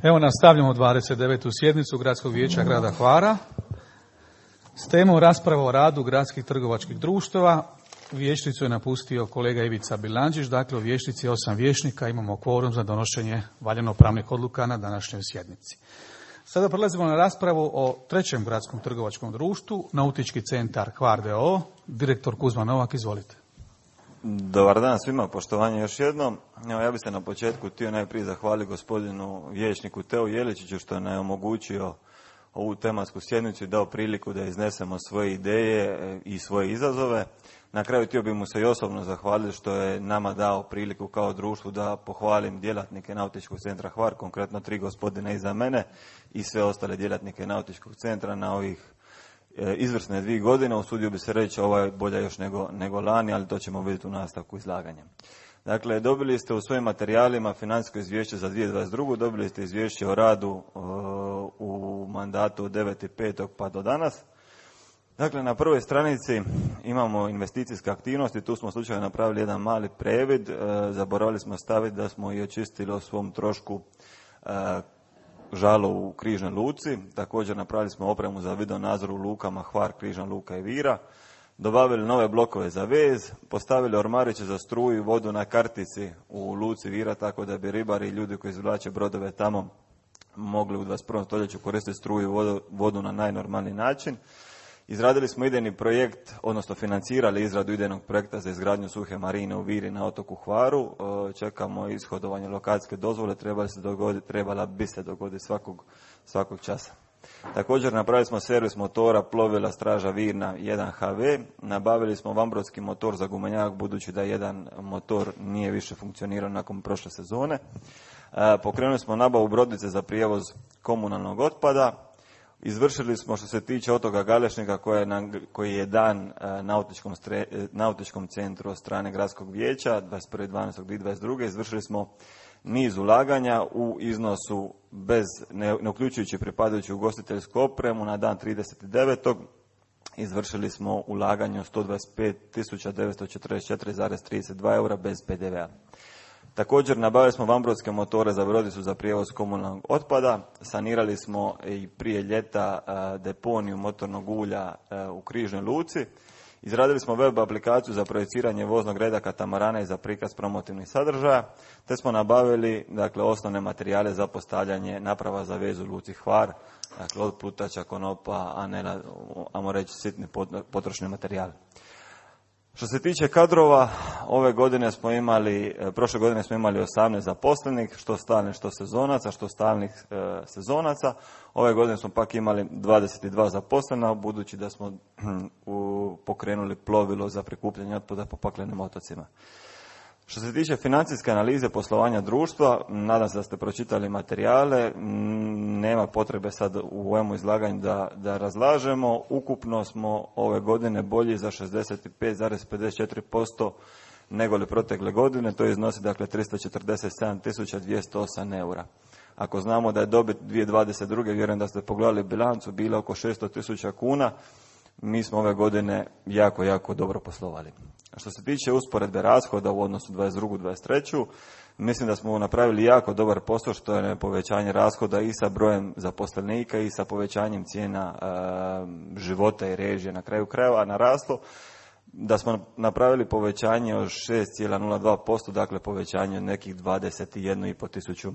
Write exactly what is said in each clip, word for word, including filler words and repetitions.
Evo nastavljamo dvadeset devetu sjednicu Gradskog vijeća grada Hvara s temom rasprava o radu gradskih trgovačkih društava. Vijećnicu je napustio kolega Ivica Bilandžić, dakle u vijećnici osam vijećnika, imamo kvorum za donošenje valjano-pravnih odluka na današnjoj sjednici. Sada prelazimo na raspravu o trećem gradskom trgovačkom društvu, Nautički centar Hvar d o o. Direktor Kuzma Novak, izvolite. Dobar dan svima, poštovanje još jednom. Evo, ja bih se na početku htio najprije zahvaliti gospodinu vijećniku Teu Jeličiću što nam je omogućio ovu tematsku sjednicu i dao priliku da iznesemo svoje ideje i svoje izazove. Na kraju htio bih mu se i osobno zahvaliti što je nama dao priliku kao društvu da pohvalim djelatnike Nautičkog centra Hvar, konkretno tri gospodine iza mene i sve ostale djelatnike Nautičkog centra na ovih izvrsne dvije godine. Usudio bi se reći ovo je bolje još nego, nego lani, ali to ćemo vidjeti u nastavku izlaganja. Dakle, dobili ste u svojim materijalima financijsko izvješće za dvije tisuće dvadeset drugu. Dobili ste izvješće o radu uh, u mandatu od devetog petog pa do danas. Dakle, na prvoj stranici imamo investicijske aktivnosti. Tu smo slučajno napravili jedan mali previd. Uh, zaboravili smo staviti da smo i očistili o svom trošku uh, žalo u Križnoj luci. Također napravili smo opremu za video nadzor u lukama Hvar, Križna luka i Vira. Dobavili nove blokove za vez, postavili ormariće za struju i vodu na kartici u luci Vira, tako da bi ribari i ljudi koji izvlače brodove tamo mogli u dvadeset prvom stoljeću koristiti struju i vodu, vodu na najnormalniji način. Izradili smo idejni projekt, odnosno financirali izradu idejnog projekta za izgradnju suhe marine u Viri na otoku Hvaru. Čekamo ishodovanje lokacijske dozvole, trebala, se dogoditi, trebala bi se dogoditi svakog, svakog časa. Također napravili smo servis motora plovila Straža Virna jedan H V, nabavili smo vambrodski motor za gumenjak budući da jedan motor nije više funkcionirao nakon prošle sezone. Pokrenuli smo nabavu brodice za prijevoz komunalnog otpada. Izvršili smo što se tiče otoka Galešnika koji je, na, koji je dan nautičkom, stre, nautičkom centru od strane Gradskog vijeća dvadeset prvog dvanaestog dvije tisuće dvadeset druge. Izvršili smo niz ulaganja u iznosu bez, ne, ne uključujući pripadajuću ugostiteljsku opremu. Na dan trideset devetog izvršili smo ulaganje od sto dvadeset pet tisuća devetsto četrdeset četiri zarez trideset dva eura bez P D V a. Također nabavili smo vambrodske motore za brodicu za prijevoz komunalnog otpada, sanirali smo i prije ljeta deponiju motornog ulja u Križnoj luci, izradili smo web aplikaciju za projeciranje voznog reda katamarana i za prikaz promotivnih sadržaja, te smo nabavili dakle, osnovne materijale za postavljanje naprava za vezu u luci Hvar, dakle od plutača, konopa, anela, ajmo reći sitni potrošni materijal. Što se tiče kadrova, ove godine smo imali, prošle godine smo imali osamnaest zaposlenih, što stalnih, što sezonaca, što stalnih e, sezonaca. Ove godine smo pak imali dvadeset dva zaposlena, budući da smo u, pokrenuli plovilo za prikupljanje otpada po paklenim otocima. Što se tiče financijske analize poslovanja društva, nadam se da ste pročitali materijale, nema potrebe sad u ovome izlaganju da, da razlažemo. Ukupno smo ove godine bolji za šezdeset pet zarez pedeset četiri posto nego li protekle godine, to iznosi dakle tristo četrdeset sedam tisuća dvjesto osam eura. Ako znamo da je dobit dvije tisuće dvadeset druge, vjerujem da ste pogledali bilancu, bila oko šesto tisuća kuna, mi smo ove godine jako, jako dobro poslovali. Što se tiče usporedbe rashoda u odnosu dvadeset drugu dvadeset treću, mislim da smo napravili jako dobar posao, što je povećanje rashoda i sa brojem zaposlenika i sa povećanjem cijena e, života i režije na kraju krajeva naraslo, da smo napravili povećanje od šest zarez nula dva posto, dakle povećanje od nekih dvadeset jedan i pol tisuću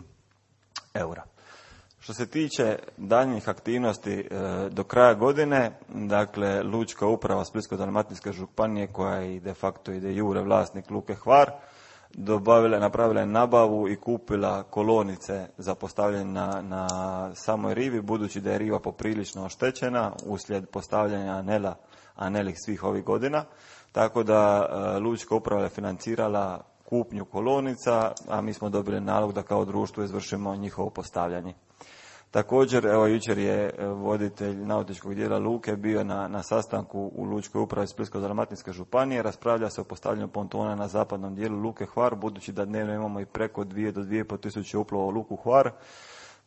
eura. Što se tiče daljnjih aktivnosti e, do kraja godine, dakle Lučka uprava Splitsko-dalmatinske županije koja je de facto i de jure vlasnik luke Hvar, dobavila, napravila je nabavu i kupila kolonice za postavljanje na, na samoj rivi, budući da je riva poprilično oštećena uslijed postavljanja anela, anelih svih ovih godina, tako da e, Lučka uprava je financirala kupnju kolonica, a mi smo dobili nalog da kao društvo izvršimo njihovo postavljanje. Također, evo jučer je voditelj nautičkog dijela luke bio na, na sastanku u Lučkoj upravi Splitsko-dalmatinske županije, raspravlja se o postavljanju pontona na zapadnom dijelu luke Hvar, budući da dnevno imamo i preko dvije do dvije i pol tisuće uplova u luku Hvar,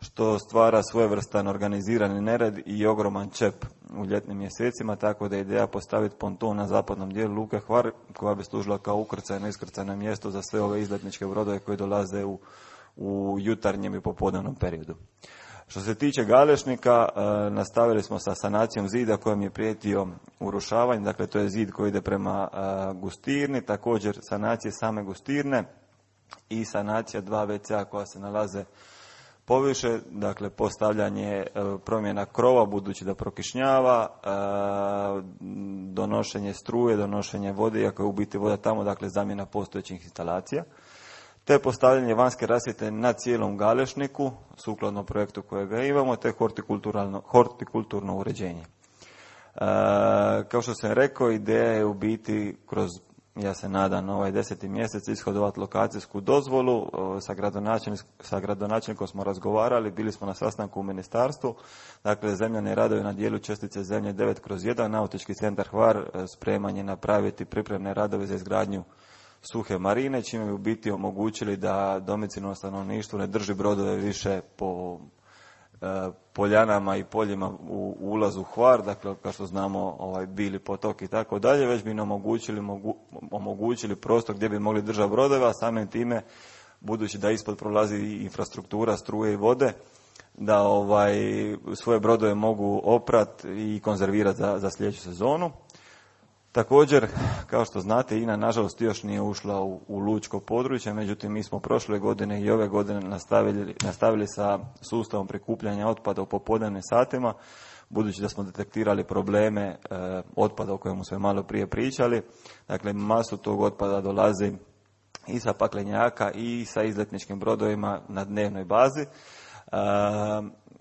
što stvara svojevrstan organizirani nered i ogroman čep u ljetnim mjesecima, tako da je ideja postaviti ponton na zapadnom dijelu luke Hvar, koja bi služila kao ukrcajno iskrcajno mjesto za sve ove izletničke brodove koji dolaze u u jutarnjem i popodnevnom periodu. Što se tiče Galešnika, nastavili smo sa sanacijom zida kojem je prijetio urušavanje, dakle to je zid koji ide prema Gustirni, također sanacije same Gustirne i sanacija dva ve ce a koja se nalaze poviše, dakle postavljanje promjena krova budući da prokišnjava, donošenje struje, donošenje vode, iako je u biti voda tamo, dakle zamjena postojećih instalacija, te postavljanje vanjske rasvjete na cijelom Galešniku, sukladno projektu kojega imamo, te hortikulturno, hortikulturno uređenje. E, kao što sam rekao, ideja je u biti kroz, ja se nadam, ovaj deseti mjesec ishodovati lokacijsku dozvolu. Sa, gradonačelnik, sa gradonačelnikom smo razgovarali, bili smo na sastanku u ministarstvu. Dakle, zemljane radovi na dijelu čestice zemlje devet kroz jedan, Nautički centar Hvar spreman je napraviti pripremne radove za izgradnju suhe marine, čime bi u biti omogućili da domicilno stanovništvo ne drži brodove više po e, poljanama i poljima u, u ulazu u Hvar, dakle kao što znamo ovaj, Bili potok i tako dalje, već bi nam omogućili, mogu, omogućili prostor gdje bi mogli držati brodove, a samim time, budući da ispod prolazi infrastruktura struje i vode, da ovaj, svoje brodove mogu oprati i konzervirati za, za sljedeću sezonu. Također, kao što znate, I N A nažalost još nije ušla u, u lučko područje, međutim mi smo prošle godine i ove godine nastavili, nastavili sa sustavom prikupljanja otpada u popodnevnim satima, budući da smo detektirali probleme e, otpada o kojemu smo malo prije pričali. Dakle, masu tog otpada dolazi i sa paklenjaka i sa izletničkim brodovima na dnevnoj bazi. E,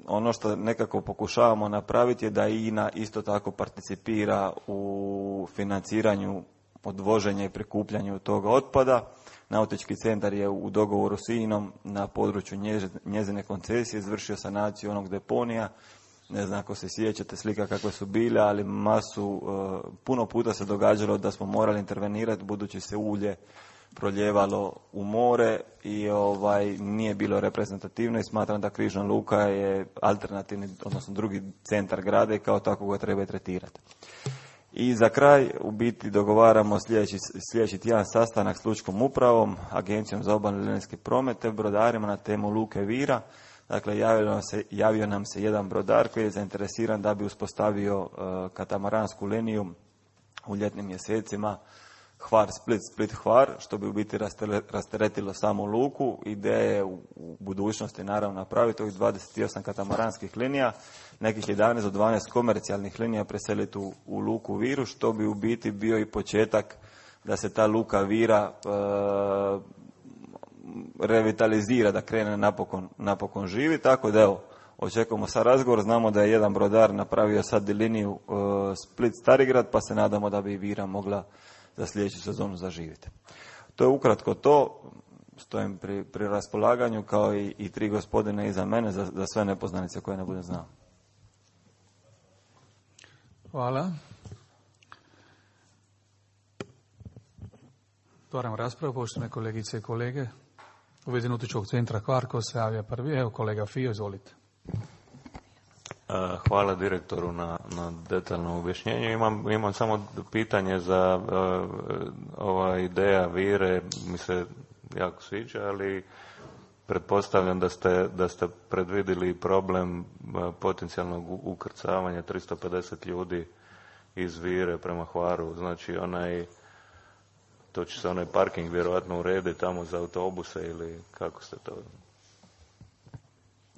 Ono što nekako pokušavamo napraviti je da I N A isto tako participira u financiranju odvoženja i prikupljanju toga otpada. Nautički centar je u dogovoru s I N A-om na području njezine koncesije izvršio sanaciju onog deponija. Ne znam ako se sjećate slika kakve su bile, ali masu, puno puta se događalo da smo morali intervenirati budući se ulje proljevalo u more i ovaj nije bilo reprezentativno i smatram da Križna luka je alternativni, odnosno drugi centar grada i kao tako ga treba tretirati. I za kraj u biti dogovaramo sljedeći, sljedeći tjedan sastanak s lučkom upravom, Agencijom za obalni linijski promet te brodarima na temu Luke Vira. Dakle, javio nam se, javio nam se jedan brodar koji je zainteresiran da bi uspostavio uh, katamaransku liniju u ljetnim mjesecima Hvar, Split, Split, Hvar, što bi u biti rasteretilo samu luku. Ideja je u budućnosti naravno napraviti ovih dvadeset osam katamaranskih linija, nekih jedanaest do dvanaest komercijalnih linija preseliti u, u luku Viru, što bi u biti bio i početak da se ta luka Vira e, revitalizira, da krene napokon, napokon živi. Tako da evo, očekujemo sa razgovor, znamo da je jedan brodar napravio sad liniju e, Split-Starigrad, pa se nadamo da bi i Vira mogla za sljedeću sezonu zaživjeti. To je ukratko to, stojim pri, pri raspolaganju kao i, i tri gospodine iza mene za, za sve nepoznanice koje ne bude znao. Hvala. Otvaram raspravu, poštovane kolegice i kolege. U vezi Nautičkog centra Hvar, ko se javlja prvi? Evo kolega Fio, izvolite. Hvala direktoru na, na detaljnom objašnjenju. Imam, imam samo pitanje za uh, ova ideja Vire, mi se jako sviđa, ali pretpostavljam da ste, da ste predvidjeli problem uh, potencijalnog ukrcavanja tristo pedeset ljudi iz Vire prema Hvaru. Znači onaj, to će se onaj parking vjerojatno urediti tamo za autobuse ili kako ste to...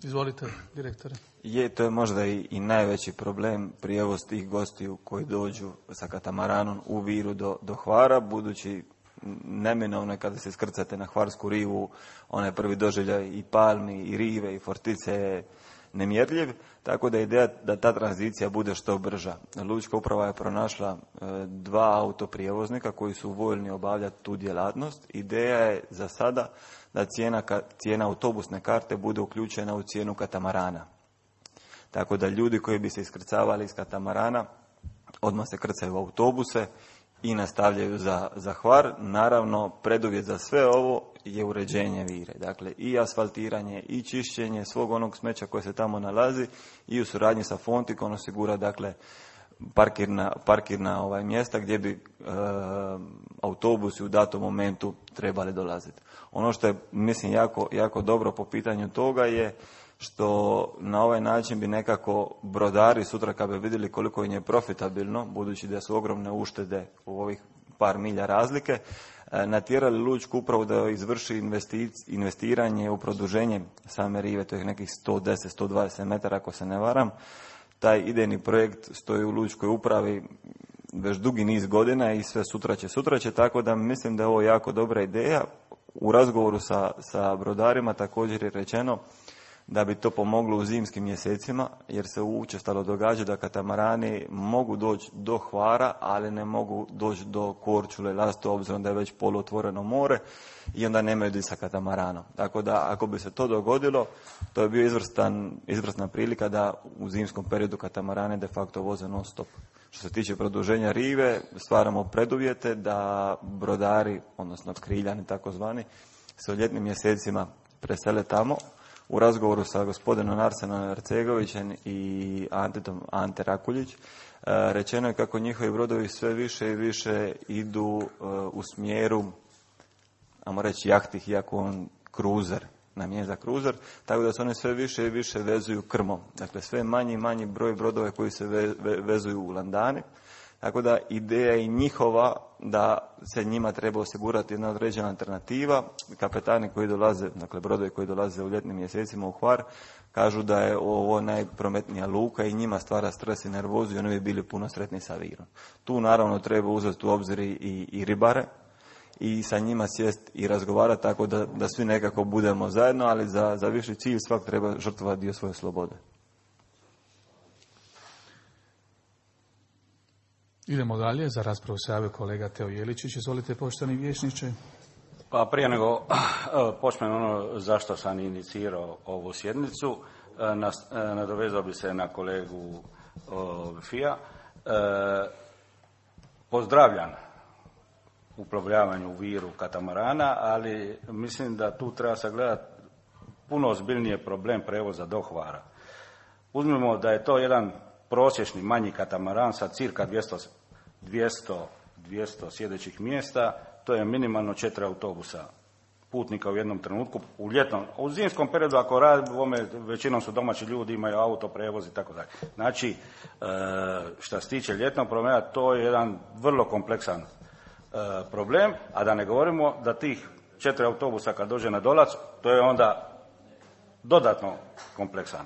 Izvolite, direktore. Je, to je možda i, i najveći problem, prijevoz tih gostiju koji dođu sa katamaranom u Viru do, do Hvara, budući neminovno je kada se iskrcate na Hvarsku rivu, onaj prvi doživljaj i palmi, i rive, i fortice je nemjerljiv, tako da je ideja da ta tranzicija bude što brža. Lučka uprava je pronašla e, dva autoprijevoznika koji su voljni obavljati tu djelatnost. Ideja je za sada da cijena, cijena autobusne karte bude uključena u cijenu katamarana. Tako da ljudi koji bi se iskrcavali iz katamarana odmah se krcaju u autobuse i nastavljaju za, za Hvar. Naravno, preduvjet za sve ovo je uređenje Vire. Dakle, i asfaltiranje, i čišćenje svog onog smeća koje se tamo nalazi i u suradnji sa Fontikom osigura, dakle, parkirna, parkirna ovaj, mjesta gdje bi e, autobusi u datom momentu trebali dolaziti. Ono što je, mislim, jako, jako dobro po pitanju toga je što na ovaj način bi nekako brodari sutra kad bi vidjeli koliko im je profitabilno, budući da su ogromne uštede u ovih par milja razlike, natjerali lučku upravu da izvrši investiranje u produženje same rive, to je nekih sto deset do sto dvadeset metara ako se ne varam. Taj idejni projekt stoji u lučkoj upravi već dugi niz godina i sve sutra će, sutra će, tako da mislim da je ovo jako dobra ideja. U razgovoru sa, sa brodarima također je rečeno da bi to pomoglo u zimskim mjesecima, jer se učestalo događa da katamarani mogu doći do Hvara, ali ne mogu doći do Korčule, Lasto, obzirom da je već poluotvoreno more i onda nemaju di sa katamaranom. Tako da, ako bi se to dogodilo, to je bio izvrstan, izvrsna prilika da u zimskom periodu katamarane de facto voze non stop. Što se tiče produženja rive, stvaramo preduvjete da brodari, odnosno kriljani takozvani, se u ljetnim mjesecima presele tamo. U razgovoru sa gospodinom Arsenom Arcegovićem i Antetom, Ante Rakuljić, rečeno je kako njihovi brodovi sve više i više idu u smjeru, ajmo reći, jahtih, iako on kruzer, namijenjen za kruzer, tako da se one sve više i više vezuju krmom. Dakle, sve manji i manji broj brodova koji se ve, ve, vezuju u landani. Tako da ideja je njihova da se njima treba osigurati jedna određena alternativa. Kapetani koji dolaze, dakle brodovi koji dolaze u ljetnim mjesecima u Hvar, kažu da je ovo najprometnija luka i njima stvara stres i nervozu i oni bi bili puno sretni sa virom. Tu naravno treba uzeti u obzir i, i ribare i sa njima sjest i razgovarati tako da, da svi nekako budemo zajedno, ali za, za viši cilj svak treba žrtvovati dio svoje slobode. Idemo dalje, za raspravu se javio kolega Teo Jeličić. Izvolite, poštovani vijećniče. Pa prije nego počnem ono zašto sam inicirao ovu sjednicu, nadovezao bi se na kolegu Fija. Pozdravljam uplovljavanje u Viru katamarana, ali mislim da tu treba sagledati puno ozbiljnije problem prevoza do Hvara. Uzmimo da je to jedan prosječni manji katamaran sa cirka dvjesto, dvjesto, dvjesto sjedećih mjesta, to je minimalno četiri autobusa putnika u jednom trenutku. U ljetnom, u zimskom periodu ako radimo, većinom su domaći ljudi, imaju auto, prevoz i tako dalje. Znači, što se tiče ljetnog prometa, to je jedan vrlo kompleksan problem, a da ne govorimo da tih četiri autobusa kad dođe na Dolac, to je onda dodatno kompleksan.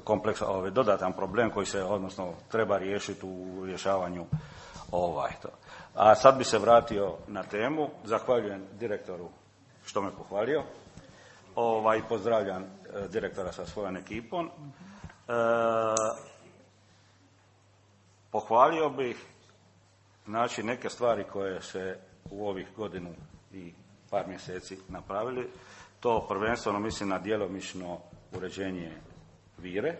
kompleks, ovaj, dodatan problem koji se, odnosno, treba riješiti u rješavanju ovaj to. A sad bi se vratio na temu. Zahvaljujem direktoru što me pohvalio. Ovaj, pozdravljam eh, direktora sa svojom ekipom. E, pohvalio bih znači neke stvari koje se u ovih godinu i par mjeseci napravili. To prvenstveno mislim na djelomično uređenje Vire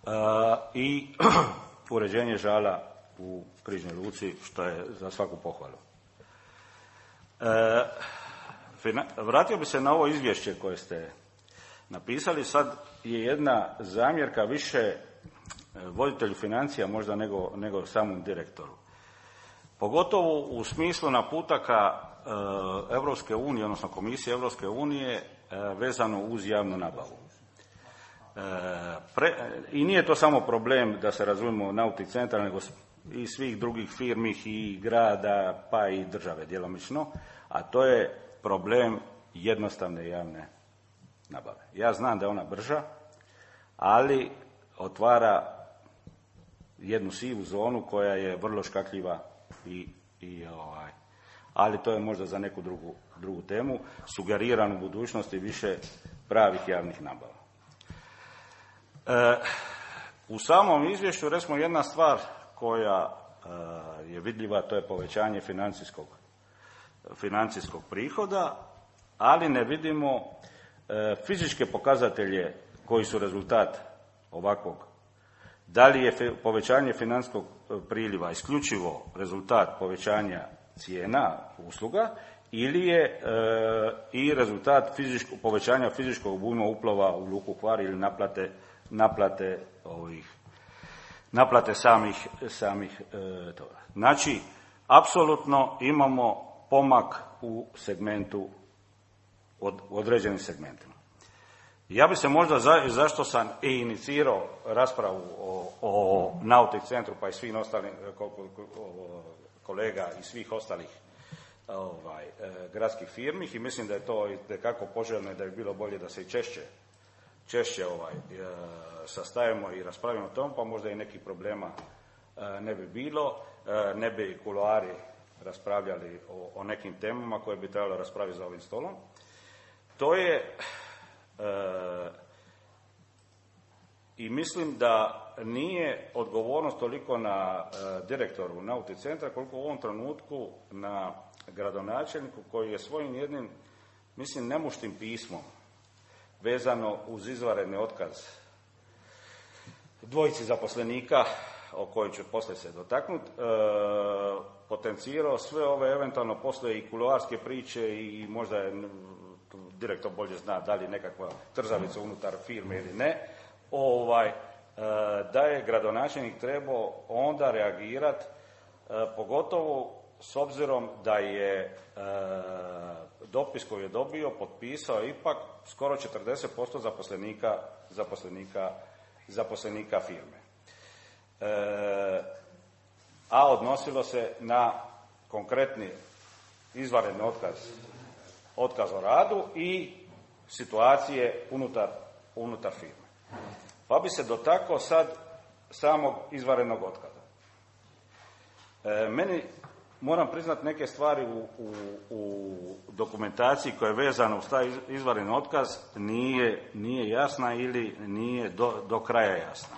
a, i uređenje žala u Križnoj luci, što je za svaku pohvalu. E, fina, vratio bi se na ovo izvješće koje ste napisali. Sad je jedna zamjerka više voditelju financija možda nego, nego samom direktoru. Pogotovo u smislu naputaka e, Europske unije, odnosno Komisije Europske unije e, vezano uz javnu nabavu. E, pre, I nije to samo problem, da se razumijemo, Nautic centra, nego i svih drugih firmi i grada, pa i države djelomično, a to je problem jednostavne javne nabave. Ja znam da je ona brža, ali otvara jednu sivu zonu koja je vrlo škakljiva i, i ovaj, ali to je možda za neku drugu, drugu temu. Sugeriran u budućnosti više pravih javnih nabava. E, u samom izvješću recimo jedna stvar koja e, je vidljiva, to je povećanje financijskog, financijskog prihoda, ali ne vidimo e, fizičke pokazatelje koji su rezultat ovakvog. Da li je povećanje financijskog priliva isključivo rezultat povećanja cijena usluga ili je e, i rezultat fizičko, povećanja fizičkog obujma uplova u luku Hvar ili naplate, naplate ovih naplate samih, samih e, toga. Znači, apsolutno imamo pomak u segmentu, od, u određenim segmentima. Ja bi se možda, za, zašto sam i inicirao raspravu o, o Nautic centru, pa i svih ostalih kolega i svih ostalih ovaj, gradskih firmi, i mislim da je to itekako poželjno i da bi bilo bolje da se i češće, češće ovaj, sastajemo i raspravimo o tom, pa možda i nekih problema ne bi bilo, ne bi kuloari raspravljali o, o nekim temama koje bi trebalo raspraviti za ovim stolom. To je e, i mislim da nije odgovornost toliko na e, direktoru Nautic centra koliko u ovom trenutku na gradonačelniku koji je svojim jednim, mislim, nemuštim pismom vezano uz izvanredni otkaz dvojici zaposlenika, o kojoj ću poslije se dotaknuti, e, potencirao sve ove, eventualno postoje i kuloarske priče i možda je direktor bolje zna da li nekakva trzavica unutar firme ili ne, ovaj, e, da je gradonačelnik trebao onda reagirati, e, pogotovo s obzirom da je e, dopis koji je dobio potpisao ipak skoro četrdeset posto zaposlenika, zaposlenika, zaposlenika firme. E, a odnosilo se na konkretni izvanredni otkaz, otkaz o radu i situacije unutar, unutar firme. Pa bi se dotakao sad samog izvanrednog otkaza. E, meni, moram priznati, neke stvari u, u, u dokumentaciji koja je vezana uz taj izvanredni otkaz nije, nije jasna ili nije do, do kraja jasna.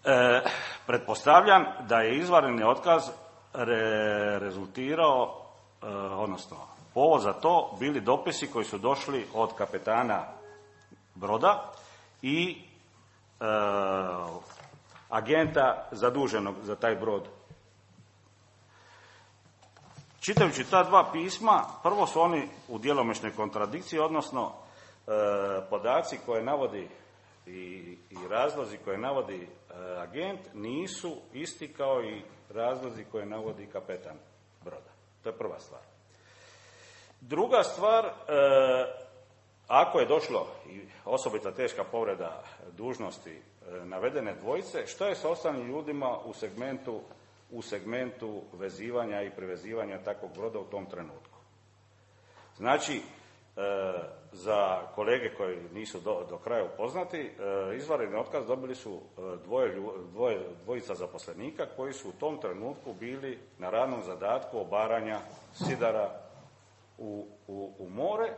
E, pretpostavljam da je izvanredni otkaz re, rezultirao, e, odnosno povod za to bili dopisi koji su došli od kapetana broda i e, agenta zaduženog za taj brod. Čitajući ta dva pisma, prvo su oni u djelomičnoj kontradikciji, odnosno e, podaci koje navodi i, i razlozi koje navodi e, agent nisu isti kao i razlozi koje navodi kapetan broda. To je prva stvar. Druga stvar, e, ako je došlo i osobita teška povreda dužnosti e, navedene dvojice, što je sa ostalim ljudima u segmentu, u segmentu vezivanja i prevezivanja takvog broda u tom trenutku? Znači, e, za kolege koji nisu do, do kraja upoznati, e, izvanredni otkaz dobili su dvoje, dvoje, dvojica zaposlenika koji su u tom trenutku bili na radnom zadatku obaranja sidara u, u, u more,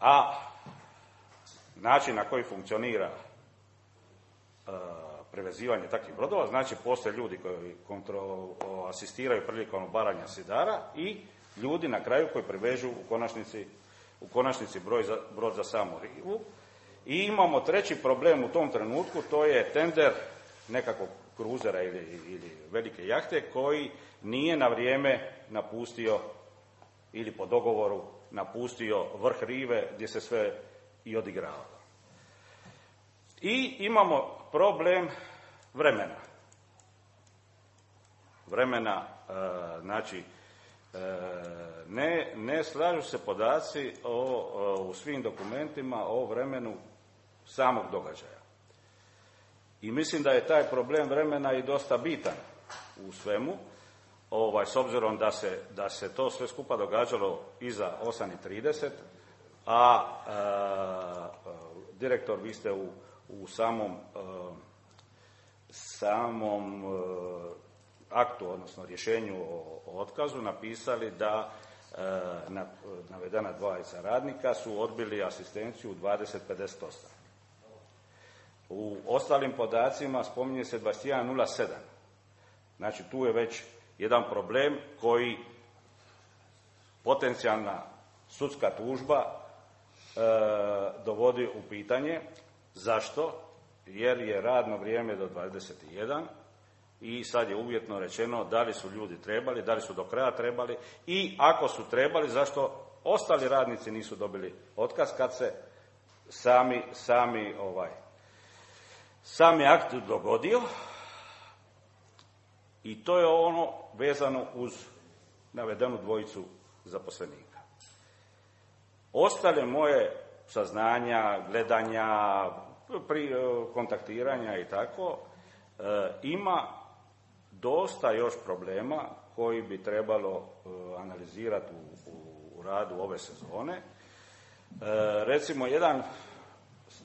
a način na koji funkcionira e, prevezivanje takvih brodova, znači postoje ljudi koji kontro, asistiraju prilikom obaranja sidara i ljudi na kraju koji prevežu u konačnici, u konačnici broj za, brod za samu rivu. I imamo treći problem u tom trenutku, to je tender nekakvog kruzera ili, ili velike jahte koji nije na vrijeme napustio ili po dogovoru napustio vrh rive gdje se sve i odigravalo. I imamo problem vremena. Vremena, e, znači, e, ne, ne slažu se podaci o, o, u svim dokumentima o vremenu samog događaja. I mislim da je taj problem vremena i dosta bitan u svemu, ovaj, s obzirom da se, da se to sve skupa događalo iza osam i trideset, a, a direktor, vi ste u, u samom, a, samom a, aktu, odnosno rješenju o, o otkazu napisali da a, na, navedena dvojica radnika su odbili asistenciju dvadeset pedeset osam. U ostalim podacima spominje se dvadeset jedan nula sedam. Znači tu je već jedan problem koji potencijalna sudska tužba e, dovodi u pitanje. Zašto? Jer je radno vrijeme do dvadeset jedan i sad je uvjetno rečeno da li su ljudi trebali, da li su do kraja trebali i ako su trebali, zašto ostali radnici nisu dobili otkaz kad se sami, sami ovaj, Sam je akt dogodio i to je ono vezano uz navedenu dvojicu zaposlenika. Ostale moje saznanja, gledanja, pri, kontaktiranja i tako, e, ima dosta još problema koji bi trebalo e, analizirati u, u, u radu ove sezone. E, recimo, jedan,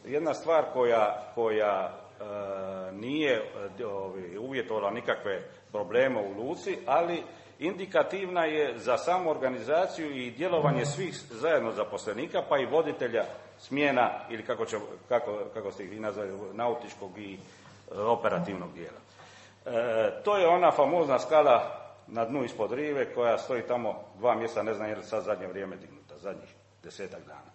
jedna stvar koja, koja e, nije ovi, uvjetovala nikakve probleme u luci, ali indikativna je za samu organizaciju i djelovanje svih zajedno zaposlenika, pa i voditelja smjena, ili kako, će, kako, kako ste ih vi nazvali, nautičkog i e, operativnog dijela. E, to je ona famozna skala na dnu ispod rive koja stoji tamo dva mjeseca, ne znam je li sad zadnje vrijeme dignuta, zadnjih desetak dana.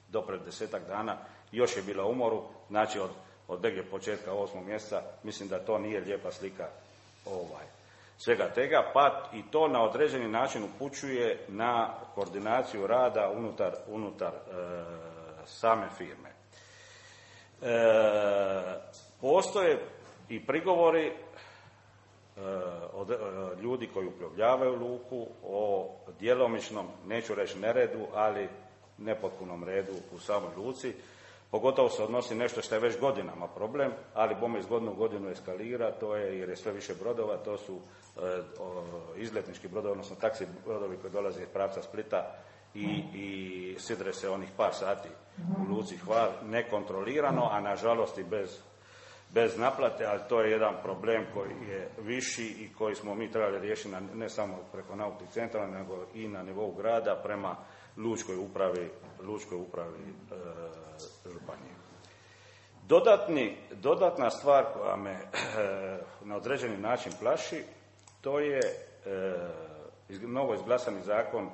Do pred desetak dana još je bila u moru, znači od, od negdje početka osmog mjeseca, mislim da to nije lijepa slika ovaj, svega tega, pa i to na određeni način upućuje na koordinaciju rada unutar, unutar e, same firme. E, postoje i prigovori e, od e, ljudi koji uplovljavaju luku o djelomičnom, neću reći neredu, ali nepotpunom redu u samoj luci. Pogotovo se odnosi nešto što je već godinama problem, ali bome iz godine u godinu eskalira, to je jer je sve više brodova, to su e, o, izletnički brodovi, odnosno taksi brodovi koji dolaze iz pravca Splita i, i sidre se onih par sati u luci Hvar nekontrolirano, a nažalost i bez, bez naplate, ali to je jedan problem koji je viši i koji smo mi trebali riješiti na, ne samo preko nautičkog centra, nego i na nivou grada prema lučkoj upravi, lučkoj upravi e, županije. Dodatni, dodatna stvar koja me e, na određeni način plaši, to je e, novo izglasani zakon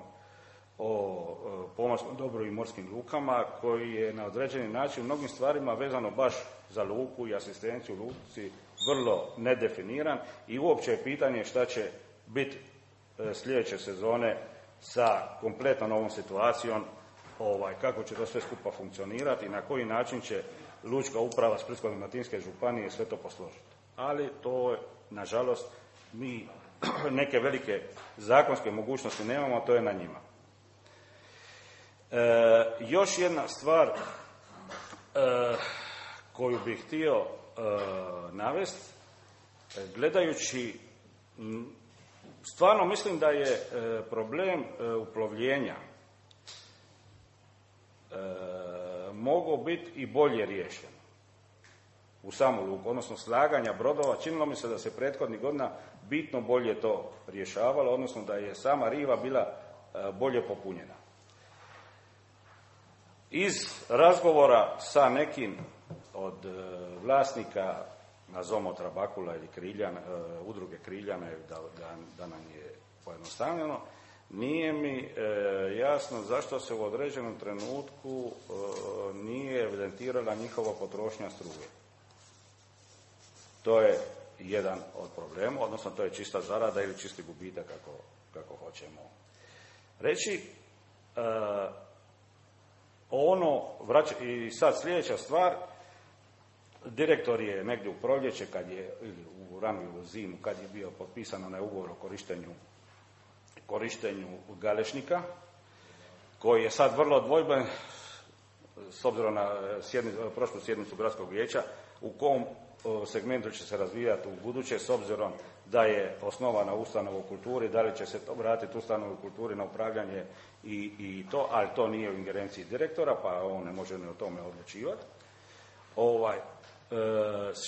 o e, pomorskom dobru i morskim lukama, koji je na određeni način u mnogim stvarima vezano baš za luku i asistenciju u luci vrlo nedefiniran i uopće je pitanje šta će biti e, sljedeće sezone sa kompletno novom situacijom, ovaj, kako će to sve skupa funkcionirati i na koji način će lučka uprava Splitsko-dalmatinske županije sve to posložiti. Ali to, nažalost, mi neke velike zakonske mogućnosti nemamo, to je na njima. E, još jedna stvar e, koju bih htio e, navesti, gledajući, stvarno mislim da je e, problem e, uplovljenja e, mogao biti i bolje riješen u samu luku, odnosno slaganja brodova. Činilo mi se da se prethodnih godina bitno bolje to rješavalo, odnosno da je sama riva bila e, bolje popunjena. Iz razgovora sa nekim od e, vlasnika, nazovimo Trabakula ili Kriljana, e, udruge Kriljana, da, da, da nam je pojednostavljeno, nije mi e, jasno zašto se u određenom trenutku e, nije evidentirala njihova potrošnja struje. To je jedan od problema, odnosno to je čista zarada ili čisti gubitak, kako, kako hoćemo reći. E, ono, vrać, i sad sljedeća stvar, direktor je negdje u proljeće, kad je, ili u ranu zimu, kad je bio potpisan onaj ugovor o korištenju, korištenju galešnika, koji je sad vrlo dvojben, s obzirom na sjednicu, prošlu sjednicu gradskog vijeća, u kom segmentu će se razvijati u buduće, s obzirom da je osnovana ustanova u kulturi, da li će se to vratiti ustanovu u kulturi na upravljanje i, i to, ali to nije u ingerenciji direktora, pa on ne može ni o tome odlučivati. Ovaj, e,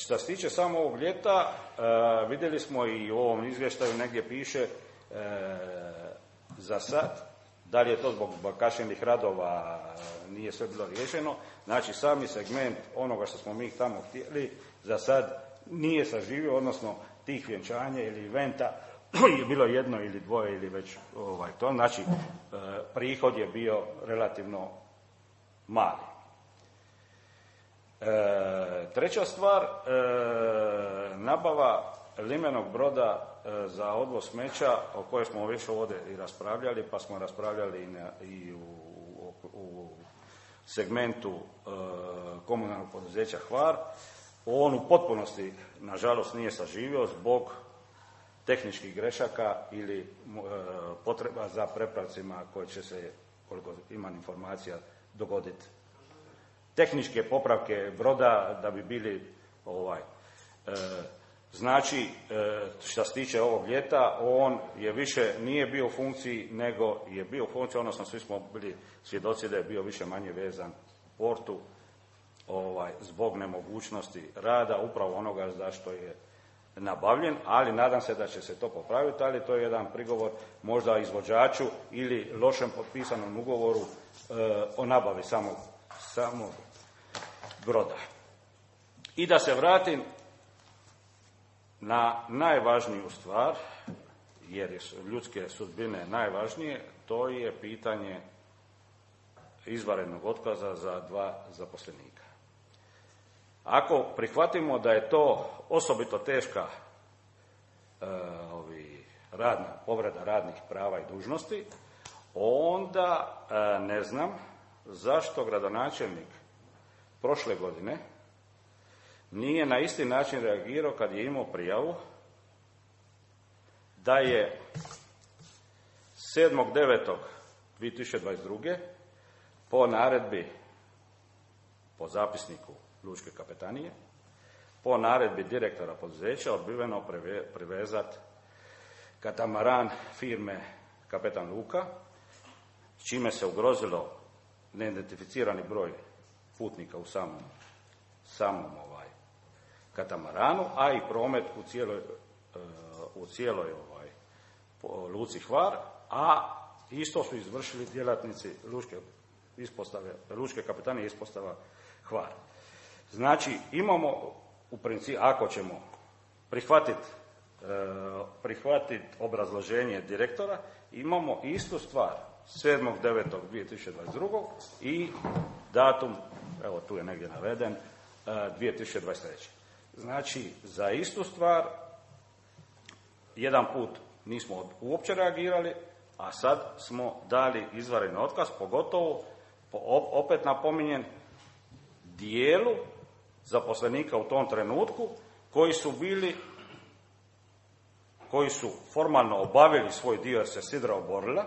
što se tiče samo ovog ljeta, e, vidjeli smo i u ovom izvještaju negdje piše e, za sad, da li je to zbog kašnjenih radova, nije sve bilo riješeno, znači sami segment onoga što smo mi tamo htjeli, za sad nije saživio, odnosno tih vjenčanja ili eventa je bilo jedno ili dvoje ili već ovaj, to, znači e, prihod je bio relativno mali. E, treća stvar, e, nabava limenog broda e, za odvoz smeća, o kojoj smo već ovdje i raspravljali, pa smo raspravljali i, na, i u, u, u segmentu e, komunalnog poduzeća Hvar. on u potpunosti, nažalost, nije saživio zbog tehničkih grešaka ili e, potreba za prepravcima koje će se, koliko imam informacija, dogoditi. Tehničke popravke broda da bi bili ovaj. E, znači, e, što se tiče ovog ljeta, on je više, nije bio u funkciji, nego je bio u funkciji, odnosno svi smo bili svjedoci da je bio više manje vezan portu ovaj, zbog nemogućnosti rada, upravo onoga zašto je nabavljen, ali nadam se da će se to popraviti, ali to je jedan prigovor možda izvođaču ili lošem potpisanom ugovoru e, o nabavi samog, samog broda. I da se vratim na najvažniju stvar, jer su ljudske sudbine najvažnije, to je pitanje izvanrednog otkaza za dva zaposlenika. Ako prihvatimo da je to osobito teška e, ovi, radna, povreda radnih prava i dužnosti, onda e, ne znam zašto gradonačelnik prošle godine nije na isti način reagirao kad je imao prijavu da je sedmog devetog dvije tisuće dvadeset druge po naredbi, po zapisniku Lučke kapetanije, po naredbi direktora poduzeća odbiveno privezati katamaran firme Kapetan Luka, s čime se ugrozilo neidentificirani broj putnika u samom, samom ovaj, katamaranu, a i promet u cijeloj, u cijeloj ovaj, luci Hvar, a isto su izvršili djelatnici Lučke ispostave, Lučke kapetanije ispostava Hvar. Znači, imamo u principu, ako ćemo prihvatiti prihvatiti obrazloženje direktora, imamo istu stvar sedmog devetog dvije tisuće dvadeset druge i datum, evo tu je negdje naveden, dvije tisuće dvadeset treće. Znači, za istu stvar jedan put nismo uopće reagirali, a sad smo dali izvanredni otkaz, pogotovo, opet napominjem, dijelu zaposlenika u tom trenutku koji su bili, koji su formalno obavili svoj dio jer se sidra oborila,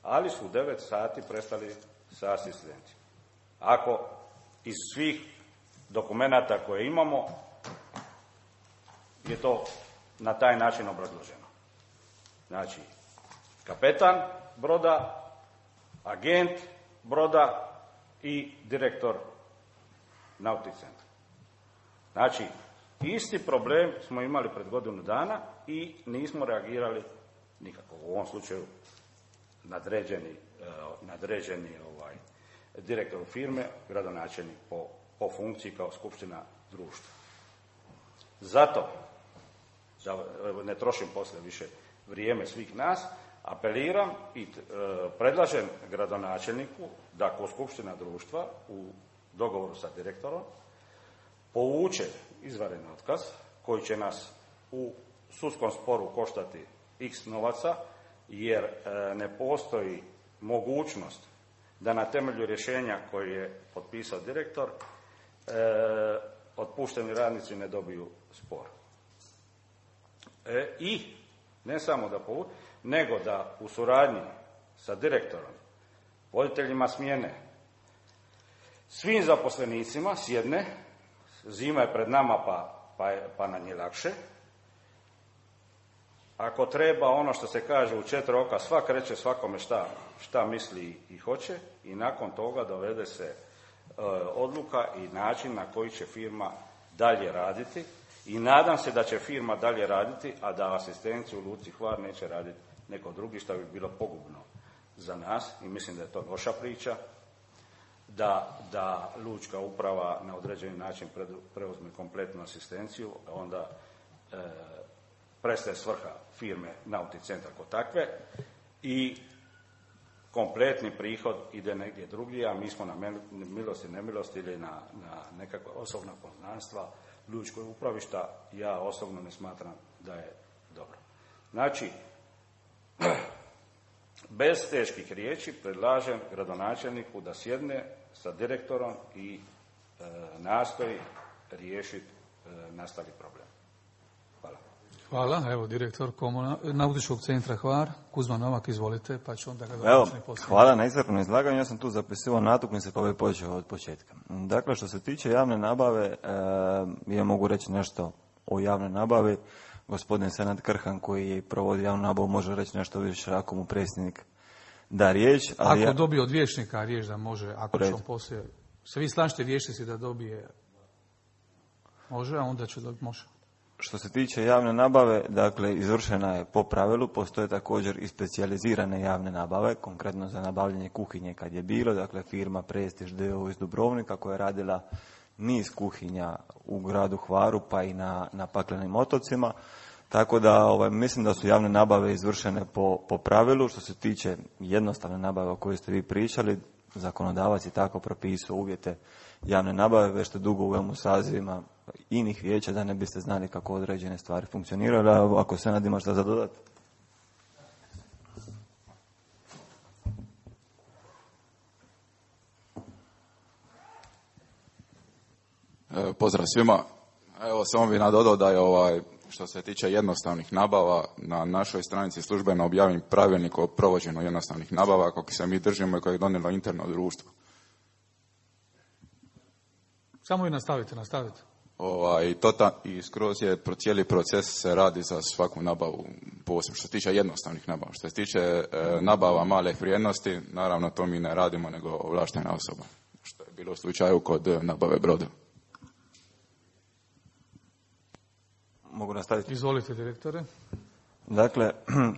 ali su u devet sati prestali sa asistencijom. Ako iz svih dokumenata koje imamo je to na taj način obrazloženo. Znači, kapetan broda, agent broda i direktor Nautic centra. Znači, isti problem smo imali pred godinu dana i nismo reagirali nikako. U ovom slučaju nadređeni, nadređeni ovaj, direktor firme, gradonačelnik po, po funkciji kao skupština društva. Zato, da ne trošim poslije više vrijeme svih nas, apeliram i e, predlažem gradonačelniku da ko skupština društva u dogovoru sa direktorom povuče izvanredni otkaz koji će nas u sudskom sporu koštati x novaca, jer e, ne postoji mogućnost da na temelju rješenja koje je potpisao direktor e, otpušteni radnici ne dobiju spor. E, I ne samo da povuče, nego da u suradnji sa direktorom, voditeljima smjene, svim zaposlenicima sjedne, zima je pred nama pa, pa, pa nam je lakše. Ako treba ono što se kaže u četiri oka, svak reće svakome šta, šta misli i hoće i nakon toga dovede se e, odluka i način na koji će firma dalje raditi i nadam se da će firma dalje raditi, a da asistenciju u Luci Hvar neće raditi neko drugi, što bi bilo pogubno za nas i mislim da je to loša priča. Da, da lučka uprava na određeni način preuzme kompletnu asistenciju, onda e, prestaje svrha firme Nautic centar kod takve i kompletni prihod ide negdje drugdje, a mi smo na milost i nemilost ili na, na nekakva osobna poznanstva lučkoj upravi, šta ja osobno ne smatram da je dobro. Znači, bez teških riječi predlažem gradonačelniku da sjedne sa direktorom i e, nastoji riješiti e, nastali problem. Hvala. Hvala. Evo, direktor komuna, Nautičkog centra Hvar, Kuzma Novak, izvolite, pa ću onda ga Evo, završiti poslije. hvala na iscrpnom izlaganju, ja sam tu zapisivao natuknice pa bi počeo od početka. Dakle, što se tiče javne nabave, e, ja mogu reći nešto o javnoj nabavi. Gospodin Senad Krhan koji provodi javnu nabavu može reći nešto više ako mu predsjednik da riječ. Ali ako ja... dobije od vijećnika riječ da može, ako Red. ćemo poslije, se vi slažete vijećnici da dobije, može, a onda će dobiti, može. Što se tiče javne nabave, dakle, izvršena je po pravilu, postoje također i specijalizirane javne nabave, konkretno za nabavljanje kuhinje kad je bilo, dakle, firma Prestiž d o o iz Dubrovnika koja je radila niz kuhinja u gradu Hvaru pa i na, na paklenim otocima, tako da ovaj, mislim da su javne nabave izvršene po, po pravilu. Što se tiče jednostavne nabave o kojoj ste vi pričali, zakonodavac je tako propisao uvjete javne nabave, već ste dugo u ovim sazivima inih vijeća da ne biste znali kako određene stvari funkcioniraju, ali ako se nadima šta za dodati. Pozdrav svima. Evo, samo bih nadodao da je ovaj, što se tiče jednostavnih nabava, na našoj stranici službeno objavim pravilnik o provođenju jednostavnih nabava, kako se mi držimo i koje je donijelo interno društvo. Samo vi nastavite, nastavite. Ovaj, to ta, I skroz je cijeli proces se radi za svaku nabavu posebno, što se tiče jednostavnih nabava. Što se tiče e, nabava male vrijednosti, naravno to mi ne radimo nego ovlaštena osoba, što je bilo u slučaju kod nabave broda. Mogu nastaviti? Izvolite, direktore. Dakle,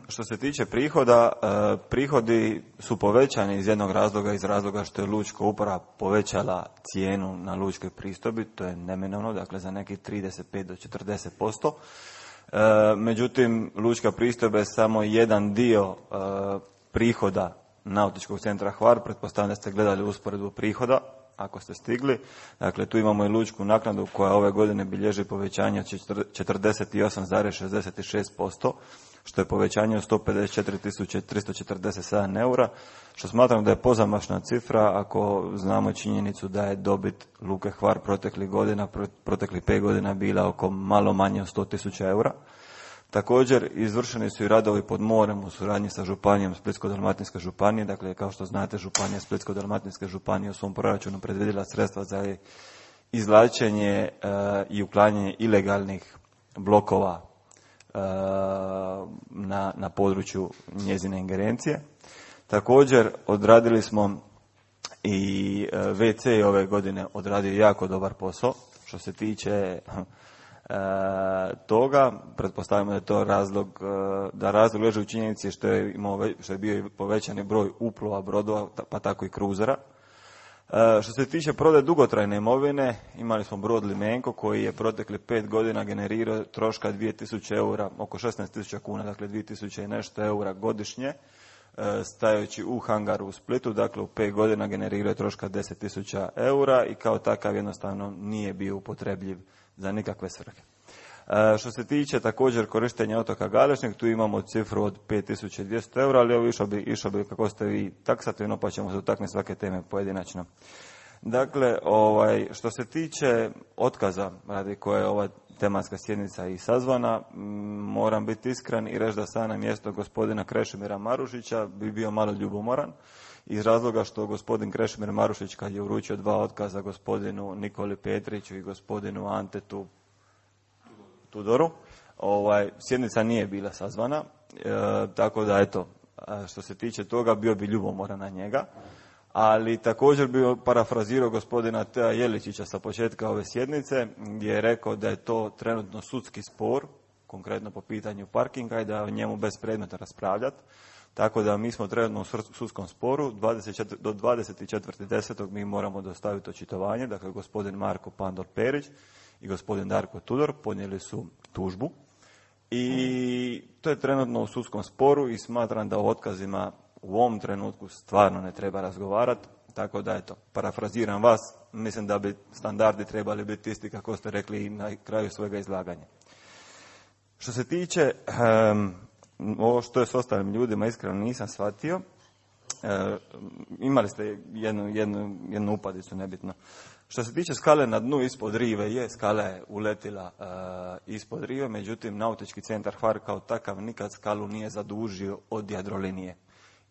što se tiče prihoda, prihodi su povećani iz jednog razloga, iz razloga što je lučka uprava povećala cijenu na lučkoj pristojbi, to je neminovno, dakle za nekih trideset pet do četrdeset posto. Međutim, lučka pristojba je samo jedan dio prihoda Nautičkog centra Hvar, pretpostavljam da ste gledali usporedbu prihoda, ako ste stigli. Dakle, tu imamo i lučku naknadu koja ove godine bilježi povećanje od četrdeset osam zarez šezdeset šest posto, što je povećanje od sto pedeset četiri tisuće tristo četrdeset sedam eura, što smatram da je pozamašna cifra ako znamo činjenicu da je dobit Luke Hvar proteklih godina, proteklih pet godina bila oko malo manje od sto tisuća eura. Također, izvršeni su i radovi pod morem u suradnji sa županijom Splitsko-dalmatinske županije. Dakle, kao što znate, županija Splitsko-dalmatinske županije u svom proračunu predvidjela sredstva za izvlačenje e, i uklanjanje ilegalnih blokova e, na, na području njezine ingerencije. Također, odradili smo i e, ve ce ove godine odradio jako dobar posao. Što se tiče E, toga, pretpostavljamo da je to razlog, da razlog leži u činjenici što je, imao, što je bio povećani broj uplova brodova, pa tako i kruzera. E, što se tiče prodaje dugotrajne imovine, imali smo brod Limenko koji je protekli pet godina generirao troška dvije tisuće eura, oko šesnaest tisuća kuna, dakle dvije tisuće i nešto eura godišnje, e, stajući u hangaru u Splitu, dakle u pet godina generirao troška deset tisuća eura i kao takav jednostavno nije bio upotrebljiv za nikakve svrhe. E, što se tiče također korištenja otoka Galešnik, tu imamo cifru od pet tisuća dvjesto eura, ali ovo išao bi, išao bi kako ste vi taksativno, pa ćemo se dotaknuti svake teme pojedinačno. Dakle, ovaj, što se tiče otkaza radi koje je ova tematska sjednica i sazvana, m, moram biti iskren i reći da sada na mjesto gospodina Krešimira Marušića bi bio malo ljubomoran, iz razloga što gospodin Krešimir Marušić kad je uručio dva otkaza gospodinu Nikoli Petriću i gospodinu Antetu Tudoru, ovaj, sjednica nije bila sazvana, e, tako da eto, što se tiče toga bio bi ljubomoran na njega, ali također bi parafrazirao gospodina Tea Jeličića sa početka ove sjednice gdje je rekao da je to trenutno sudski spor, konkretno po pitanju parkinga i da o njemu bez predmeta raspravljati. Tako da mi smo trenutno u sudskom sporu, do dvadeset četvrtog desetog mi moramo dostaviti očitovanje, dakle gospodin Marko Pandor Perić i gospodin Darko Tudor podnijeli su tužbu i to je trenutno u sudskom sporu i smatram da o otkazima u ovom trenutku stvarno ne treba razgovarati, tako da eto, parafraziram vas, mislim da bi standardi trebali biti isti kako ste rekli i na kraju svojega izlaganja. Što se tiče um, ovo što je s ostalim ljudima, iskreno nisam shvatio. E, imali ste jednu, jednu, jednu upadicu, nebitno. Što se tiče skale na dnu ispod rive, je, skala je uletila uh, ispod rive, međutim Nautički centar Hvar kao takav nikad skalu nije zadužio od Jadrolinije.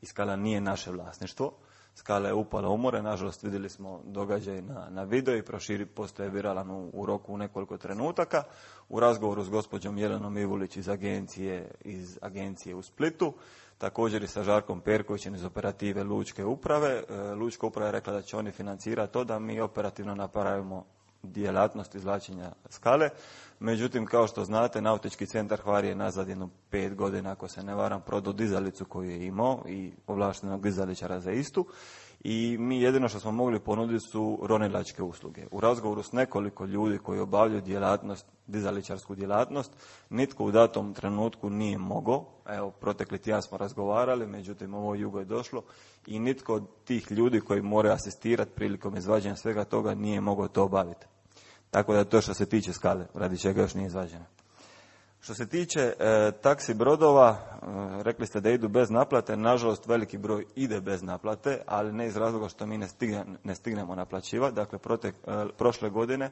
I skala nije naše vlasništvo. Skala je upala u more, nažalost vidjeli smo događaj na, na video i proširi postoje viralan u, u roku u nekoliko trenutaka. U razgovoru s gospođom Jelenom Ivulić iz agencije, iz agencije u Splitu, također i sa Žarkom Perkovićem iz operative Lučke uprave. E, Lučka uprava je rekla da će oni financirati to da mi operativno napravimo djelatnost izvlačenja skale. Međutim, kao što znate, Nautički centar Hvar je nazad jedno pet godina, ako se ne varam, prodao dizalicu koju je imao i ovlaštenog dizaličara za istu. I mi jedino što smo mogli ponuditi su ronilačke usluge. U razgovoru s nekoliko ljudi koji obavljaju djelatnost, dizaličarsku djelatnost, nitko u datom trenutku nije mogao. Evo, protekli tjedan smo razgovarali, međutim ovo jugo je došlo i nitko od tih ljudi koji moraju asistirati prilikom izvađanja svega toga nije mogao to obaviti. Tako da to što se tiče skale, radi čega još nije izvađena. Što se tiče e, taksi brodova, e, rekli ste da idu bez naplate, nažalost veliki broj ide bez naplate, ali ne iz razloga što mi ne, stigne, ne stignemo naplaćivati. Dakle, protek, e, prošle godine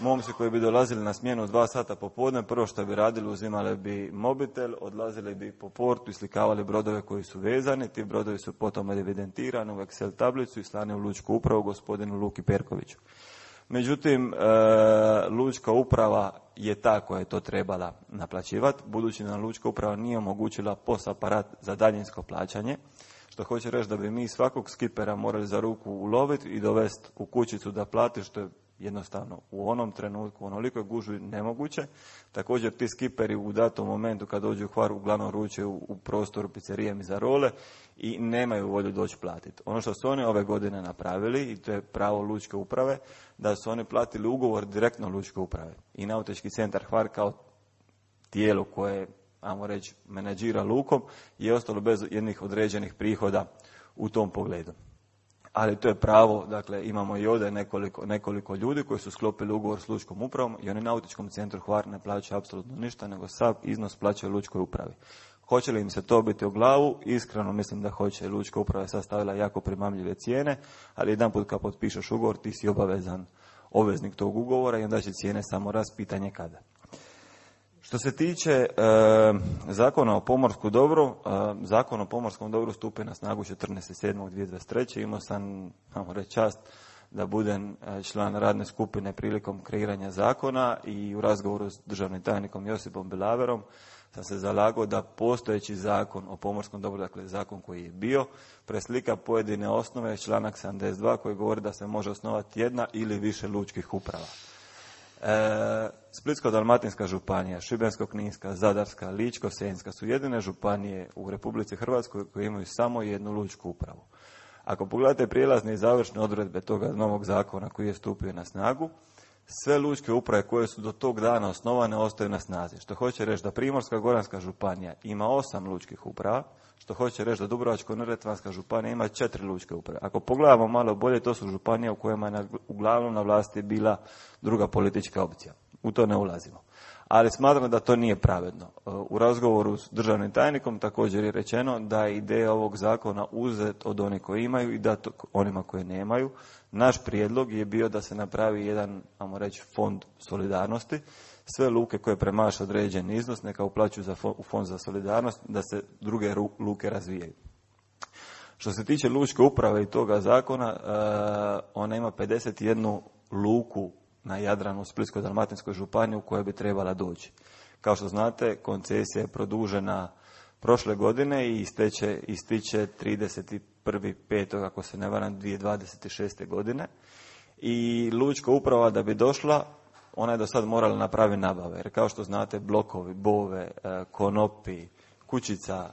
momci koji bi dolazili na smjenu dva sata popodne, prvo što bi radili, uzimali bi mobitel, odlazili bi po portu i slikavali brodove koji su vezani. Ti brodovi su potom evidentirani u Excel tablicu i slani u Lučku upravu gospodinu Luki Perkoviću. Međutim, e, Lučka uprava je ta koja je to trebala naplaćivati, budući da Lučka uprava nije omogućila P O S aparat za daljinsko plaćanje, što hoće reći da bi mi svakog skipera morali za ruku uloviti i dovesti u kućicu da plati, što je jednostavno u onom trenutku, u onolikoj gužvi nemoguće. Također ti skiperi u datom momentu kad dođu u Hvar uglavnom ručaju u, u prostoru pizzerije Mizarole i nemaju volju doći platiti. Ono što su oni ove godine napravili, i to je pravo Lučke uprave, da su oni platili ugovor direktno Lučke uprave. I Nautički centar Hvar kao tijelo koje, ajmo reći, menadžira lukom, je ostalo bez jednih određenih prihoda u tom pogledu. Ali to je pravo, dakle imamo i ovdje nekoliko, nekoliko ljudi koji su sklopili ugovor s Lučkom upravom i oni Nautičkom centru Hvar ne plaćaju apsolutno ništa, nego sav iznos plaćaju Lučkoj upravi. Hoće li im se to biti u glavu? Iskreno mislim da hoće. Lučka uprava je sastavila jako primamljive cijene, ali jedan put kad potpišeš ugovor ti si obavezan obveznik tog ugovora i onda će cijene samo rast, pitanje kada. Što se tiče e, Zakona o pomorskom dobru, e, Zakon o pomorskom dobru stupi na snagu četrnaestog sedmog dvije tisuće dvadeset treće. Imao sam, ajmo reći, čast da budem član radne skupine prilikom kreiranja zakona i u razgovoru s državnim tajnikom Josipom Bilaverom sam se zalagao da postojeći Zakon o pomorskom dobru, dakle zakon koji je bio, preslika pojedine osnove, članak sedamdeset dva koji govori da se može osnovati jedna ili više lučkih uprava. E, Splitsko-dalmatinska županija, Šibensko-kninska, Zadarska, Ličko-senjska su jedine županije u Republici Hrvatskoj koje imaju samo jednu lučku upravu. Ako pogledate prijelazne i završne odredbe toga novog zakona koji je stupio na snagu, sve lučke uprave koje su do tog dana osnovane ostaju na snazi. Što hoće reći da Primorsko-goranska županija ima osam lučkih uprava, što hoće reći da Dubrovačko-neretvanska županija ima četiri lučke uprave. Ako pogledamo malo bolje, to su županije u kojima je uglavnom na vlasti bila druga politička opcija. U to ne ulazimo. Ali smatram da to nije pravedno. U razgovoru s državnim tajnikom također je rečeno da je ideja ovog zakona uzet od onih koji imaju i dati onima koji nemaju. Naš prijedlog je bio da se napravi jedan, ajmo reći, fond solidarnosti. Sve luke koje premaše određen iznos neka uplaćuju za fond, u fond za solidarnost, da se druge luke razvijaju. Što se tiče lučke uprave i toga zakona, uh, ona ima pedeset jednu luku na Jadranu u Splitsko-dalmatinskoj županiji u kojoj bi trebala doći. Kao što znate, koncesija je produžena prošle godine i isteče, ističe trideset prvog petog ako se ne varam dvije tisuće dvadeset šeste. godine. I lučka uprava da bi došla, ona je do sad morala napraviti nabave. Jer kao što znate, blokovi, bove, konopi, kućica,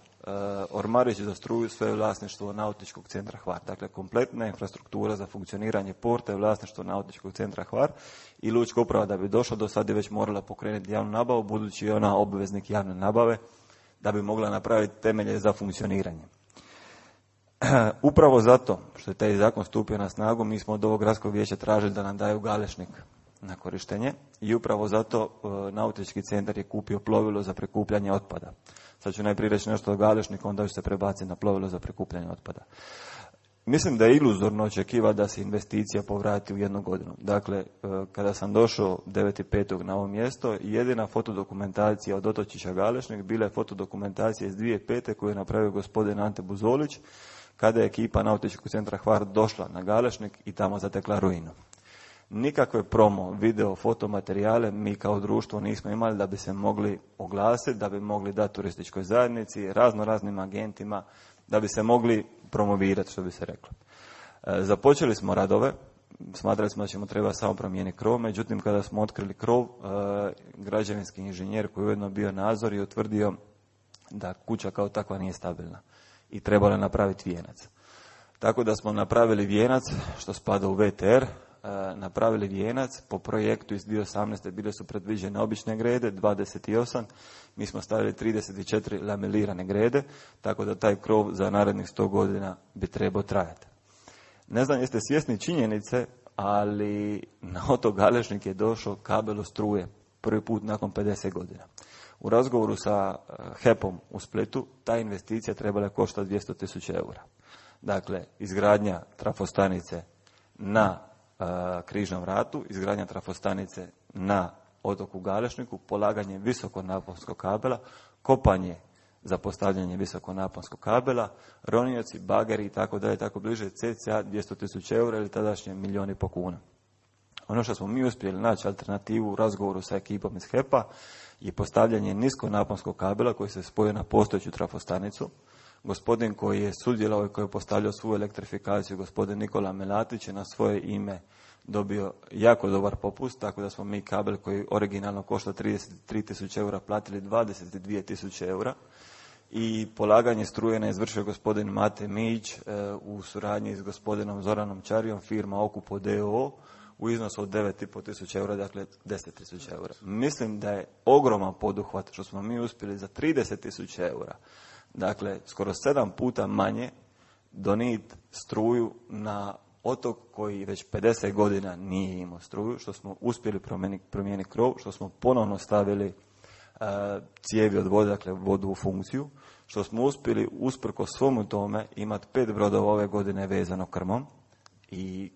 ormarići za struju, sve je vlasništvo Nautičkog centra Hvar. Dakle, kompletna infrastruktura za funkcioniranje porta je vlasništvo Nautičkog centra Hvar i lučka uprava da bi došla do sad je već morala pokrenuti javnu nabavu, budući je ona obveznik javne nabave da bi mogla napraviti temelje za funkcioniranje. Upravo zato što je taj zakon stupio na snagu, mi smo od ovog gradskog vijeća tražili da nam daju galešnik na korištenje i upravo zato e, Nautički centar je kupio plovilo za prikupljanje otpada. Sad ću najprije reći nešto o galešniku, onda ću se prebaciti na plovilo za prikupljanje otpada. mislim da je iluzorno očekivati da se investicija povrati u jednu godinu. Dakle, kada sam došao devetog petog na ovo mjesto, jedina fotodokumentacija od Otočića Galešnik bila je fotodokumentacija iz dvije tisuće pete koju je napravio gospodin Ante Buzolić, kada je ekipa Nautičkog centra Hvar došla na Galešnik i tamo zatekla ruinu. Nikakve promo, video, fotomaterijale mi kao društvo nismo imali da bi se mogli oglasiti, da bi mogli dati turističkoj zajednici, razno raznim agentima, da bi se mogli promovirati, što bi se reklo. E, započeli smo radove, smatrali smo da ćemo treba samo promijeniti krov, međutim kada smo otkrili krov, e, građevinski inženjer koji je ujedno bio nadzor je utvrdio da kuća kao takva nije stabilna i trebalo je napraviti vijenac. Tako da smo napravili vijenac, što spada u V T R, napravili vijenac po projektu iz dvije tisuće osamnaeste bile su predviđene obične grede, dvadeset osam, mi smo stavili trideset četiri lamelirane grede, tako da taj krov za narednih sto godina bi trebao trajati. Ne znam jeste svjesni činjenice, ali na otok Galešnik je došao kabel struje prvi put nakon pedeset godina. U razgovoru sa H E P-om u Splitu ta investicija trebala koštati dvjesto tisuća eura. Dakle, izgradnja trafostanice na Križnom vratu, izgradnja trafostanice na otoku Galešniku, polaganje visokonaponskog kabela, kopanje za postavljanje visokonaponskog kabela, ronioci, bageri i tako dalje, tako bliže, cca dvjesto tisuća eura ili tadašnje milijun i po kuna. Ono što smo mi uspjeli naći alternativu u razgovoru sa ekipom iz H E P-a je postavljanje niskonaponskog kabela koji se spojio na postojeću trafostanicu. Gospodin koji je sudjelovao i koji je postavljao svoju elektrifikaciju, gospodin Nikola Melatić, je na svoje ime dobio jako dobar popust, tako da smo mi kabel koji originalno košta trideset tri tisuće eura platili dvadeset dvije tisuće eura i polaganje struje je izvršio gospodin Mate Mić e, u suradnji s gospodinom Zoranom Čarijom, firma Okupo d o o u iznosu od devet i pol tisuća eura, dakle deset tisuća eura. Mislim da je ogroman poduhvat što smo mi uspjeli za trideset tisuća eura, dakle skoro sedam puta manje, donijeti struju na otok koji već pedeset godina nije imao struju, što smo uspjeli promijeniti, promijeniti krov, što smo ponovno stavili uh, cijevi od vode, dakle vodu u funkciju, što smo uspjeli usprko svomu tome imati pet brodova ove godine vezano krmom i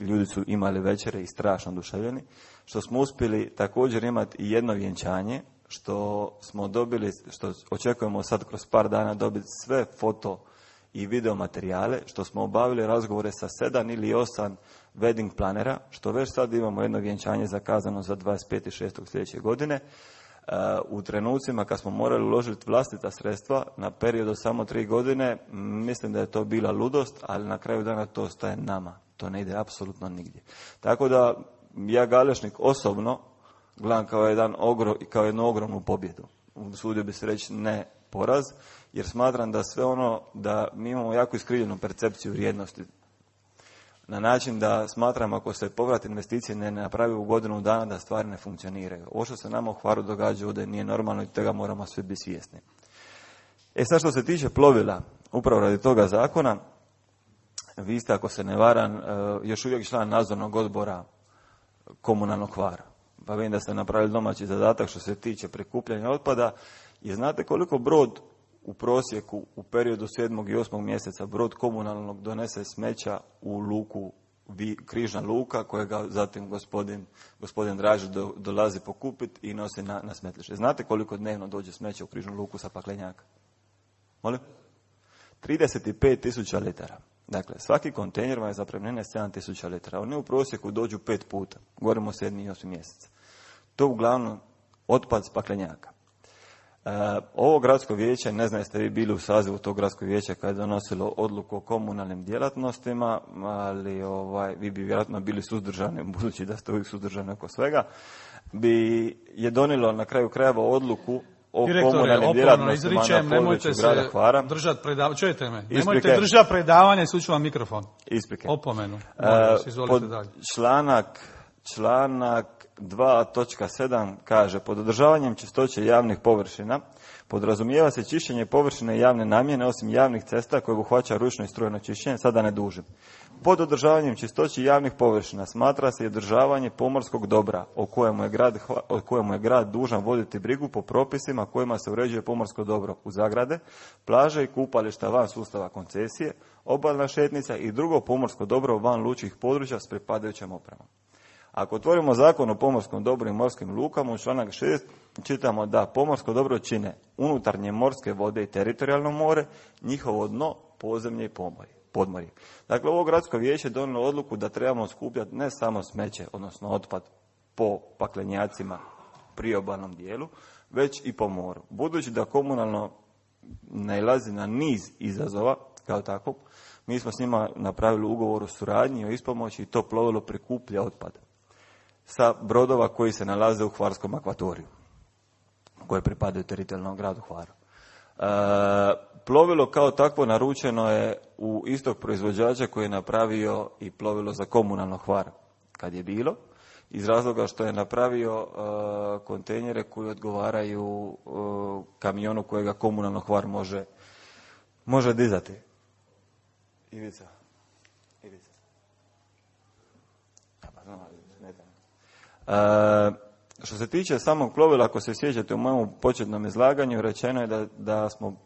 ljudi su imali večere i strašno oduševljeni, što smo uspjeli također imati i jedno vjenčanje, što smo dobili, što očekujemo sad kroz par dana dobiti sve foto i video materijale, što smo obavili razgovore sa sedam ili osam wedding planera, što već sad imamo jedno vjenčanje zakazano za dvadeset peti šesti sljedeće godine. U trenucima kad smo morali uložiti vlastita sredstva na period od samo tri godine, mislim da je to bila ludost, ali na kraju dana to ostaje nama. To ne ide apsolutno nigdje. Tako da ja Galešnik osobno gledam kao, jedan ogro, kao jednu ogromnu pobjedu. Usudio bi se reći ne poraz, jer smatram da sve ono, da mi imamo jako iskrivljenu percepciju vrijednosti. Na način da smatram ako se povrat investicije ne napravi u godinu dana da stvari ne funkcioniraju. Ovo što se nama u Hvaru događa ovdje nije normalno i toga moramo svi biti svjesni. E sad što se tiče plovila, upravo radi toga zakona, vi ste, ako se ne varam, još uvijek član nadzornog odbora komunalnog Hvara. Pa vidim da ste napravili domaći zadatak što se tiče prikupljanja otpada. I znate koliko brod u prosjeku u periodu sedmog i osmog mjeseca brod komunalnog donese smeća u luku, Križna luka, kojega zatim gospodin, gospodin Dražić do, dolazi pokupiti i nosi na, na smetlište. Znate koliko dnevno dođe smeća u Križnu luku sa Paklenjaka? Molim? trideset pet tisuća litara. Dakle, svaki kontejner vam je zapremnine sedam tisuća litara. Oni u prosjeku dođu pet puta. Govorimo o sedmi i osmi mjeseca. To uglavnom otpad s Paklenjaka. E, ovo gradsko vijeće, ne znam jeste vi bili u sazivu tog gradskog vijeća kada je donosilo odluku o komunalnim djelatnostima, ali ovaj, vi bi vjerojatno bili suzdržani, budući da ste uvijek suzdržani oko svega, bi je donijelo na kraju krajeva odluku o komunalnim djelatnostima na području grada Hvara. Držati predavanje, čujete me, nemojte držati predavanje, suću vam mikrofon. Isprike. Opomenu. E, pod članak, članak dva točka sedam kaže, pod održavanjem čistoće javnih površina podrazumijeva se čišćenje površine javne namjene osim javnih cesta koje obuhvaća ručno i strujno čišćenje, sada ne dužim. Pod održavanjem čistoće javnih površina smatra se i održavanje pomorskog dobra o kojemu je grad, o kojemu je grad dužan voditi brigu po propisima kojima se uređuje pomorsko dobro u zagrade, plaže i kupališta van sustava koncesije, obalna šetnica i drugo pomorsko dobro van lučkih područja s pripadajućom opremom. Ako otvorimo zakon o pomorskom dobru i morskim lukama, u članak šest čitamo da pomorsko dobro čine unutarnje morske vode i teritorijalno more, njihovo dno, podzemlje i podmorje. Dakle, ovo gradsko vijeće je donijelo odluku da trebamo skupljati ne samo smeće, odnosno otpad po paklenjacima priobalnom dijelu, već i po moru. Budući da komunalno nailazi na niz izazova, kao takvog, mi smo s njima napravili ugovor o suradnji, o ispomoći i to plovilo prikuplja otpad sa brodova koji se nalaze u Hvarskom akvatoriju, koje pripadaju teritorijalnom gradu Hvaru. E, plovilo kao takvo naručeno je u istog proizvođača koji je napravio i plovilo za komunalno Hvar kad je bilo, iz razloga što je napravio e, kontejnere koji odgovaraju e, kamionu kojega komunalno Hvar može, može dizati. Ivica. Ivica. E, što se tiče samog plovila, ako se sjećate u mojem početnom izlaganju, rečeno je da, da smo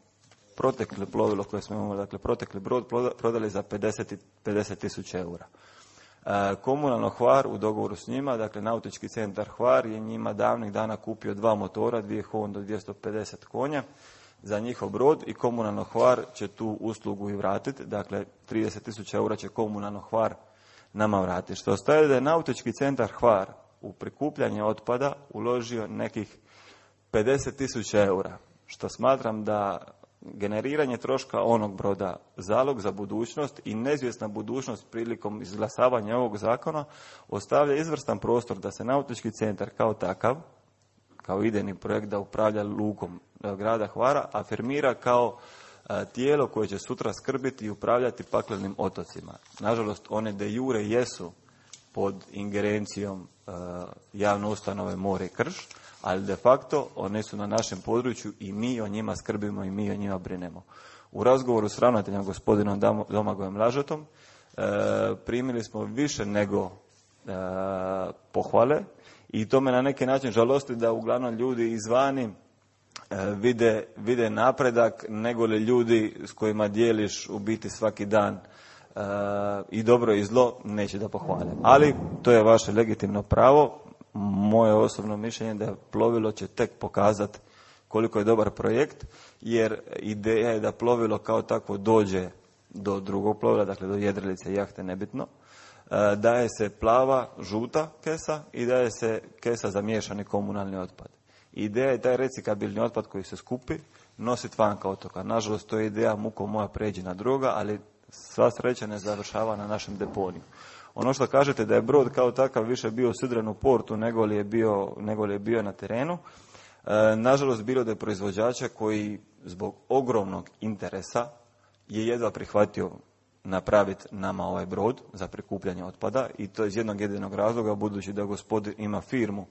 protekli plovilo koje smo imali, dakle protekli brod prodali za pedeset tisuća eura. E, komunalno Hvar u dogovoru s njima, dakle Nautički centar Hvar je njima davnih dana kupio dva motora, dvije Honda dvjesto pedeset konja za njihov brod i komunalno Hvar će tu uslugu i vratiti, dakle trideset tisuća eura će komunalno Hvar nama vratiti. Što ostaje da je Nautički centar Hvar u prikupljanje otpada uložio nekih pedeset tisuća eura, što smatram da generiranje troška onog broda, zalog za budućnost i neizvjesna budućnost prilikom izglasavanja ovog zakona ostavlja izvrstan prostor da se Nautički centar kao takav, kao idejni projekt da upravlja lukom grada Hvara, afirmira kao tijelo koje će sutra skrbiti i upravljati paklenim otocima. Nažalost, one de jure jesu pod ingerencijom uh, javne ustanove More i Krš, ali de facto one su na našem području i mi o njima skrbimo i mi o njima brinemo. U razgovoru s ravnateljem gospodinom Domagojem Lažetom uh, primili smo više nego uh, pohvale i to me na neki način žalosti da uglavnom ljudi izvani vide, vide napredak nego li ljudi s kojima dijeliš u biti svaki dan uh, i dobro i zlo neće da pohvale. Ali to je vaše legitimno pravo. Moje osobno mišljenje da plovilo će tek pokazati koliko je dobar projekt, jer ideja je da plovilo kao takvo dođe do drugog plovila, dakle do jedrilice, jahte, nebitno. Uh, daje se plava, žuta kesa i daje se kesa za miješani komunalni otpad. Ideja je taj recikabilni otpad koji se skupi nositi vanka otoka. Nažalost, to je ideja muko moja pređi na druga, ali sva sreća ne završava na našem deponiju. Ono što kažete da je brod kao takav više bio sidren u portu nego li je bio, nego li je bio na terenu, e, nažalost bilo da je proizvođača koji zbog ogromnog interesa je jedva prihvatio napraviti nama ovaj brod za prikupljanje otpada i to iz jednog jedinog razloga, budući da gospodin ima firmu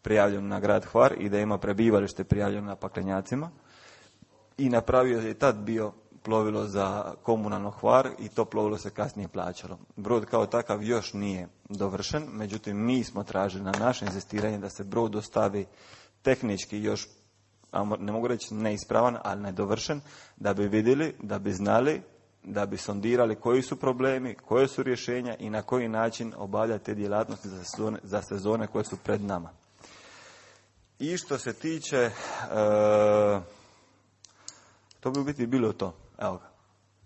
prijavljeno na grad Hvar i da ima prebivalište prijavljeno na paklenjacima i napravio je tad bio plovilo za komunalno Hvar i to plovilo se kasnije plaćalo. Brod kao takav još nije dovršen, međutim mi smo tražili na naše inzistiranje da se brod dostavi tehnički još, ne mogu reći neispravan, ali nedovršen, da bi vidjeli, da bi znali, da bi sondirali koji su problemi, koje su rješenja i na koji način obavljati te djelatnosti za sezone, za sezone koje su pred nama. I što se tiče, e, to bi u biti bilo to. Evo ga,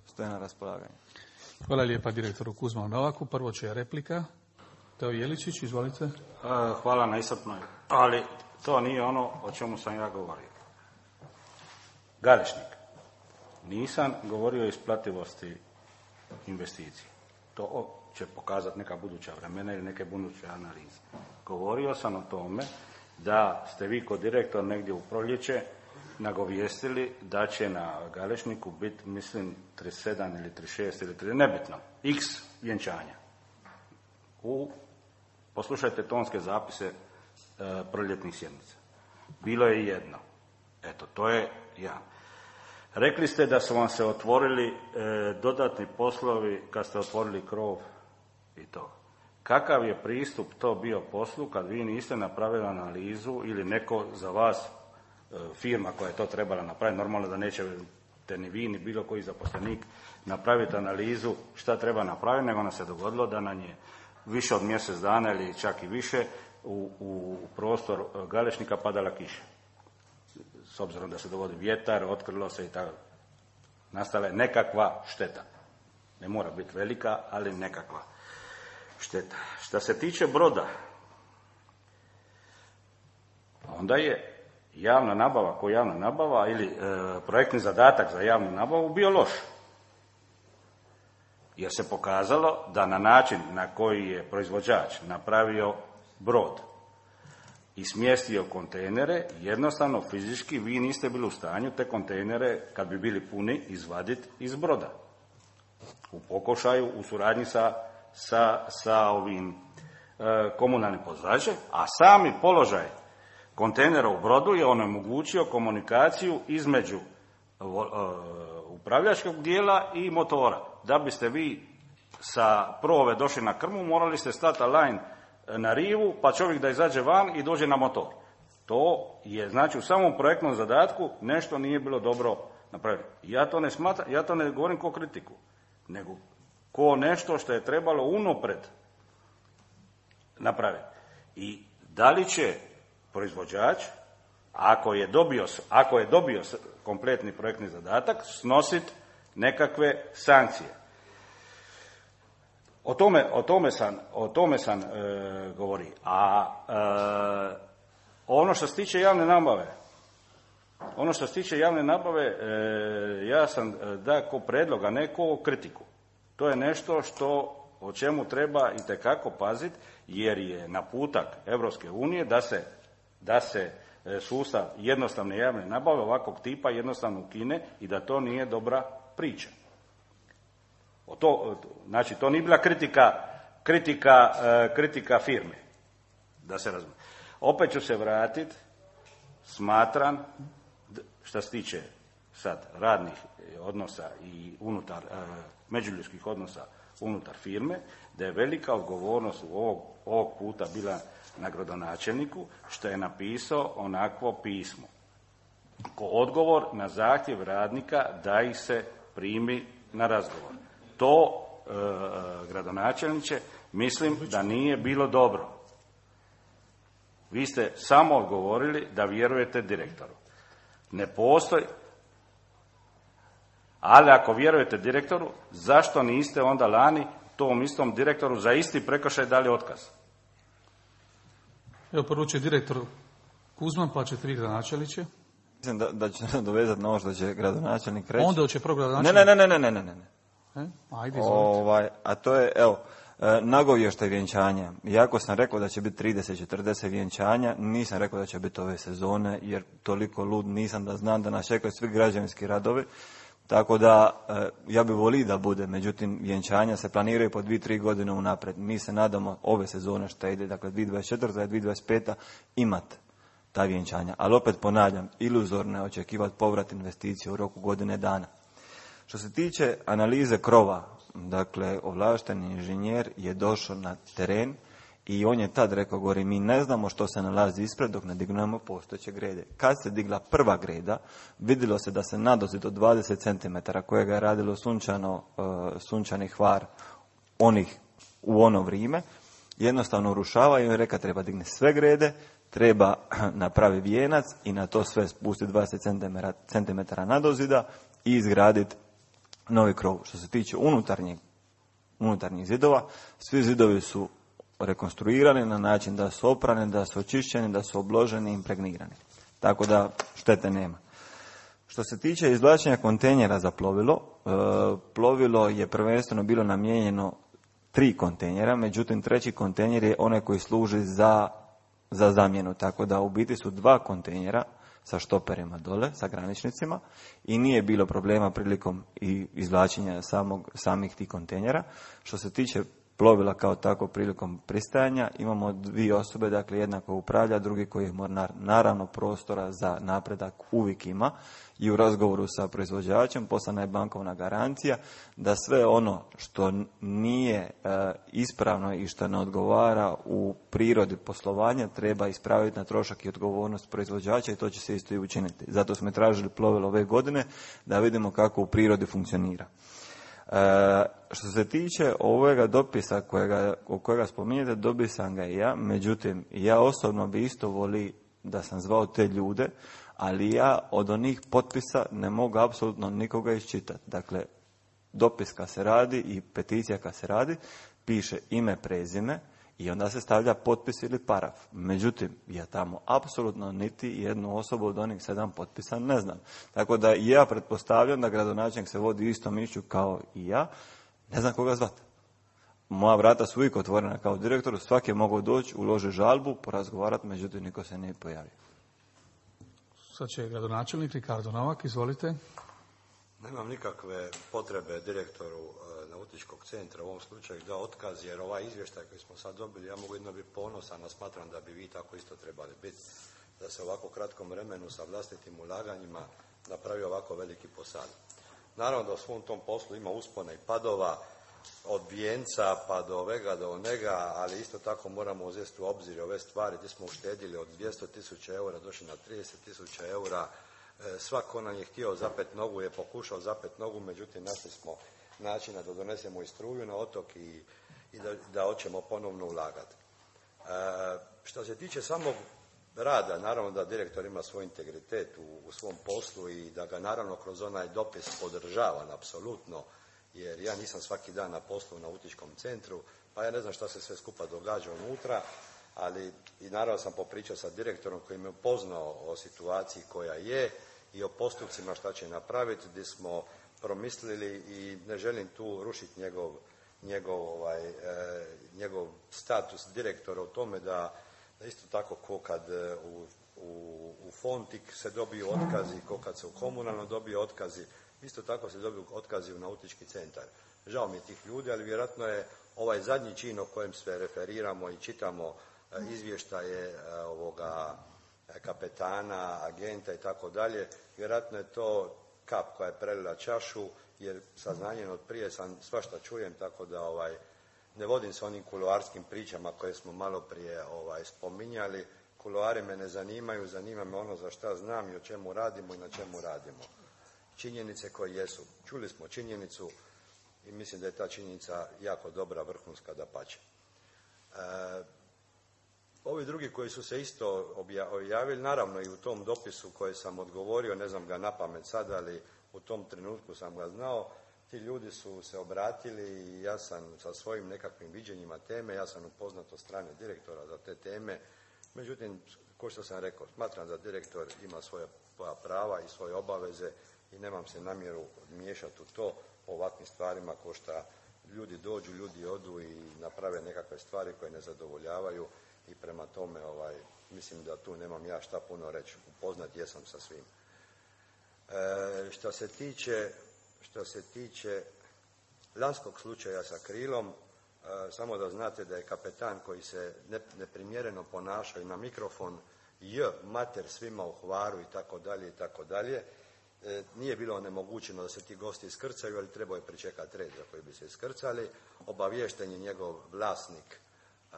stoje na raspolaganju. Hvala lijepa direktoru Kuzmanu Novaku. Prvo će replika. Teo Jeličić, izvolite. E, hvala na iscrpnoj, ali to nije ono o čemu sam ja govorio. Galešnik. Nisam govorio o isplativosti investicije. To će pokazati neka buduća vremena ili neke buduće analize. Govorio sam o tome da ste vi kod direktor negdje u proljeće nagovijestili da će na Galešniku biti, mislim, trideset sedam ili trideset šest ili trideset, nebitno, x vjenčanja. U, poslušajte tonske zapise e, proljetnih sjednica. Bilo je jedno. Eto, to je ja. Rekli ste da su vam se otvorili e, dodatni poslovi kad ste otvorili krov i to. Kakav je pristup to bio poslu kad vi niste napravili analizu ili neko za vas, e, firma koja je to trebala napraviti, normalno da neće te ni vi ni bilo koji zaposlenik napraviti analizu šta treba napraviti, nego nam se dogodilo da nam je više od mjesec dana ili čak i više u, u prostor Galešnika padala kiša. S obzirom da se dogodi vjetar, otkrilo se i tako. Nastala je nekakva šteta. Ne mora biti velika, ali nekakva šteta. Što se tiče broda, onda je javna nabava ko javna nabava ili e, projektni zadatak za javnu nabavu bio loš. Jer se pokazalo da na način na koji je proizvođač napravio brod i smjestio kontejnere, jednostavno fizički vi niste bili u stanju te kontejnere, kad bi bili puni, izvaditi iz broda. U pokušaju, u suradnji sa, sa, sa ovim e, komunalnim poduzećem, a sami položaj kontejnera u brodu je onemogućio komunikaciju između e, upravljačkog dijela i motora. Da biste vi sa prove došli na krmu, morali ste stati line na rivu, pa čovjek da izađe van i dođe na motor. To je, znači, u samom projektnom zadatku nešto nije bilo dobro napravljeno. Ja to ne smatram, ja to ne govorim kao kritiku, nego ko nešto što je trebalo unaprijed napraviti. I da li će proizvođač, ako je dobio, ako je dobio kompletni projektni zadatak, snositi nekakve sankcije. O tome, o tome sam, o tome sam e, govori. A e, ono što se tiče javne nabave, ono što se tiče javne nabave, e, ja sam da ko predlog, a ne ko kritiku. To je nešto što, o čemu treba itekako paziti, jer je naputak Europske unije da se, da se sustav jednostavne javne nabave ovakvog tipa jednostavno ukine i da to nije dobra priča. O to, znači, to nije bila kritika, kritika, kritika firme, da se razumije. Opet ću se vratiti, smatram, što se tiče sad radnih odnosa i unutar, međuljudskih odnosa unutar firme, da je velika odgovornost u ovog, ovog puta bila na gradonačelniku, što je napisao onakvo pismo. Ko odgovor na zahtjev radnika da ih se primi na razgovor. To, e, gradonačelniče, mislim da nije bilo dobro. Vi ste samo odgovorili da vjerujete direktoru. Ne postoji, ali ako vjerujete direktoru, zašto niste onda lani tom istom direktoru za isti prekršaj dali otkaz? Evo, poručuje direktor Kuzman, pa ćete vi, gradonačelniče. Mislim da, da će se dovezati na ovo što će gradonačelnik reći. Onda će prvo gradonačelnik. Ne, ne, ne, ne, ne, ne, ne. E? Ajde, izvolite. Ovaj, a to je, evo, nagovještaj vjenčanja. Iako sam rekao da će biti trideset četrdeset vjenčanja, nisam rekao da će biti ove sezone, jer toliko lud nisam da znam da nas čekaju svi građevinski radovi. Tako da, ja bi volio da bude, međutim, vjenčanja se planiraju po dvije, tri godine unaprijed. Mi se nadamo ove sezone što ide, dakle, dvije tisuće dvadeset četvrta i dvije tisuće dvadeset peta imati ta vjenčanja. Ali opet ponavljam, iluzorno je očekivati povrat investicije u roku godine dana. Što se tiče analize krova, dakle, ovlašteni inženjer je došao na teren i on je tad rekao, govori, mi ne znamo što se nalazi ispred dok ne dignemo postojeće grede. Kad se digla prva greda, vidjelo se da se nadozid od dvadeset centimetara kojega je radilo sunčano, uh, sunčani Hvar onih u ono vrijeme, jednostavno urušava i on je rekao, treba dignuti sve grede, treba napraviti vijenac i na to sve spustiti dvadeset centimetara nadozida i izgraditi novi krov. Što se tiče unutarnjih, unutarnjih zidova, svi zidovi su rekonstruirani na način da su oprani, da su očišćeni, da su obloženi i impregnirani. Tako da štete nema. Što se tiče izvlačenja kontejnera za plovilo, e, plovilo je prvenstveno bilo namijenjeno tri kontejnera, međutim treći kontejner je onaj koji služi za, za zamjenu. Tako da u biti su dva kontejnera sa štoperima dole, sa graničnicima i nije bilo problema prilikom i izvlačenja samog, samih tih kontejnera. Što se tiče plovila kao tako prilikom pristajanja. Imamo dvije osobe, dakle jedna koja upravlja, drugi koji mora, naravno prostora za napredak uvijek ima i u razgovoru sa proizvođačem poslana je bankovna garancija da sve ono što nije e, ispravno i što ne odgovara u prirodi poslovanja treba ispraviti na trošak i odgovornost proizvođača i to će se isto i učiniti. Zato smo tražili plovilo ove godine da vidimo kako u prirodi funkcionira. E, što se tiče ovoga dopisa kojega, o kojega spominjete, dobio sam ga i ja, međutim, ja osobno bi isto voli da sam zvao te ljude, ali ja od onih potpisa ne mogu apsolutno nikoga iščitati. Dakle, dopis kad se radi i peticija kad se radi, piše ime, prezime i onda se stavlja potpis ili paraf. Međutim, ja tamo apsolutno niti jednu osobu od onih sedam potpisa ne znam. Tako da ja pretpostavljam da gradonačelnik se vodi istom mišlju kao i ja, ne znam koga zvati. Moja vrata su uvijek otvorena kao direktor, svaki je mogao doći, uloži žalbu, porazgovarati, međutim niko se nije pojavio. Sad će gradonačelnik Ricardo Novak, izvolite. Nemam nikakve potrebe direktoru e, nautičkog centra u ovom slučaju da otkaz, jer ovaj izvještaj koji smo sad dobili, ja mogu jedno biti ponosan, a smatram da bi vi tako isto trebali biti, da se u ovako kratkom vremenu sa vlastitim ulaganjima napravi ovako veliki posad. Naravno da u svom tom poslu ima uspona i padova, od vijenca pa do ovega do onega, ali isto tako moramo uzeti u obzir ove stvari gdje smo uštedili od dvjesto tisuća eura, došli na trideset tisuća eura. E, svako nam je htio zapet nogu, je pokušao zapet nogu, međutim našli smo načina da donesemo i struju na otok i, i da, da hoćemo ponovno ulagati. E, što se tiče samog rada, naravno da direktor ima svoj integritet u, u svom poslu i da ga naravno kroz onaj dopis podržavam apsolutno, jer ja nisam svaki dan na poslu u nautičkom centru, pa ja ne znam šta se sve skupa događa unutra, ali i naravno sam popričao sa direktorom koji me upoznao o situaciji koja je i o postupcima šta će napraviti, gdje smo promislili i ne želim tu rušiti njegov, njegov, ovaj, e, njegov status direktora u tome da, da isto tako ko kad u, u, u Fontik se dobiju otkazi, ko kad se u komunalno dobiju otkazi, isto tako se dobiju otkazi u nautički centar. Žao mi je tih ljudi, ali vjerojatno je ovaj zadnji čin o kojem se referiramo i čitamo izvještaje ovoga kapetana, agenta i tako dalje, vjerojatno je to kap koja je prelila čašu, jer saznanjem od prije sam svašta čujem, tako da ovaj, ne vodim se onim kuloarskim pričama koje smo malo prije ovaj, spominjali. Kuloari me ne zanimaju, zanima me ono za šta znam i o čemu radimo i na čemu radimo. Činjenice koje jesu. Čuli smo činjenicu i mislim da je ta činjenica jako dobra, vrhunska, dapače. E, ovi drugi koji su se isto objavili, naravno i u tom dopisu koje sam odgovorio, ne znam ga napamet sad, ali u tom trenutku sam ga znao, ti ljudi su se obratili i ja sam sa svojim nekakvim viđenjima teme, ja sam upoznat od strane direktora za te teme, međutim, kao što sam rekao, smatram da direktor ima svoja prava i svoje obaveze i nemam se namjeru miješati u to o ovakvim stvarima ko što ljudi dođu, ljudi odu i naprave nekakve stvari koje ne zadovoljavaju i prema tome ovaj, mislim da tu nemam ja šta puno reći, upoznat jesam sa svim. E, što se tiče, što se tiče lanskog slučaja sa Krilom, e, samo da znate da je kapetan koji se ne, neprimjereno ponašao i na mikrofon j mater svima u Hvaru i tako dalje i tako dalje. E, nije bilo onemogućeno da se ti gosti iskrcaju, ali trebao je pričekati red za koji bi se iskrcali. Obaviješten je njegov vlasnik e,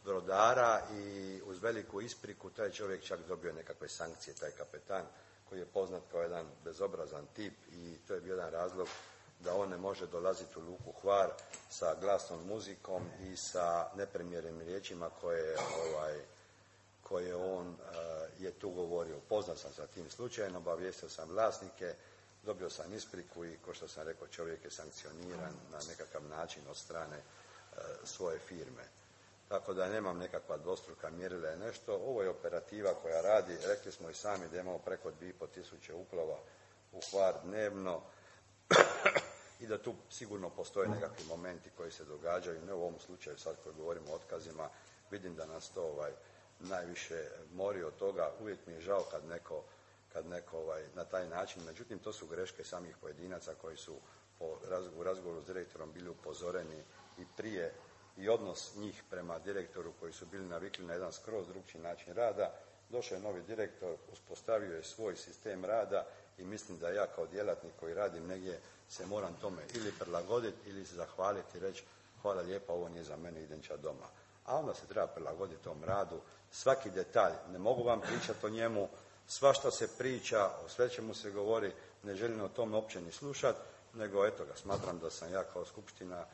brodara i uz veliku ispriku taj čovjek čak dobio nekakve sankcije, taj kapetan koji je poznat kao jedan bezobrazan tip i to je bio jedan razlog da on ne može dolaziti u luku Hvar sa glasnom muzikom i sa neprimjerenim riječima koje ovaj, koje on uh, je tu govorio. Poznat sam sa tim slučajem, obavijestio sam vlasnike, dobio sam ispriku i, kao što sam rekao, čovjek je sankcioniran na nekakav način od strane uh, svoje firme. Tako da nemam nekakva dvostruka mjerila i nešto. Ovo je operativa koja radi, rekli smo i sami da imamo preko dvije i pol tisuće uplova u Hvar dnevno i da tu sigurno postoje nekakvi momenti koji se događaju, ne u ovom slučaju sad koji govorimo o otkazima, vidim da nas to ovaj, najviše mori od toga, uvijek mi je žao kad neko, kad neko ovaj, na taj način, međutim to su greške samih pojedinaca koji su po razgovoru, u razgovoru s direktorom bili upozoreni i prije i odnos njih prema direktoru koji su bili navikli na jedan skroz drugčiji način rada. Došao je novi direktor, uspostavio je svoj sistem rada i mislim da ja kao djelatnik koji radim negdje se moram tome ili prilagoditi ili se zahvaliti i reći hvala lijepa, ovo nije za mene, idem ča doma. A onda se treba prilagoditi tom radu. Svaki detalj, ne mogu vam pričati o njemu, svašta se priča, o sve čemu se govori, ne želim o tome uopće ni slušati, nego eto ga, smatram da sam ja kao skupština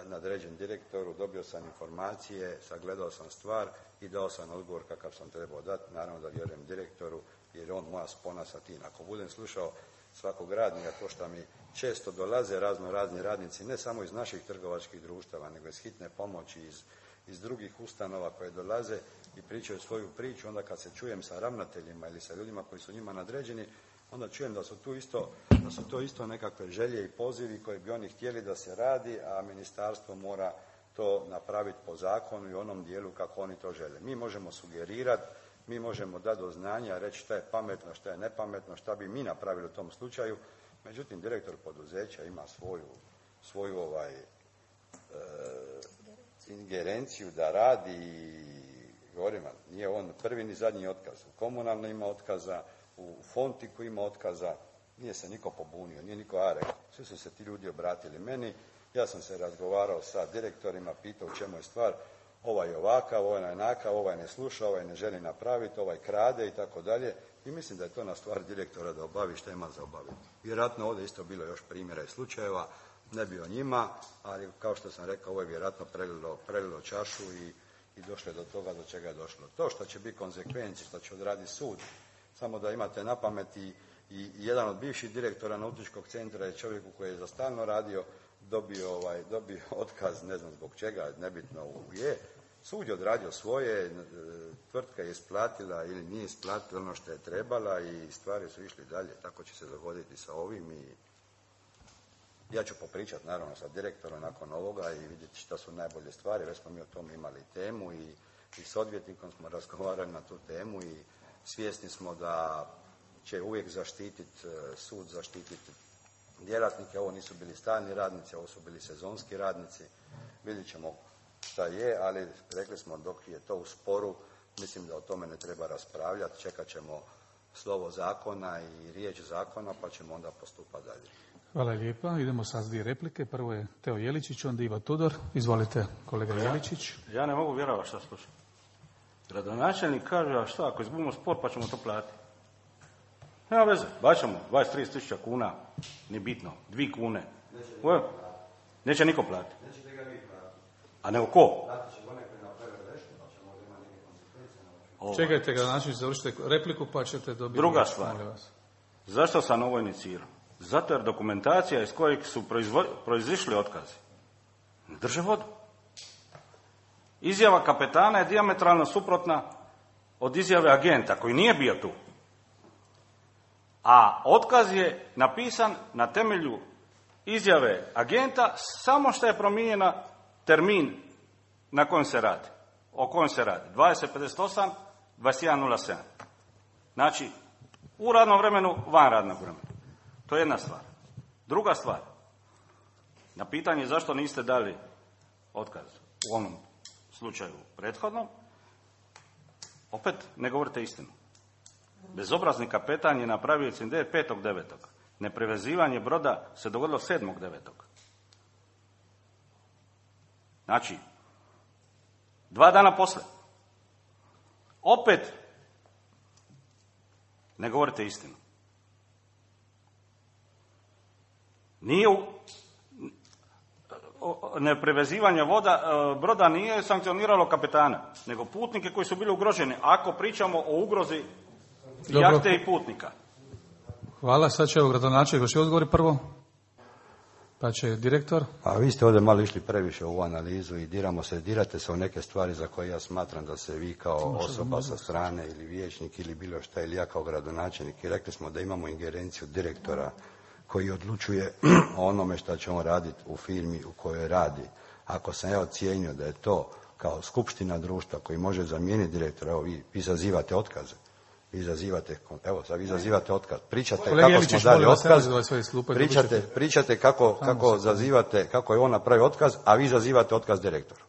nadređen direktoru, dobio sam informacije, sagledao sam stvar i dao sam odgovor kakav sam trebao dati. Naravno da vjerujem direktoru jer je on moja spona sa tim. Ako budem slušao svakog radnika, to što mi često dolaze razno razni radnici, ne samo iz naših trgovačkih društava, nego iz hitne pomoći, iz, iz drugih ustanova koje dolaze i pričaju svoju priču, onda kad se čujem sa ravnateljima ili sa ljudima koji su njima nadređeni, onda čujem da su tu isto, da su to isto nekakve želje i pozivi koje bi oni htjeli da se radi, a ministarstvo mora to napraviti po zakonu i onom dijelu kako oni to žele. Mi možemo sugerirati, mi možemo dati do znanja, reći šta je pametno, šta je nepametno, šta bi mi napravili u tom slučaju. Međutim, direktor poduzeća ima svoju, svoju ovaj, e, ingerenciju da radi i govorim, nije on prvi ni zadnji otkaz. U komunalno ima otkaza, u Fontiku ima otkaza, nije se niko pobunio, nije niko a rekao. Svi su se ti ljudi obratili meni, ja sam se razgovarao sa direktorima, pitao u čemu je stvar, ovaj je ovakav, ovaj je onakav, ovaj ne sluša, ovaj ne želi napraviti, ovaj krade i tako dalje. I mislim da je to na stvar direktora da obavi što ima za obaviti. Vjerojatno ovdje isto bilo još primjera i slučajeva, ne bi o njima, ali kao što sam rekao, ovo je vjerojatno prelilo, prelilo čašu i, i došlo je do toga do čega je došlo. To što će biti konsekvenci, što će odraditi sud, samo da imate na pameti i jedan od bivših direktora nautičkog centra je čovjek koji je za stalno radio, dobio, ovaj, dobio otkaz, ne znam zbog čega, nebitno je. Sud je odradio svoje, tvrtka je isplatila ili nije isplatila ono što je trebala i stvari su išli dalje. Tako će se dogoditi sa ovim i ja ću popričati naravno sa direktorom nakon ovoga i vidjeti šta su najbolje stvari. Već smo mi o tome imali temu i, i s odvjetnikom smo razgovarali na tu temu i svjesni smo da će uvijek zaštititi, sud zaštititi djelatnike. Ovo nisu bili stalni radnici, ovo su bili sezonski radnici. Vidjet ćemo šta je, ali rekli smo dok je to u sporu, mislim da o tome ne treba raspravljati, čekat ćemo slovo zakona i riječ zakona, pa ćemo onda postupati dalje. Hvala lijepa. Idemo sad s dvije replike. Prvo je Teo Jeličić, onda Ivo Tudor. Izvolite, kolega ja, Jeličić. Ja ne mogu vjerovati šta slušam. Gradonačelnik kaže, a šta, ako izgubimo spor, pa ćemo to platiti. Nema veze, baćemo dvadeset do trideset tisuća kuna, nije bitno, dvije kune. Neće, niko Neće niko platiti. Nećete ga vi platiti. A nego ko? Platit će onaj koji napravi grešku, pa ćemo da ima neke konsekvencije. Čekajte ga, znači završite repliku, pa ćete dobiti... Druga stvar, zašto sam ovo inicirao? Zato jer dokumentacija iz kojeg su proizvo... proizišli otkazi ne drže vodu. Izjava kapetana je dijametralno suprotna od izjave agenta koji nije bio tu. A otkaz je napisan na temelju izjave agenta samo što je promijenjena termin na kojem se radi. O kojem se radi. dvadeset pedeset osam, dvadeset jedan nula sedam. Znači, u radnom vremenu, van radnog vremena. To je jedna stvar. Druga stvar. Na pitanje zašto niste dali otkaz u onom slučaju prethodnom, opet ne govorite istinu. Bezobrazni kapetan je napravio incident petog devetog Neprevezivanje broda se dogodilo sedmog devetog Znači, dva dana poslije. Opet ne govorite istinu. Nije u... neprevezivanje voda, broda nije sankcioniralo kapetana, nego putnike koji su bili ugroženi. Ako pričamo o ugrozi jahte i putnika. Hvala, sad će gradonačelnik još odgovori prvo, pa će direktor. A vi ste ovdje malo išli previše u ovu analizu i diramo se, dirate se u neke stvari za koje ja smatram da se vi kao osoba sa strane ili vijećnik ili bilo šta ili ja kao gradonačelnik i rekli smo da imamo ingerenciju direktora koji odlučuje o onome što će on raditi u firmi u kojoj radi. Ako sam ja ocijenio da je to kao skupština društva koji može zamijeniti direktora, evo vi, vi zazivate otkaze. Vi izazivate, evo sad vi izazivate otkaz. Pričate Kolega kako Jeličić, smo dali molim vas, otkaz, nemojte svoje slupe, pričate, dobit ćete- pričate kako, kako zazivate, kako je on napravio otkaz, a vi izazivate otkaz direktoru.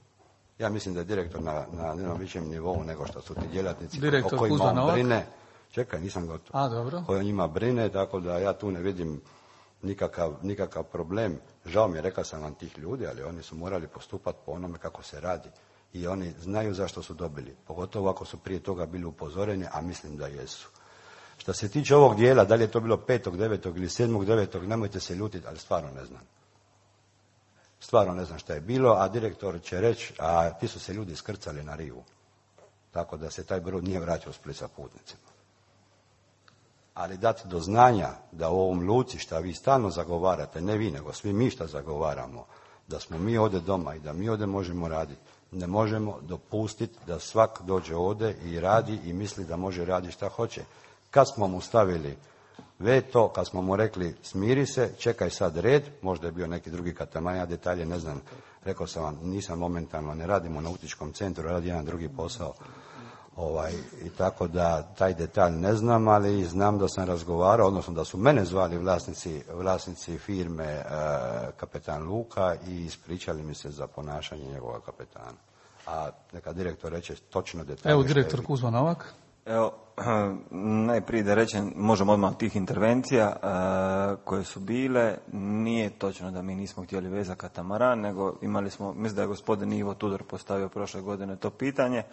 Ja mislim da je direktor na, na jednom većem nivou nego što su ti djelatnici Direktor o kojima Kuzma on Novak? brine. Čekaj, nisam gotov. A, dobro. Koji o njima brine, tako da ja tu ne vidim nikakav, nikakav problem. Žao mi je, rekao sam vam tih ljudi, ali oni su morali postupati po onome kako se radi. I oni znaju zašto su dobili. Pogotovo ako su prije toga bili upozoreni, a mislim da jesu. Što se tiče ovog dijela, da li je to bilo petog devetog ili sedmog devetog, nemojte se ljutiti, ali stvarno ne znam. Stvarno ne znam šta je bilo, a direktor će reći, a ti su se ljudi skrcali na rivu. Tako da se taj brod nije vraćao u Split sa putnicima. Ali dati do znanja da u ovom luci šta vi stalno zagovarate, ne vi nego svi mi šta zagovaramo, da smo mi ovdje doma i da mi ovdje možemo raditi, ne možemo dopustiti da svak dođe ovdje i radi i misli da može raditi šta hoće. Kad smo mu stavili veto, kad smo mu rekli smiri se, čekaj sad red, možda je bio neki drugi katamaran, ja detalje ne znam, rekao sam vam, nisam momentalno, ne radimo u nautičkom centru, radi jedan drugi posao. Ovaj, i tako da taj detalj ne znam, ali znam da sam razgovarao, odnosno da su mene zvali vlasnici, vlasnici firme e, kapetan Luka i ispričali mi se za ponašanje njegova kapetana. A neka direktor reče točno detalje. Evo direktor Kuzma Novak. Evo, najprije da rečem, možemo odmah tih intervencija uh, koje su bile, nije točno da mi nismo htjeli vezati katamaran, nego imali smo, mislim da je gospodin Ivo Tudor postavio prošle godine to pitanje,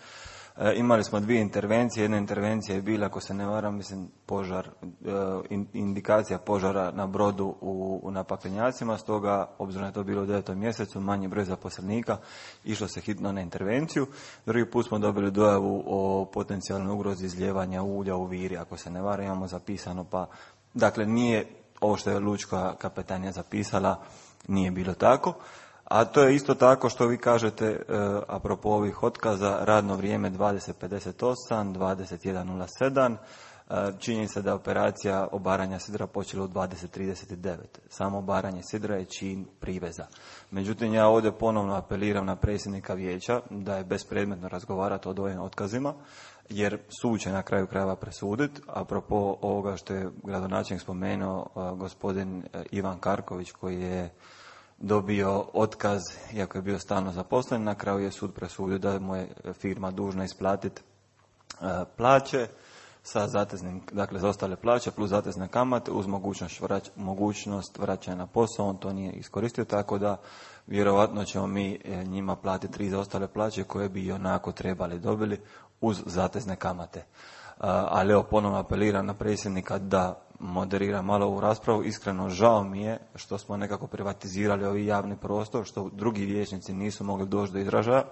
uh, imali smo dvije intervencije, jedna intervencija je bila, ako se ne varam, mislim, požar, uh, in, indikacija požara na brodu u, u napaklenjacima, stoga, obzirom je to bilo u devetom mjesecu, manji broj zaposlenika, išlo se hitno na intervenciju. Drugi put smo dobili dojavu o potencijalnoj ugrozi izljevanja ulja u Viri, ako se ne varam, imamo zapisano, pa, dakle, nije ovo što je lučka kapetanija zapisala, nije bilo tako. A to je isto tako što vi kažete, e, apropo ovih otkaza, radno vrijeme dvadeset pedeset osam, dvadeset jedan nula sedam, e, čini se da je operacija obaranja sidra počela u dvadeset trideset devet. Samo obaranje sidra je čin priveza. Međutim, ja ovdje ponovno apeliram na predsjednika vijeća da je bespredmetno razgovarati o ovim otkazima, jer sud će na kraju krajeva presuditi. Apropo ovoga što je gradonačelnik spomenuo, uh, gospodin uh, Ivan Karković, koji je dobio otkaz, iako je bio stalno zaposlen, na kraju je sud presudio da mu je firma dužna isplatiti uh, plaće sa zateznim, dakle za ostale plaće plus zatezne kamate uz mogućnost, vrać, mogućnost vraćanja na posao, on to nije iskoristio, tako da vjerovatno ćemo mi njima platiti tri za ostale plaće koje bi i onako trebali dobili uz zatezne kamate. Ali evo, ponovno apeliram na predsjednika da moderira malo ovu raspravu. Iskreno žao mi je što smo nekako privatizirali ovi javni prostor, što drugi vijećnici nisu mogli doći do izražaja,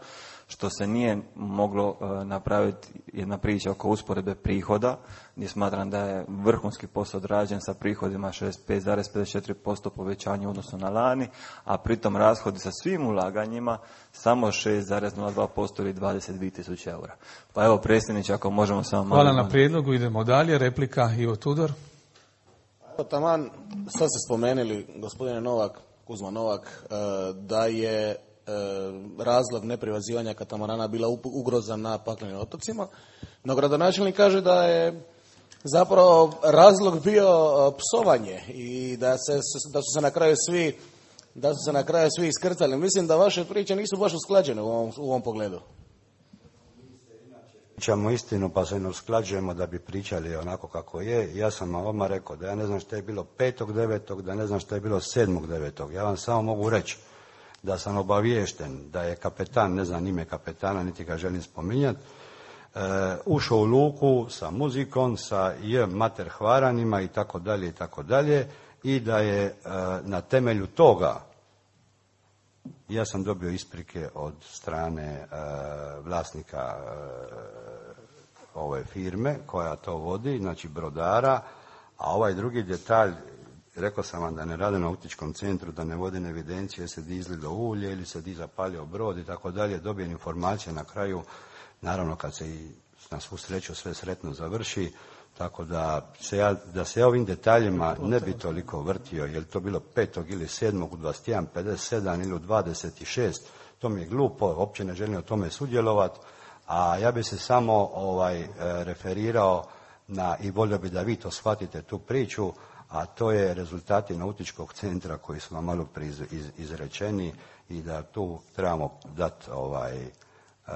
što se nije moglo uh, napraviti jedna priča oko usporedbe prihoda, gdje smatram da je vrhunski posao odrađen sa prihodima šezdeset pet zarez pedeset četiri posto povećanja u odnosu na lani, a pritom rashodi sa svim ulaganjima samo šest zarez nula dva posto ili dvadeset dvije tisuće eura. Pa evo, predsjedniče, ako možemo samo malo... Hvala na prijedlogu, idemo dalje. Replika Ivo Tudor. Evo, taman, sad ste spomenuli, gospodine Novak, Kuzma Novak, da je razlog neprivazivanja katamarana bila ugroza na paklenim otocima, no gradonačelnik kaže da je zapravo razlog bio psovanje i da, se, da su se na kraju svi da su se na kraju svi iskrcali. Mislim da vaše priče nisu baš usklađene u ovom, u ovom pogledu. Pričamo istinu pa se ne usklađujemo da bi pričali onako kako je. Ja sam vam odmah rekao da ja ne znam što je bilo petog devetog, da ne znam što je bilo sedmog devetog. Ja vam samo mogu reći da sam obaviješten da je kapetan, ne znam ime kapetana, niti ga želim spominjati, e, ušao u luku sa muzikom, sa j mater hvaranima i tako dalje i tako dalje, i da je e, na temelju toga ja sam dobio isprike od strane e, vlasnika e, ove firme koja to vodi, znači brodara, a ovaj drugi detalj, rekao sam vam da ne rade na nautičkom centru, da ne vode evidencije, se di izlilo ulje ili se di zapalio brod i tako dalje, dobijem informacije na kraju, naravno kad se i na svu sreću sve sretno završi, tako da se ja, da se ja ovim detaljima ne bi toliko vrtio, je li to bilo petog ili sedmog u dvadeset jedan pedeset sedam ili u dvadeset šest, to mi je glupo, uopće ne želim o tome sudjelovati, a ja bi se samo ovaj referirao na, i volio bi da vi to shvatite, tu priču, a to je rezultati nautičkog centra koji su vam malo prije iz, iz, izrečeni i da tu trebamo dati ovaj, uh,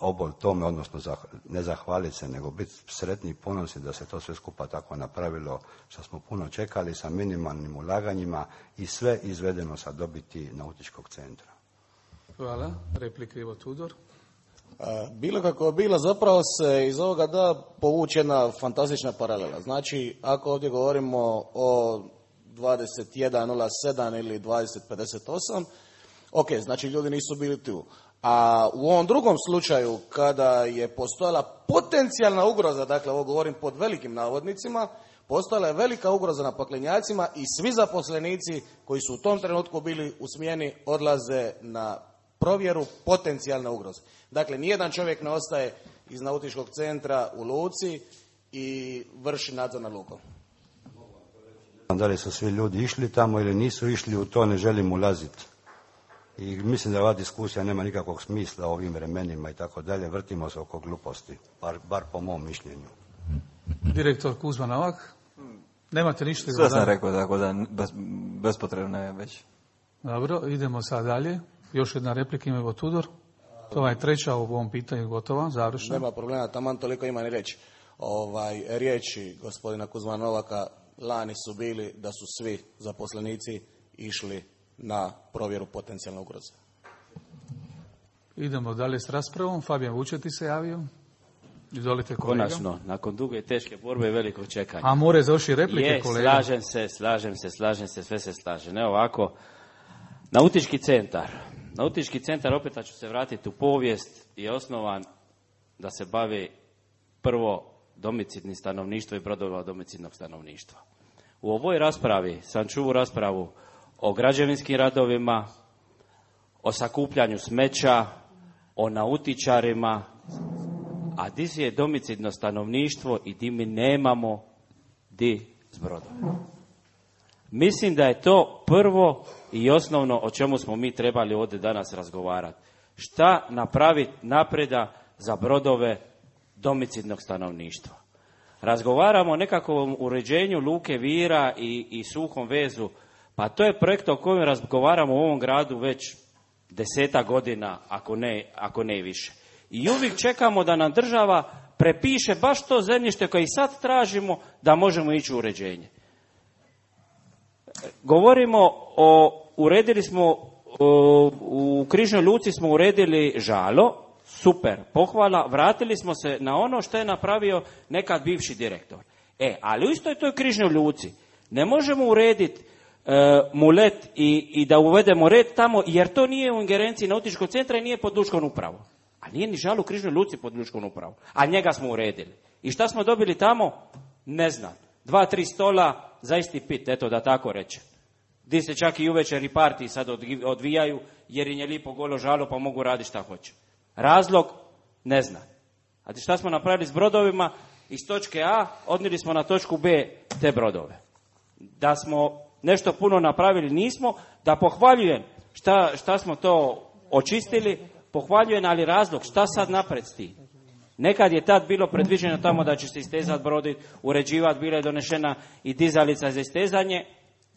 obol tome, odnosno zah, ne zahvaliti se, nego biti sretni i ponosni da se to sve skupa tako napravilo, što smo puno čekali sa minimalnim ulaganjima i sve izvedeno sa dobiti nautičkog centra. Hvala. Replika Ivo Tudor. Bilo kako je bilo, zapravo se iz ovoga da povući jedna fantastična paralela. Znači, ako ovdje govorimo o dvadeset jedan nula sedam ili dvadeset pedeset osam, ok, znači ljudi nisu bili tu. A u ovom drugom slučaju, kada je postojala potencijalna ugroza, dakle ovo govorim pod velikim navodnicima, postojala je velika ugroza na paklenjacima i svi zaposlenici koji su u tom trenutku bili u smjeni odlaze na provjeru potencijalne ugroze. Dakle, nijedan čovjek ne ostaje iz nautičkog centra u luci i vrši nadzor nad lukom. Da li su svi ljudi išli tamo ili nisu išli, u to ne želim ulaziti. I mislim da ova diskusija nema nikakvog smisla u ovim vremenima i tako dalje. Vrtimo se oko gluposti, bar, bar po mom mišljenju. Direktor Kuzma Novak, nemate ništa? Sve sam rekao, tako da bez, bespotrebno je već. Dobro, idemo sad dalje. Još jedna replika ima Ivo Tudor. To je treća u ovom pitanju gotova, završena. Nema problema, taman toliko ima ni reći. Ovaj, riječi gospodina Kuzma Novaka lani su bili da su svi zaposlenici išli na provjeru potencijalne ugroze. Idemo dalje s raspravom. Fabijan Vučeti se javio. Izvolite, kolega. Konačno, nakon duge i teške borbe i velikog čekanja. A more završi replike, je, kolega. slažem se, slažem se, slažem se, sve se slaže. Ne ovako, nautički centar. Nautički centar, opet ću se vratiti u povijest, je osnovan da se bavi prvo domicidnim stanovništvom i brodova domicidnog stanovništva. U ovoj raspravi sam čuo raspravu o građevinskim radovima, o sakupljanju smeća, o nautičarima, a di je domicidno stanovništvo i di mi nemamo di s brodom. Mislim da je to prvo i osnovno o čemu smo mi trebali ovdje danas razgovarati. Šta napraviti napreda za brodove domicidnog stanovništva? Razgovaramo o nekakvom uređenju luke Vira i, i suhom vezu. Pa to je projekt o kojem razgovaramo u ovom gradu već deseta godina, ako ne, ako ne više. I uvijek čekamo da nam država prepiše baš to zemljište koje i sad tražimo da možemo ići u uređenje. Govorimo o, uredili smo, o, u Križnoj luci smo uredili žalo, super, pohvala, vratili smo se na ono što je napravio nekad bivši direktor. E, ali u istoj toj Križnoj luci ne možemo urediti e, mulet i, i da uvedemo red tamo, jer to nije u ingerenciji nautičkog centra i nije pod lučkom upravom. A nije ni žalo u Križnoj luci pod lučkom upravom. A njega smo uredili. I šta smo dobili tamo? Ne znam. Dva, tri stola za isti pit, eto da tako reče. Di se čak i uvečer i partiji sad odvijaju, jer im je lipo golo žalo pa mogu raditi šta hoće. Razlog? Ne znam. A šta smo napravili s brodovima? Iz točke A odnijeli smo na točku B te brodove. Da smo nešto puno napravili nismo, da pohvaljujem šta, šta smo to očistili, pohvaljujem, ali razlog, šta sad napred s tim? Nekad je tad bilo predviđeno tamo da će se istezati brodi, uređivati, bila je donešena i dizalica za istezanje,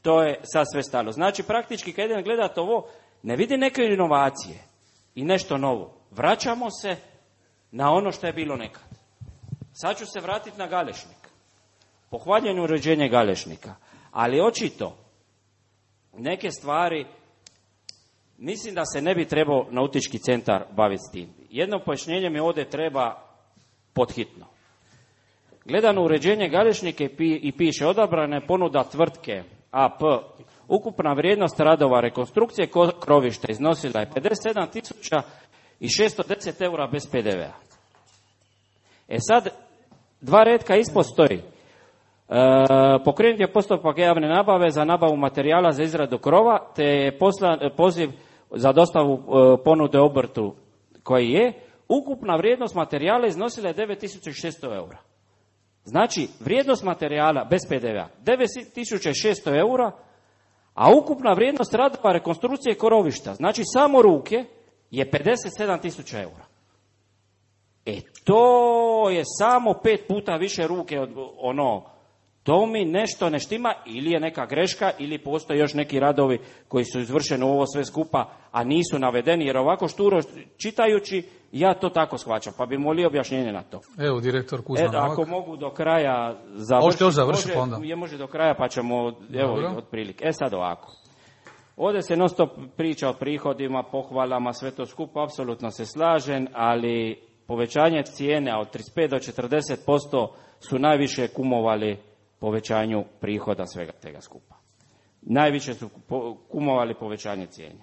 to je sad sve stalo. Znači, praktički, kad jedan gledate ovo, ne vidi neke inovacije i nešto novo. Vraćamo se na ono što je bilo nekad. Sad ću se vratiti na Galešnik. Pohvaljujem uređenje Galešnika. Ali očito, neke stvari, mislim da se ne bi trebao nautički centar baviti s tim. Jedno pojašnjenje mi ovdje treba podhitno. Gledano uređenje Galešnika i piše odabrane ponuda tvrtke A P. Ukupna vrijednost radova rekonstrukcije krovišta iznosila je pedeset sedam tisuća šesto deset eura bez P D V-a. E sad, dva retka ispod stoji. E, pokrenut je postupak javne nabave za nabavu materijala za izradu krova, te je poslan poziv za dostavu e, ponude obrtu koji je. Ukupna vrijednost materijala iznosila je devet tisuća šesto eura. Znači, vrijednost materijala bez P D V-a devet tisuća šesto eura, a ukupna vrijednost radova rekonstrukcije krovišta, znači samo ruke, je pedeset sedam tisuća eura. E to je samo pet puta više ruke od ono, to mi nešto ne štima, ili je neka greška, ili postoje još neki radovi koji su izvršeni u ovo sve skupa, a nisu navedeni, jer ovako šturo čitajući, ja to tako shvaćam, pa bi molio objašnjenje na to. Evo, direktor Kuzma E, ako Novak. mogu do kraja završiti. Možete još završiti, može, onda. Je može do kraja, pa ćemo, evo, Dobro. otprilike. E sad ovako. Ovdje se non stop priča o prihodima, pohvalama, sve to skupo, apsolutno se slažem, ali povećanje cijene od trideset pet do četrdeset posto su najviše kumovali povećanju prihoda svega tega skupa. Najviše su kumovali povećanje cijene.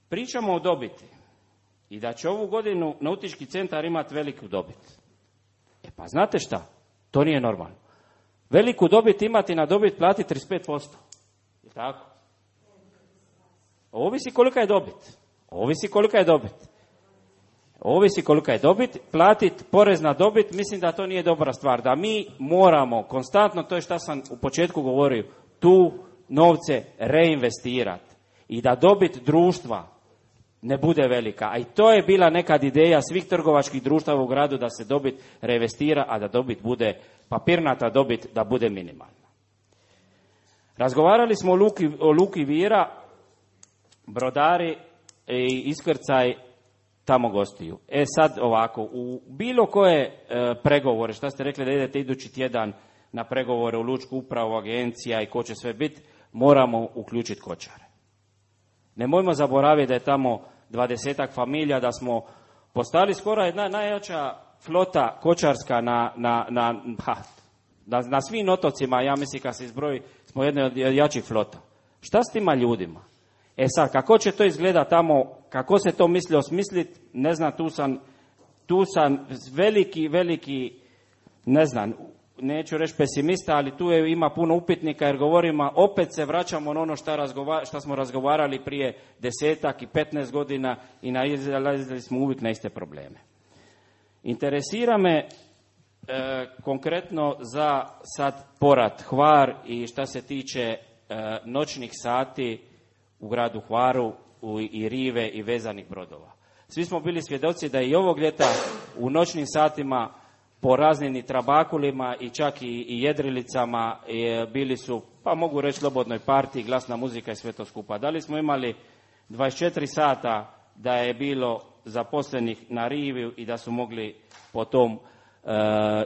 Pričamo o dobiti i da će ovu godinu nautički centar imati veliku dobit. E pa znate šta? To nije normalno. Veliku dobit imati na dobit plati trideset pet posto. Je tako? Ovisi kolika je dobit. Ovisi kolika je dobit. Ovisi kolika je dobit. Platiti porez na dobit, mislim da to nije dobra stvar. Da mi moramo konstantno, to je što sam u početku govorio, tu novce reinvestirati. I da dobit društva ne bude velika. A i to je bila nekad ideja svih trgovačkih društava u gradu, da se dobit reinvestira, a da dobit bude, papirnata dobit, da bude minimalna. Razgovarali smo o Luki, o Luki Vira, brodari i iskrcaj tamo gostiju. E sad ovako, u bilo koje e, pregovore, šta ste rekli da idete idući tjedan na pregovore u lučku upravu, agencija i ko će sve biti, moramo uključiti kočare. Nemojmo zaboraviti da je tamo dvadesetak familija, da smo postali skoro jedna najjača flota kočarska na, na, na, ha, na, na svim otocima, ja mislim kad se izbroji, smo jedna od jačih flota. Šta s tima ljudima? E sad, kako će to izgleda tamo, kako se to misli osmisliti, ne znam, tu sam, tu sam veliki, veliki, ne znam, neću reći pesimista, ali tu je, ima puno upitnika, jer govorimo, opet se vraćamo na ono šta, razgova, šta smo razgovarali prije desetak i petnaest godina i nalazili smo uvijek na iste probleme. Interesira me e, konkretno za sad Porat, Hvar i šta se tiče e, noćnih sati u gradu Hvaru u, i rive i vezanih brodova. Svi smo bili svjedoci da i ovog ljeta u noćnim satima po raznim i trabakulima i čak i, i jedrilicama je, bili su, pa mogu reći, slobodnoj partiji, glasna muzika i sve to skupa. Da li smo imali dvadeset četiri sata da je bilo zaposlenih na rivi i da su mogli po tom e,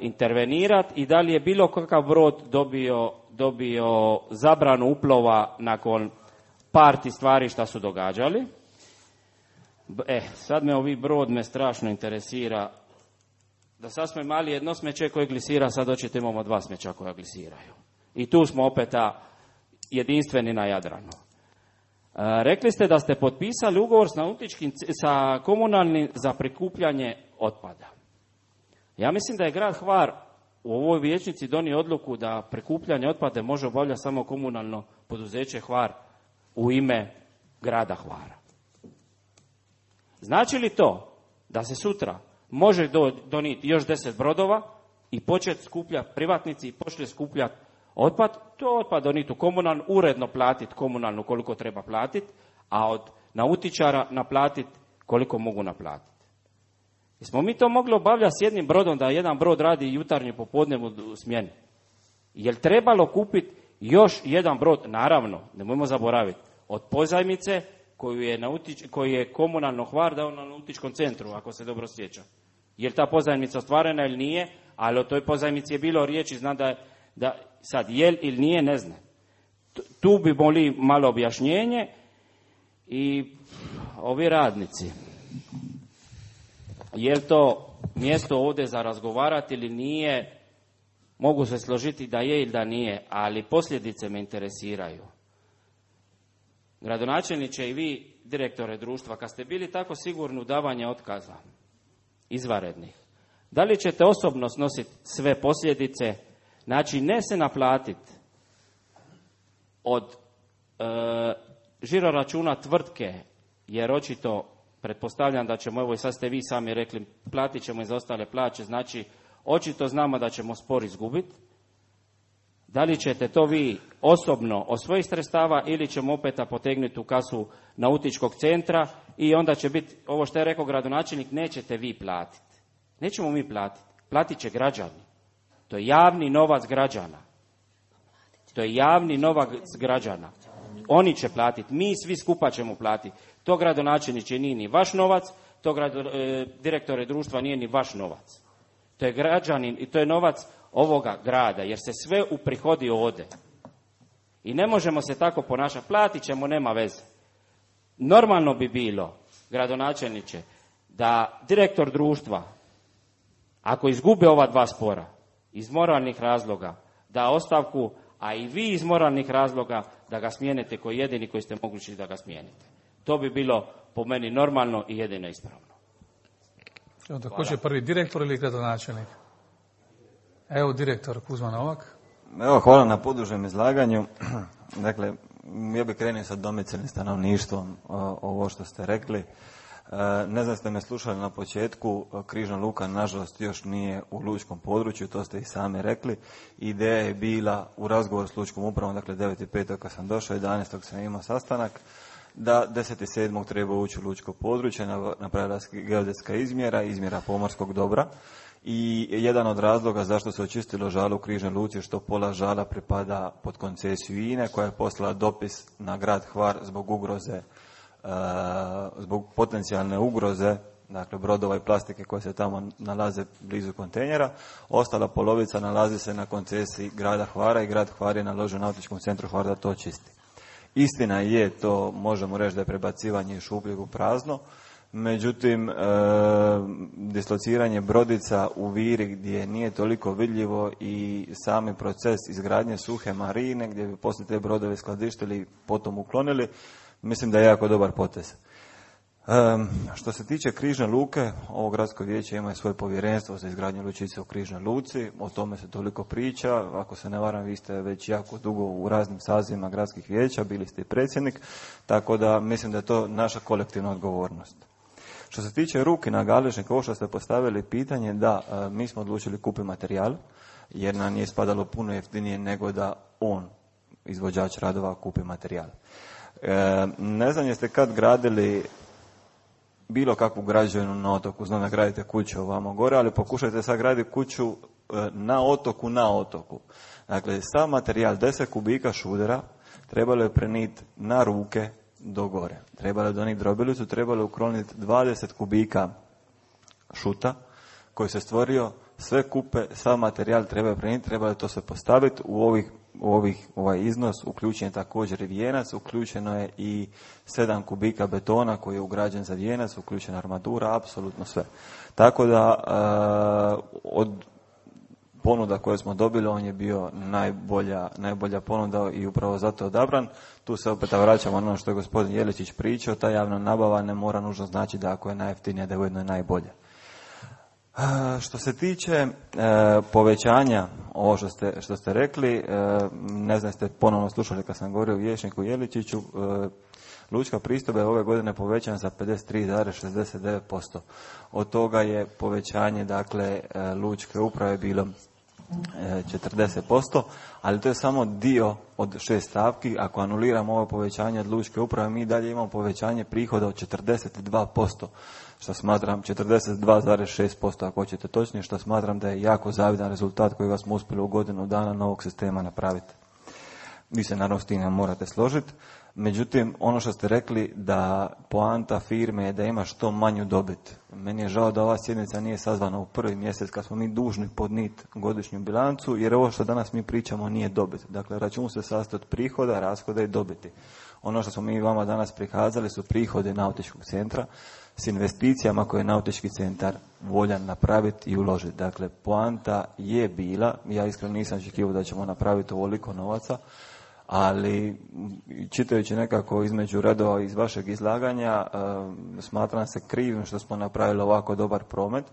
intervenirati i da li je bilo kakav brod dobio, dobio zabranu uplova nakon parti stvari šta su događali. E, sad me ovi brod me strašno interesira. Da sad smo imali jedno smeće koje glisira, sad očito imamo dva smeća koja glisiraju. I tu smo opet jedinstveni na Jadranu. E, rekli ste da ste potpisali ugovor s nautičkim, sa komunalnim za prikupljanje otpada. Ja mislim da je grad Hvar u ovoj vijećnici donio odluku da prikupljanje otpada može obavljati samo komunalno poduzeće Hvar u ime grada Hvara. Znači li to da se sutra može do, donijeti još deset brodova i početi skupljati privatnici i početi skupljati otpad, to otpad donijeti u komunalnu, uredno platiti komunalnu koliko treba platiti, a od nautičara naplatiti koliko mogu naplatiti. Jesmo mi to mogli obavljati s jednim brodom, da jedan brod radi jutarnju popodnevnu smjeni? Jel trebalo kupiti još jedan brod? Naravno, nemojmo zaboraviti, od pozajmice koju je, nautič, koju je komunalno Hvar dao na nautičkom centru, ako se dobro sjećam. Je li ta pozajmica ostvarena ili nije, ali o toj pozajmici je bilo riječi, znam da, da sad jel ili nije, ne znam. Tu bi boli malo objašnjenje. I ovi radnici, je li to mjesto ovdje za razgovarati ili nije, mogu se složiti da je ili da nije, ali posljedice me interesiraju. Gradonačelniče i vi, direktore društva, kad ste bili tako sigurni u davanje otkaza izvanrednih, da li ćete osobno snositi sve posljedice, znači ne se naplatiti od e, žiroračuna tvrtke, jer očito pretpostavljam da ćemo, evo i sad ste vi sami rekli, platit ćemo i za ostale plaće, znači očito znamo da ćemo spor izgubiti. Da li ćete to vi osobno od svojih sredstava ili ćemo opet potegnuti u kasu nautičkog centra i onda će biti, ovo što je rekao gradonačelnik, nećete vi platiti, Nećemo mi platiti. Platit će građani. To je javni novac građana. To je javni novac građana. Oni će platiti. Mi svi skupa ćemo platiti. To gradonačelniče nije ni vaš novac, to grado, e, direktore društva nije ni vaš novac. To je građanin i to je novac ovoga grada, jer se sve uprihodi ode. I ne možemo se tako ponašati. Platit ćemo, nema veze. Normalno bi bilo, gradonačelniče, da direktor društva, ako izgube ova dva spora, iz moralnih razloga, da ostavku, a i vi iz moralnih razloga, da ga smijenite koji jedini koji ste mogući da ga smijenite. To bi bilo po meni normalno i jedino ispravno. Onda ko će prvi, direktor ili gradonačelnik? Evo direktor Kuzma Novak. Evo, hvala na podužem izlaganju. Dakle, ja bih krenuo sa domicilnim stanovništvom, ovo što ste rekli. Ne znam ste me slušali na početku, Križna luka nažalost još nije u lučkom području, to ste i sami rekli. Ideja je bila u razgovoru s lučkom upravom, dakle devet pet kad sam došao, jedanaestog sam imao sastanak, da deset sedmog treba ući u lučko područje, napravila geodetska izmjera, izmjera pomorskog dobra. I jedan od razloga zašto se očistilo žalo u Križnoj luci, što pola žala pripada pod koncesiju I N E, koja je poslala dopis na grad Hvar zbog ugroze, zbog potencijalne ugroze, dakle brodova i plastike koje se tamo nalaze blizu kontejnera. Ostala polovica nalazi se na koncesiji grada Hvara i grad Hvar je naložio Nautičkom centru Hvar da to čisti. Istina je, to možemo reći da je prebacivanje iz šupljeg u prazno, međutim, e, dislociranje brodica u Viri gdje nije toliko vidljivo i sami proces izgradnje suhe marine gdje bi poslije te brodove skladištili i potom uklonili, mislim da je jako dobar potez. E, što se tiče Križne luke, ovo gradsko vijeće ima svoje povjerenstvo za izgradnju lučice u Križnoj luci, o tome se toliko priča, ako se ne varam vi ste već jako dugo u raznim sazivima gradskih vijeća, bili ste i predsjednik, tako da mislim da je to naša kolektivna odgovornost. Što se tiče Rukina Galežnika, ovo što ste postavili pitanje, da, mi smo odlučili kupiti materijal, jer nam je spadalo puno jeftinije nego da on, izvođač radova, kupi materijal. E, ne znam jeste kad gradili bilo kakvu građevinu na otoku, znam da gradite kuću ovamo gore, ali pokušajte sad graditi kuću na otoku na otoku. Dakle, sav materijal, deset kubika šudera, trebalo je preniti na ruke do gore. Trebalo je donijeti drobilicu, trebalo je ukloniti dvadeset kubika šuta koji se stvorio, sve kupe, sav materijal treba je prenijeti, trebalo je to se postaviti u ovih u ovih, ovaj iznos, uključen je također i vijenac, uključeno je i sedam kubika betona koji je ugrađen za vijenac, uključena armatura, apsolutno sve. Tako da uh, od ponuda koje smo dobili, on je bio najbolja, najbolja ponuda i upravo zato odabran. Tu se opet vraćamo na ono što je gospodin Jeličić pričao, ta javna nabava ne mora nužno znači da ako je najjeftinija da je ujedno najbolja. Što se tiče e, povećanja, ovo što ste, što ste rekli, e, ne znam ste ponovno slušali kad sam govorio o vijećniku Jeličiću, e, lučka pristojba je ove godine povećana za pedeset tri zarez šezdeset devet posto. Od toga je povećanje, dakle, e, lučke uprave bilo e, četrdeset posto, ali to je samo dio od šest stavki. Ako anuliramo ovo povećanje od lučke uprave, mi dalje imamo povećanje prihoda od četrdeset dva posto. Što smatram, četrdeset dva zarez šest posto ako hoćete točnije, što smatram da je jako zavidan rezultat kojega smo uspjeli u godinu dana novog sistema napraviti. Vi se naravno s tim morate složiti. Međutim, ono što ste rekli da poanta firme je da ima što manju dobit. Meni je žao da ova sjednica nije sazvana u prvi mjesec kad smo mi dužni podnijeti godišnju bilancu, jer ovo što danas mi pričamo nije dobit. Dakle, račun se sastoji od prihoda, rashoda i dobiti. Ono što smo mi vama danas prikazali su prihode Nautičkog centra s investicijama koje je Nautički centar voljan napraviti i uložiti. Dakle, poanta je bila, ja iskreno nisam očekivao da ćemo napraviti ovoliko novaca, ali čitajući nekako između redova iz vašeg izlaganja, e, smatram se krivim što smo napravili ovako dobar promet.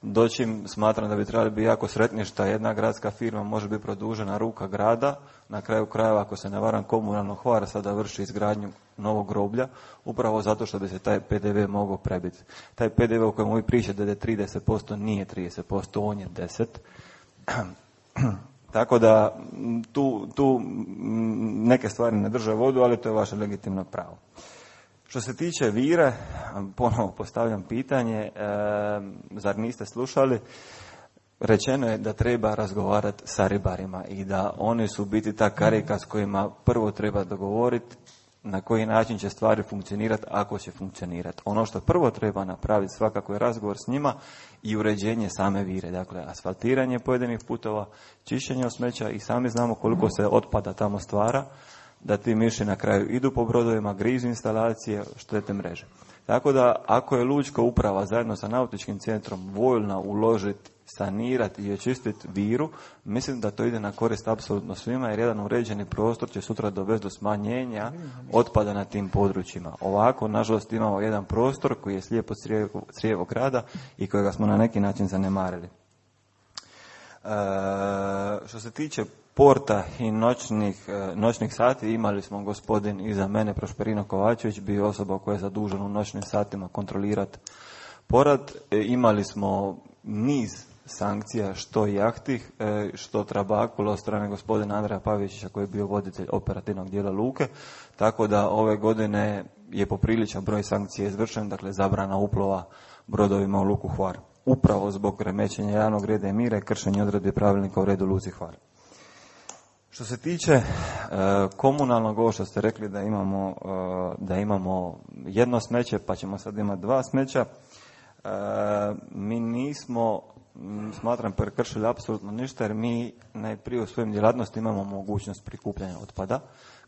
Doćim smatram da bi trebali biti jako sretni što jedna gradska firma može biti produžena ruka grada. Na kraju krajeva, ako se ne varam, komunalno Hvar sada vrši izgradnju novog groblja, upravo zato što bi se taj P D V mogao prebiti. Taj P D V o kojem vi pričate da je trideset posto nije trideset posto, on je deset posto. Tako da tu, tu neke stvari ne drže vodu, ali to je vaše legitimno pravo. Što se tiče Vire, ponovo postavljam pitanje, e, zar niste slušali? Rečeno je da treba razgovarati sa ribarima i da oni su biti ta karika s kojima prvo treba dogovoriti na koji način će stvari funkcionirati, ako će funkcionirati. Ono što prvo treba napraviti svakako je razgovor s njima i uređenje same Vire. Dakle, asfaltiranje pojedinih putova, čišćenje od smeća i sami znamo koliko se otpada tamo stvara, da ti miši na kraju idu po brodovima, grizu instalacije, štete mreže. Tako da, ako je lučka uprava zajedno sa nautičkim centrom voljna uložiti, sanirati i očistiti Viru, mislim da to ide na korist apsolutno svima, jer jedan uređeni prostor će sutra dovesti do smanjenja otpada na tim područjima. Ovako, nažalost, imamo jedan prostor koji je slijepo crijevo grada i kojega smo na neki način zanemarili. E, što se tiče porta i noćnih, noćnih sati, imali smo gospodin iza mene, Prošperino Kovačević, bio osoba koja je zadužena u noćnim satima kontrolirati porat. E, imali smo niz sankcija, što jahtih, što trabakula od strane gospodina Andreja Pavičića koji je bio voditelj operativnog dijela luke, tako da ove godine je popriličan broj sankcija izvršen, dakle zabrana uplova brodovima u luku Hvar, upravo zbog remećenja javnog reda i mira i kršenja odredbi pravilnika u redu luci Hvar. Što se tiče e, komunalnog, ovo što ste rekli da imamo, e, da imamo jedno smeće, pa ćemo sad imati dva smeća, e, mi nismo, smatram, prekršili apsolutno ništa, jer mi najprije u svojim djelatnosti imamo mogućnost prikupljanja otpada.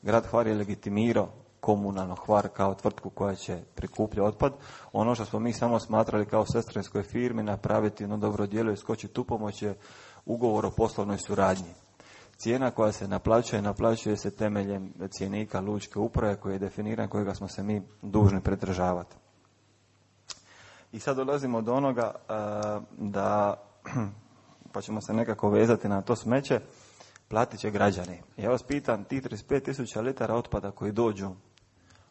Grad Hvar je legitimirao komunalno Hvar kao tvrtku koja će prikupljati otpad. Ono što smo mi samo smatrali kao sestrinskoj firmi napraviti jedno dobro djelo i skočiti tu pomoć je ugovor o poslovnoj suradnji. Cijena koja se naplaćuje, naplaćuje se temeljem cjenika lučke uprave koji je definiran, kojega smo se mi dužni pridržavati. I sad dolazimo do onoga da, pa ćemo se nekako vezati na to smeće, platit će građani. Ja vas pitam, ti trideset pet tisuća litara otpada koji dođu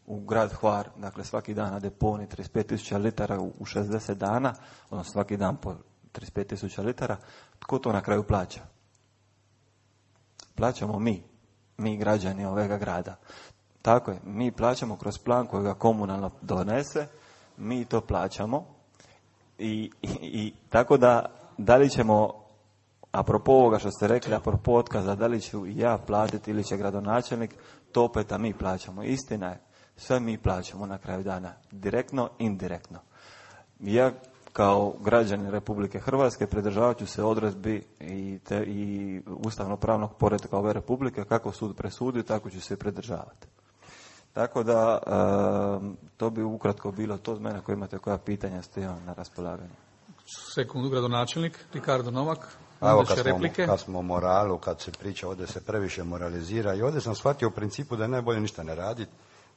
u grad Hvar, dakle svaki dan na deponi trideset pet tisuća litara u šezdeset dana, odnosno svaki dan po trideset pet tisuća litara, tko to na kraju plaća? Plaćamo mi, mi građani ovega grada. Tako je, mi plaćamo kroz plan kojega komunalno donese, mi to plaćamo i, i, i tako da, da li ćemo, apropo ovoga što ste rekli, apropo otkaza, da li ću ja platiti ili će gradonačelnik, to opet a mi plaćamo. Istina je, sve mi plaćamo na kraju dana, direktno, indirektno. Ja kao građanin Republike Hrvatske pridržavat ću se odredbi i, te, i ustavno-pravnog poretka ove Republike, kako sud presudi, tako ću se pridržavati. Tako da, e, to bi ukratko bilo to od mene. Ako imate koja pitanja, stojim na raspolaganju. Sekundu, gradonačelnik, Ricardo Novak. Evo, kad smo, kad smo o moralu, kad se priča, ovdje se previše moralizira i ovdje sam shvatio u principu da je najbolje ništa ne raditi,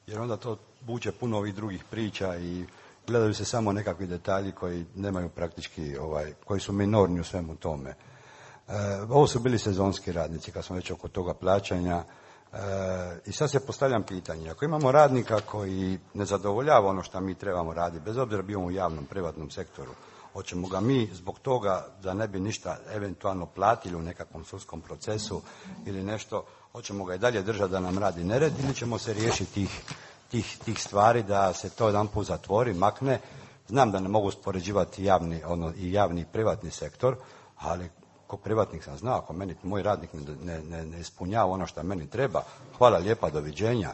jer onda to buče puno ovih drugih priča i gledaju se samo nekakvi detalji koji nemaju praktički, ovaj, koji su minorni u svemu tome. E, ovo su bili sezonski radnici, kad smo već oko toga plaćanja. E, I sad se postavljam pitanje, ako imamo radnika koji ne zadovoljava ono što mi trebamo raditi, bez obzira bio u javnom, privatnom sektoru, hoćemo ga mi zbog toga da ne bi ništa eventualno platili u nekakvom sudskom procesu ili nešto, hoćemo ga i dalje držati da nam radi nered ili ćemo se riješiti tih, tih, tih stvari da se to jedan put zatvori, makne. Znam da ne mogu uspoređivati javni, ono, i javni i privatni sektor, ali ko privatnik sam znao, ako meni moj radnik ne, ne, ne ispunjava ono što meni treba, hvala lijepa, doviđenja,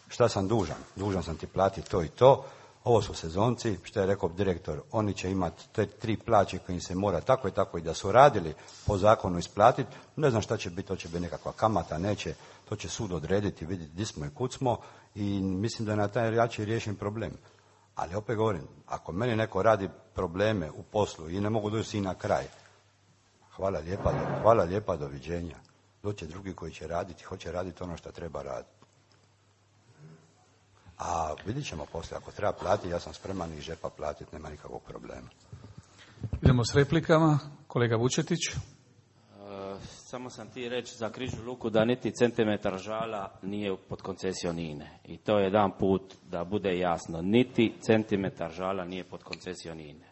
šta sam dužan? Dužan sam ti platiti to i to. Ovo su sezonci, što je rekao direktor, oni će imati te tri plaće koje im se mora tako i tako i da su radili po zakonu isplatiti. Ne znam šta će biti, to će biti nekakva kamata, neće, to će sud odrediti, vidjeti gdje smo i kud smo i mislim da je na taj način riješen problem. Ali opet govorim, ako meni neko radi probleme u poslu i ne mogu doći i na kraj, hvala lijepa, hvala lijepa, doviđenja. Doće drugi koji će raditi, hoće raditi ono što treba raditi. A vidit ćemo poslije, ako treba platiti, ja sam spreman iz žepa platiti, nema nikakvog problema. Idemo s replikama. Kolega Vučetić. E, samo sam ti reći za Križnu luku da niti centimetar žala nije pod koncesijom INE. I to je jedan put da bude jasno. Niti centimetar žala nije pod koncesijom INE.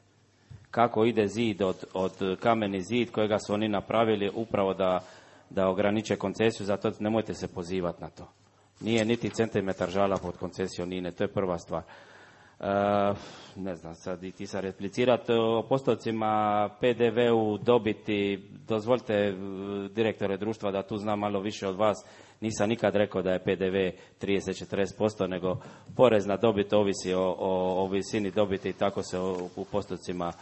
Kako ide zid od, od kameni zid kojega su oni napravili upravo da, da ograniče koncesiju, zato nemojte se pozivati na to. Nije niti centimetar žala pod koncesijom INE, to je prva stvar. E, ne znam sad i ti sad replicirati o postocima P D V-u dobiti, dozvolite direktore društva da tu znam malo više od vas, nisam nikad rekao da je P D V trideset do četrdeset posto, nego porez na dobit ovisi o, o, o visini dobiti i tako se o, u postocima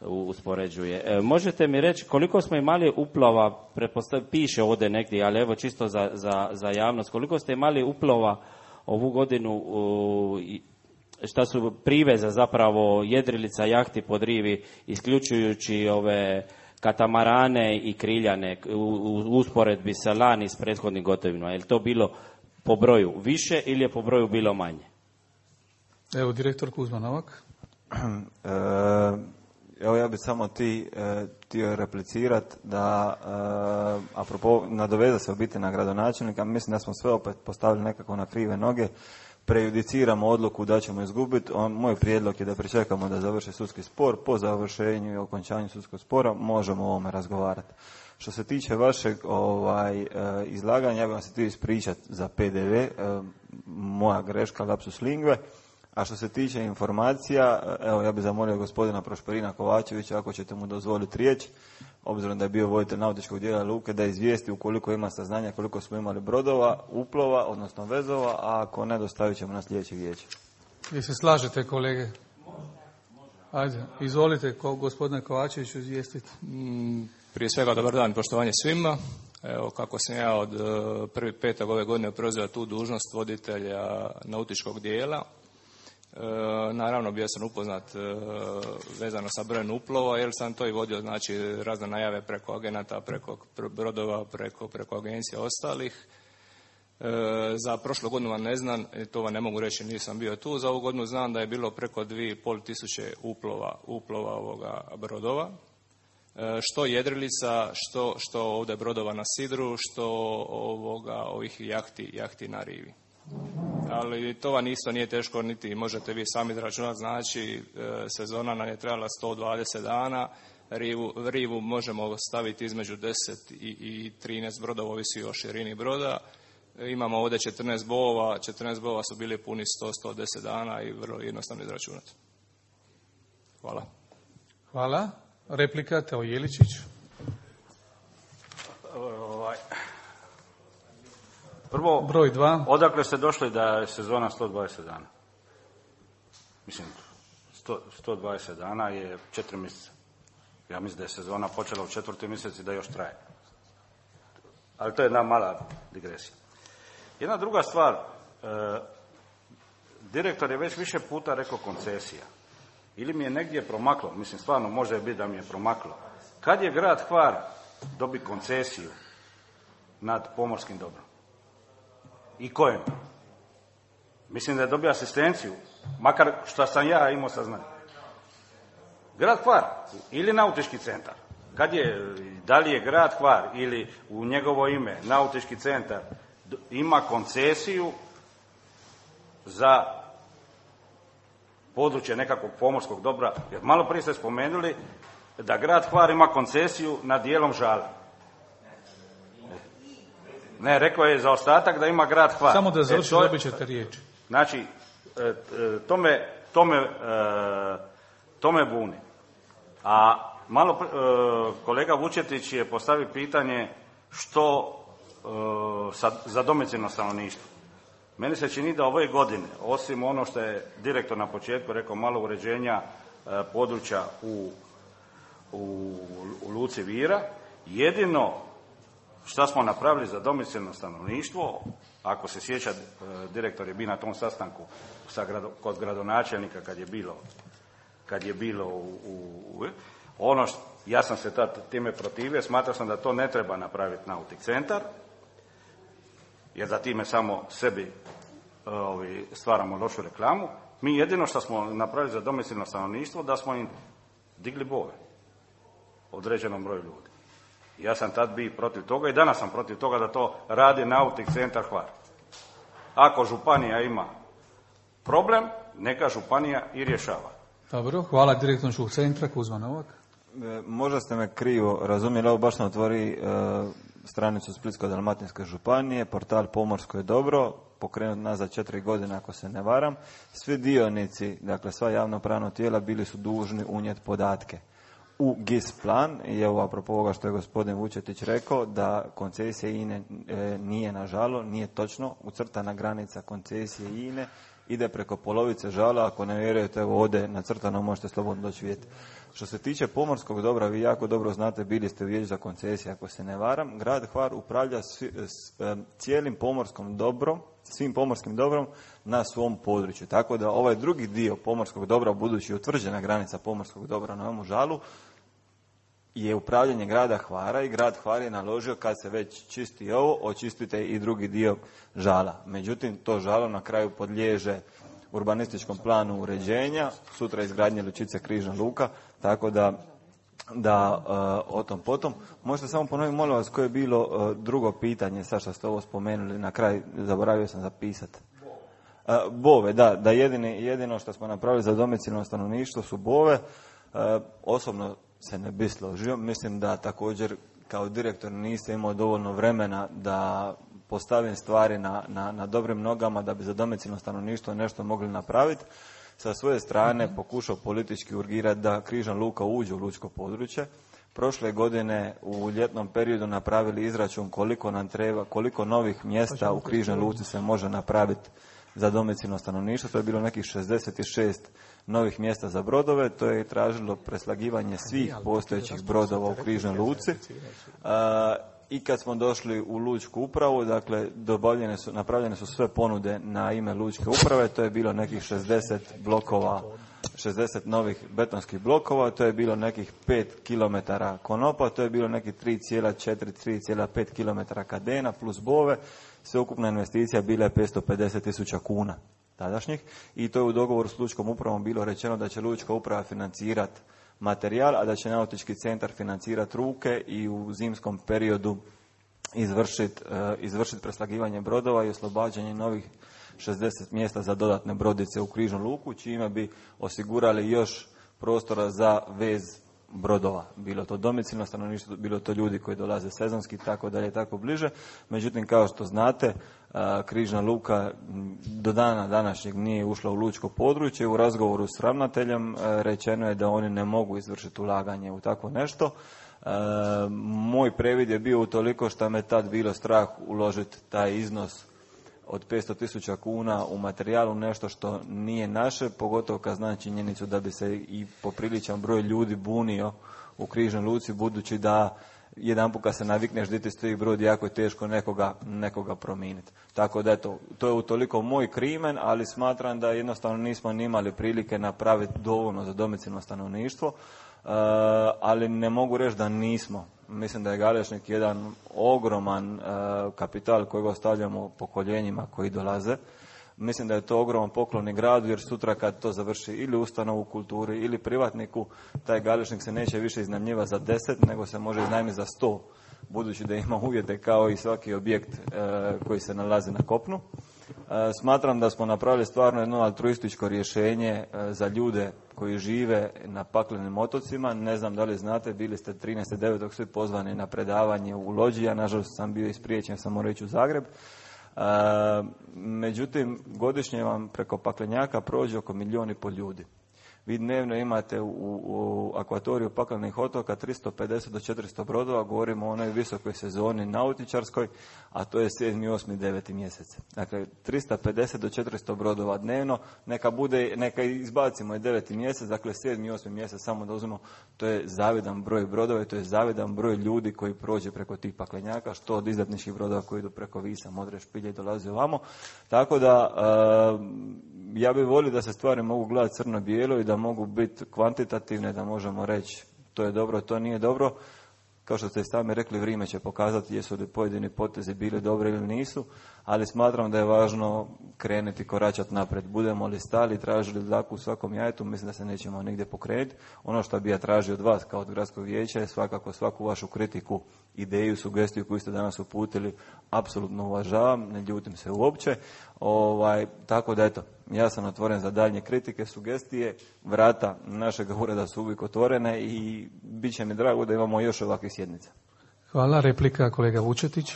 uspoređuje. E, možete mi reći koliko smo imali uplova, piše ovdje negdje, ali evo čisto za, za, za javnost, koliko ste imali uplova ovu godinu, u, šta su priveza zapravo jedrilica, jahti po Drivi, isključujući ove katamarane i kriljane u, u usporedbi sa lani s prethodnim gotovinama. Je li to bilo po broju više ili je po broju bilo manje? Evo, direktor Kuzma Novak. E, Evo ja bih samo ti e, htio replicirati da, e, apropo, nadovezao se u biti na gradonačelnika, mislim da smo sve opet postavili nekako na krive noge, prejudiciramo odluku da ćemo izgubiti. On, moj prijedlog je da pričekamo da završi sudski spor, po završenju i okončanju sudskog spora možemo o ovome razgovarati. Što se tiče vašeg ovaj, e, izlaganja, ja bih vam se htio ispričati za P D V, e, moja greška, lapsus lingue. A što se tiče informacija, evo ja bih zamolio gospodina Prošperina Kovačevića, ako ćete mu dozvoliti riječ, obzirom da je bio voditelj nautičkog dijela luke, da izvijesti ukoliko ima saznanja koliko smo imali brodova, uplova, odnosno vezova, a ako ne, dostavit ćemo na sljedeće vijeće. Vi se slažete, kolege? Ajde, izvolite, ko, gospodine Kovačeviću, izvijestiti. Prije svega, dobar dan, poštovanje svima. Evo, kako sam ja od prvog petog ove godine preuzeo tu dužnost voditelja nautičkog dijela, E, naravno bio sam upoznat e, vezano sa brojem uplova, jer sam to i vodio, znači razne najave preko agenata, preko brodova, preko, preko agencija ostalih. E, za prošlu godinu vam ne znam, to vam ne mogu reći, nisam bio tu. Za ovu godinu znam da je bilo preko dvije i pol tisuće uplova, uplova ovoga brodova. E, što jedrilica, što, što ovdje brodova na sidru, što ovoga, ovih jahti, jahti na rivi. Ali to vam isto nije teško, niti možete vi sami izračunati, znači sezona nam je trebala sto dvadeset dana, rivu, rivu možemo staviti između deset i, i trinaest brodova, ovisi o širini broda. Imamo ovdje četrnaest bova, četrnaest bova su bili puni sto do sto deset dana i vrlo jednostavno izračunati. Hvala. Hvala. Replika, Teo Jeličić. Ovaj. Prvo, broj dva. Odakle ste došli da je sezona sto dvadeset dana? Mislim, sto, sto dvadeset dana je četiri mjeseca. Ja mislim da je sezona počela u četvrti mjesec i da još traje. Ali to je jedna mala digresija. Jedna druga stvar, e, direktor je već više puta rekao koncesija. Ili mi je negdje promaklo, mislim stvarno može biti da mi je promaklo. Kad je grad Hvar dobi koncesiju nad pomorskim dobrom? I kojem? Mislim da je dobio asistenciju, makar što sam ja imao saznanje. Grad Hvar ili nautički centar. Kad je, da li je grad Hvar ili u njegovo ime nautički centar ima koncesiju za područje nekakvog pomorskog dobra, jer malo prije ste spomenuli da grad Hvar ima koncesiju nad dijelom Žale. Ne, rekao je za ostatak da ima grad Hvar. Samo da završi, e, dobit ćete riječ. Znači, to me, to me, to me buni. A malo kolega Vučetić je postavio pitanje što za domicilno stanovništvo. Meni se čini da ove godine, osim ono što je direktor na početku rekao, malo uređenja područja u, u, u Luci Vira, jedino šta smo napravili za domicilno stanovništvo, ako se sjeća, direktor je bio na tom sastanku sa grado, kod gradonačelnika kad je bilo, kad je bilo u, u, ono što, ja sam se tad time protivio, smatrao sam da to ne treba napraviti nautik centar, jer da time samo sebi ovi, stvaramo lošu reklamu. Mi jedino što smo napravili za domicilno stanovništvo, da smo im digli bove određenom broju ljudi. Ja sam tad bio protiv toga i danas sam protiv toga da to radi nautik centar Hvar. Ako županija ima problem, neka županija i rješava. Dobro, hvala direktorskog centra Kuzma Novak. E, možda ste me krivo razumjeli, ovo baš ne otvori e, stranicu Splitsko-dalmatinske županije, portal Pomorsko je dobro, pokrenut nazad četiri godine ako se ne varam. Svi dionici, dakle sva javnopravna tijela bili su dužni unijeti podatke u G I S plan. I evo apropo ovoga što je gospodin Vučetić rekao, da koncesija I N E nije na žalo, nije točno. Ucrtana granica koncesije I N E ide preko polovice žala. Ako ne vjerujete, evo ovdje nacrtano, možete slobodno doći vidjeti. Što se tiče pomorskog dobra, vi jako dobro znate, bili ste u vijeću za koncesije, ako se ne varam. Grad Hvar upravlja svi, s, cijelim pomorskom dobrom, svim pomorskim dobrom na svom području. Tako da ovaj drugi dio pomorskog dobra, budući je utvrđena granica pomorskog dobra na ovom žalu, je upravljanje grada Hvara i grad Hvar je naložio, kad se već čisti ovo, očistite i drugi dio žala. Međutim, to žalo na kraju podliježe urbanističkom planu uređenja, sutra izgradnje lučice Križna luka, tako da, da uh, o tom potom. Možete samo ponoviti, molim vas, koje je bilo uh, drugo pitanje, sad što ste ovo spomenuli, na kraj zaboravio sam zapisati. Uh, bove, da, da jedini, jedino što smo napravili za domicilno stanovništvo su bove. Uh, osobno se ne bi složio, mislim da također kao direktor niste imao dovoljno vremena da postavim stvari na, na, na dobrim nogama da bi za domicilno stanovništvo nešto mogli napraviti. Sa svoje strane pokušao politički urgirati da Križna luka uđe u lučko područje. Prošle godine u ljetnom periodu napravili izračun koliko nam treba, koliko novih mjesta u Križnoj luci se može napraviti za domicilno stanovništvo. To je bilo nekih šezdeset šest novih mjesta za brodove. To je tražilo preslagivanje svih postojećih brodova u Križnoj luci. I kad smo došli u lučku upravu, dakle, dobavljene su, napravljene su sve ponude na ime lučke uprave, to je bilo nekih šezdeset blokova, šezdeset novih betonskih blokova, to je bilo nekih pet kilometara konopa, to je bilo nekih tri zarez četiri do tri zarez pet kilometara kadena plus bove, sveukupna investicija bila je petsto pedeset tisuća kuna tadašnjih i to je u dogovoru s lučkom upravom bilo rečeno da će lučka uprava financirati materijal, a da će nautički centar financirati ruke i u zimskom periodu izvršiti uh, izvršit preslagivanje brodova i oslobađanje novih šezdeset mjesta za dodatne brodice u Križnu luku, čime bi osigurali još prostora za vez brodova. Bilo to domicilno stanovništvo, bilo to ljudi koji dolaze sezonski, tako dalje, tako bliže. Međutim, kao što znate, Križna luka do dana današnjeg nije ušla u lučko područje. U razgovoru s ravnateljem rečeno je da oni ne mogu izvršiti ulaganje u takvo nešto. Moj previd je bio utoliko što me tad bilo strah uložiti taj iznos od petsto tisuća kuna u materijalu, nešto što nije naše, pogotovo kad znam činjenicu da bi se i popriličan broj ljudi bunio u Križnoj luci, budući da jedan put kad se navikneš da ti stoji brod, jako je teško nekoga, nekoga promijeniti. Tako da eto, to je utoliko moj krimen, ali smatram da jednostavno nismo ni imali prilike napraviti dovoljno za domicilno stanovništvo, uh, ali ne mogu reći da nismo. Mislim da je Galešnik jedan ogroman uh, kapital kojeg ostavljamo pokoljenjima koji dolaze. Mislim da je to ogroman poklon i gradu, jer sutra kad to završi ili ustanovu u kulturi ili privatniku, taj Galešnik se neće više iznajmljivati za deset, nego se može iznajmiti za sto, budući da ima uvjete kao i svaki objekt uh, koji se nalazi na kopnu. Uh, smatram da smo napravili stvarno jedno altruističko rješenje uh, za ljude koji žive na paklenim otocima. Ne znam da li znate, bili ste trinaestog devetog svi pozvani na predavanje u Lođi, ja nažalost sam bio ispriječen, sam morao ići u Zagreb. Uh, međutim, godišnje vam preko paklenjaka prođe oko milijun i pol ljudi. Vi dnevno imate u, u akvatoriju paklenih otoka tristo pedeset do četiristo brodova, govorimo o onoj visokoj sezoni nautičarskoj, a to je sedmi, osmi, deveti mjesec. Dakle, tristo pedeset do četiristo brodova dnevno, neka bude, neka izbacimo i deveti mjesec, dakle sedmi, osmi mjesec samo da uzmemo, to je zavidan broj brodova i to je zavidan broj ljudi koji prođe preko tih paklenjaka, što od izletničkih brodova koji idu preko Visa, Modre, Špilje i dolaze ovamo. Tako da, uh, ja bih volio da se stvari mogu gledati crno-bijelo i da mogu biti kvantitativne, da možemo reći to je dobro, to nije dobro. Kao što ste sami rekli, vrijeme će pokazati jesu li pojedini potezi bili dobri ili nisu, ali smatram da je važno krenuti, koračati naprijed. Budemo li stali i tražili dlaku u svakom jajetu, mislim da se nećemo nigdje pokrenuti. Ono što bi ja tražio od vas kao od gradskog vijeća je svakako svaku vašu kritiku, ideju, sugestiju koju ste danas uputili, apsolutno uvažavam, ne ljutim se uopće. Ovaj, tako da eto, ja sam otvoren za daljnje kritike, sugestije, vrata našeg ureda su uvijek otvorene i bit će mi drago da imamo još ovakvih sjednica. Hvala. Replika kolega Vučetić.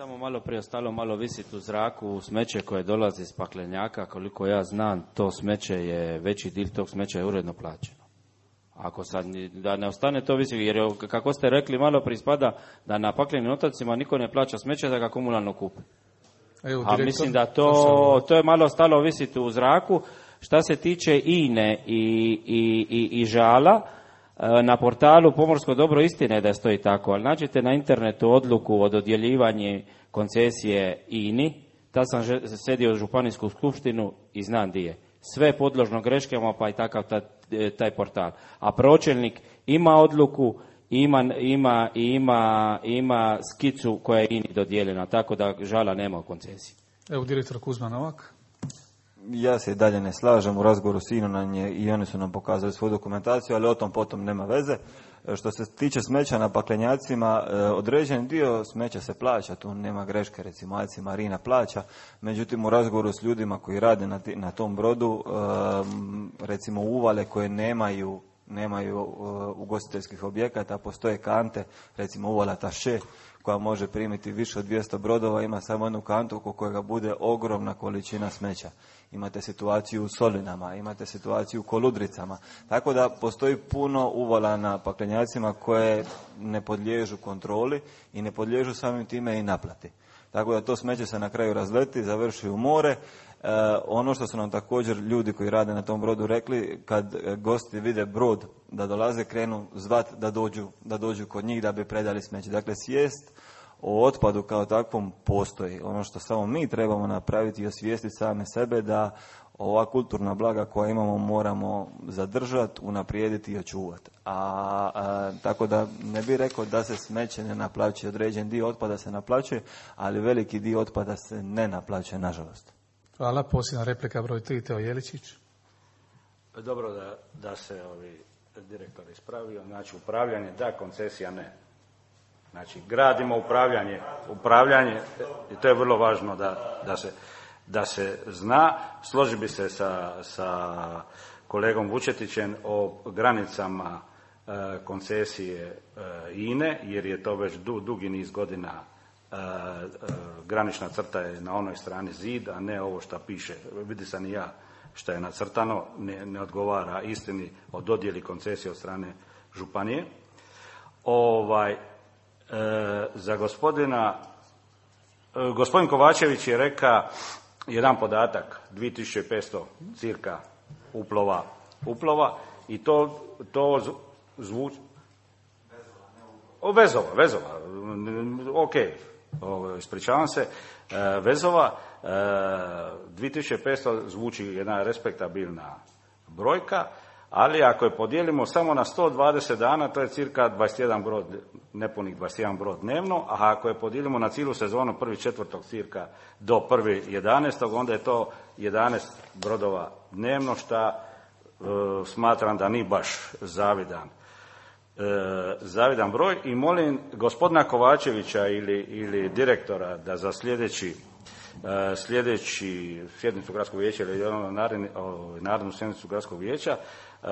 samo malo prije ostalo malo visiti u zraku smeće koje dolazi iz paklenjaka, koliko ja znam, to smeće je, veći dio tog smeća je uredno plaćeno. Ako sad, da ne ostane to visiti, jer kako ste rekli malo prije ispada da na paklenim otocima niko ne plaća smeće da ga komunalno kupi. Evo, a mislim da to, to je malo ostalo visiti u zraku. Šta se tiče INE i, i, i, i žala, na portalu Pomorsko dobro istine da stoji tako, ali nađete na internetu odluku o dodjeljivanju koncesije INI, tad sam sedio u županijsku skupštinu i znam di je. Sve podložno greškama, pa i takav taj, taj portal. A pročelnik ima odluku, ima, ima, ima, ima skicu koja je INI dodijeljena, tako da žala nema u koncesiji. Evo, direktor Kuzma Novak. Ja se i dalje ne slažem, u razgovoru s INom nam je, i oni su nam pokazali svoju dokumentaciju, ali o tom potom nema veze. Što se tiče smeća na paklenjacima, određen dio smeća se plaća, tu nema greške, recimo A C Marina plaća, međutim u razgovoru s ljudima koji rade na, na tom brodu, recimo uvale koje nemaju nemaju ugostiteljskih objekata, postoje kante, recimo uvala Taše, koja može primiti više od dvjesto brodova, ima samo jednu kantu oko kojega bude ogromna količina smeća. Imate situaciju u Solinama, imate situaciju u Koludricama. Tako da postoji puno uvala na paklenjacima koje ne podliježu kontroli i ne podliježu samim time i naplati. Tako da to smeće se na kraju razleti, završi u more. E, ono što su nam također ljudi koji rade na tom brodu rekli, kad gosti vide brod da dolaze, krenu zvat da dođu, da dođu kod njih da bi predali smeće. Dakle, svijest o otpadu kao takvom postoji. Ono što samo mi trebamo napraviti i osvijestiti same sebe da ova kulturna blaga koja imamo moramo zadržati, unaprijediti i očuvati. A, a tako da ne bih rekao da se smeće ne naplaćuje, određen dio otpada se naplaćuje, ali veliki dio otpada se ne naplaćuje, nažalost. Hvala. Posljedna replika broj tri, Teo Jeličić. Dobro da, da se ovi direktor ispravio. Znači, upravljanje da, koncesija ne. Znači, gradimo upravljanje, upravljanje, i to je vrlo važno da, da, se, da se zna. Složi bi se sa, sa kolegom Vučetićem o granicama e, koncesije e, INE, jer je to već du, dugi niz godina e, e, granična crta je na onoj strani zid, a ne ovo što piše. Vidi sam i ja što je nacrtano, ne, ne odgovara istini o dodjeli koncesije od strane županije. Ovaj, E, za gospodina, e, gospodin Kovačević je rekao jedan podatak, dvije tisuće petsto cirka uplova, uplova i to, to zvuči... O, vezova, vezova, ok, o, ispričavam se, e, vezova, e, dvije tisuće petsto zvuči jedna respektabilna brojka, ali ako je podijelimo samo na sto dvadeset dana, to je cirka dvadeset jedan brod, nepunih dvadeset jedan brod dnevno, a ako je podijelimo na cijelu sezonu prvi četvrtog cirka do prvi jedanaestog, onda je to jedanaest brodova dnevno, šta e, smatram da nije baš zavidan, e, zavidan broj. I molim gospodina Kovačevića ili, ili direktora da za sljedeći Uh, sljedeći sjednicu gradskog vijeća ili narodnu sjednicu gradskog vijeća, uh,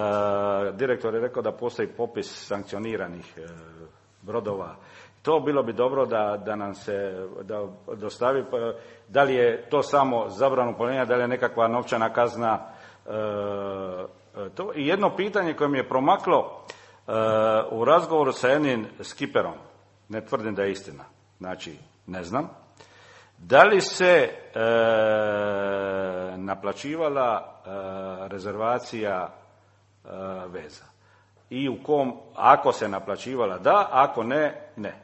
direktor je rekao da postoji popis sankcioniranih uh, brodova. To bilo bi dobro da, da nam se da dostavi, da li je to samo zabranu plovljenja, da li je nekakva novčana kazna. Uh, to. I jedno pitanje koje mi je promaklo uh, u razgovoru sa jednim skiperom, ne tvrdim da je istina, znači ne znam, da li se e, naplaćivala e, rezervacija e, veza i u kom, ako se naplaćivala da, ako ne, ne.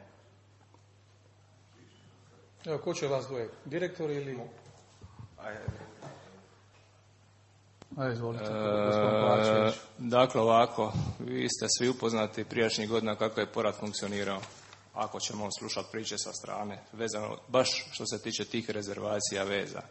Evo, ko će vas dvoje? Direktor ili... Ajde, izvolite. E, dakle, ovako, vi ste svi upoznati prijašnjih godina kako je porad funkcionirao. Ako ćemo slušati priče sa strane, vezano baš što se tiče tih rezervacija veza.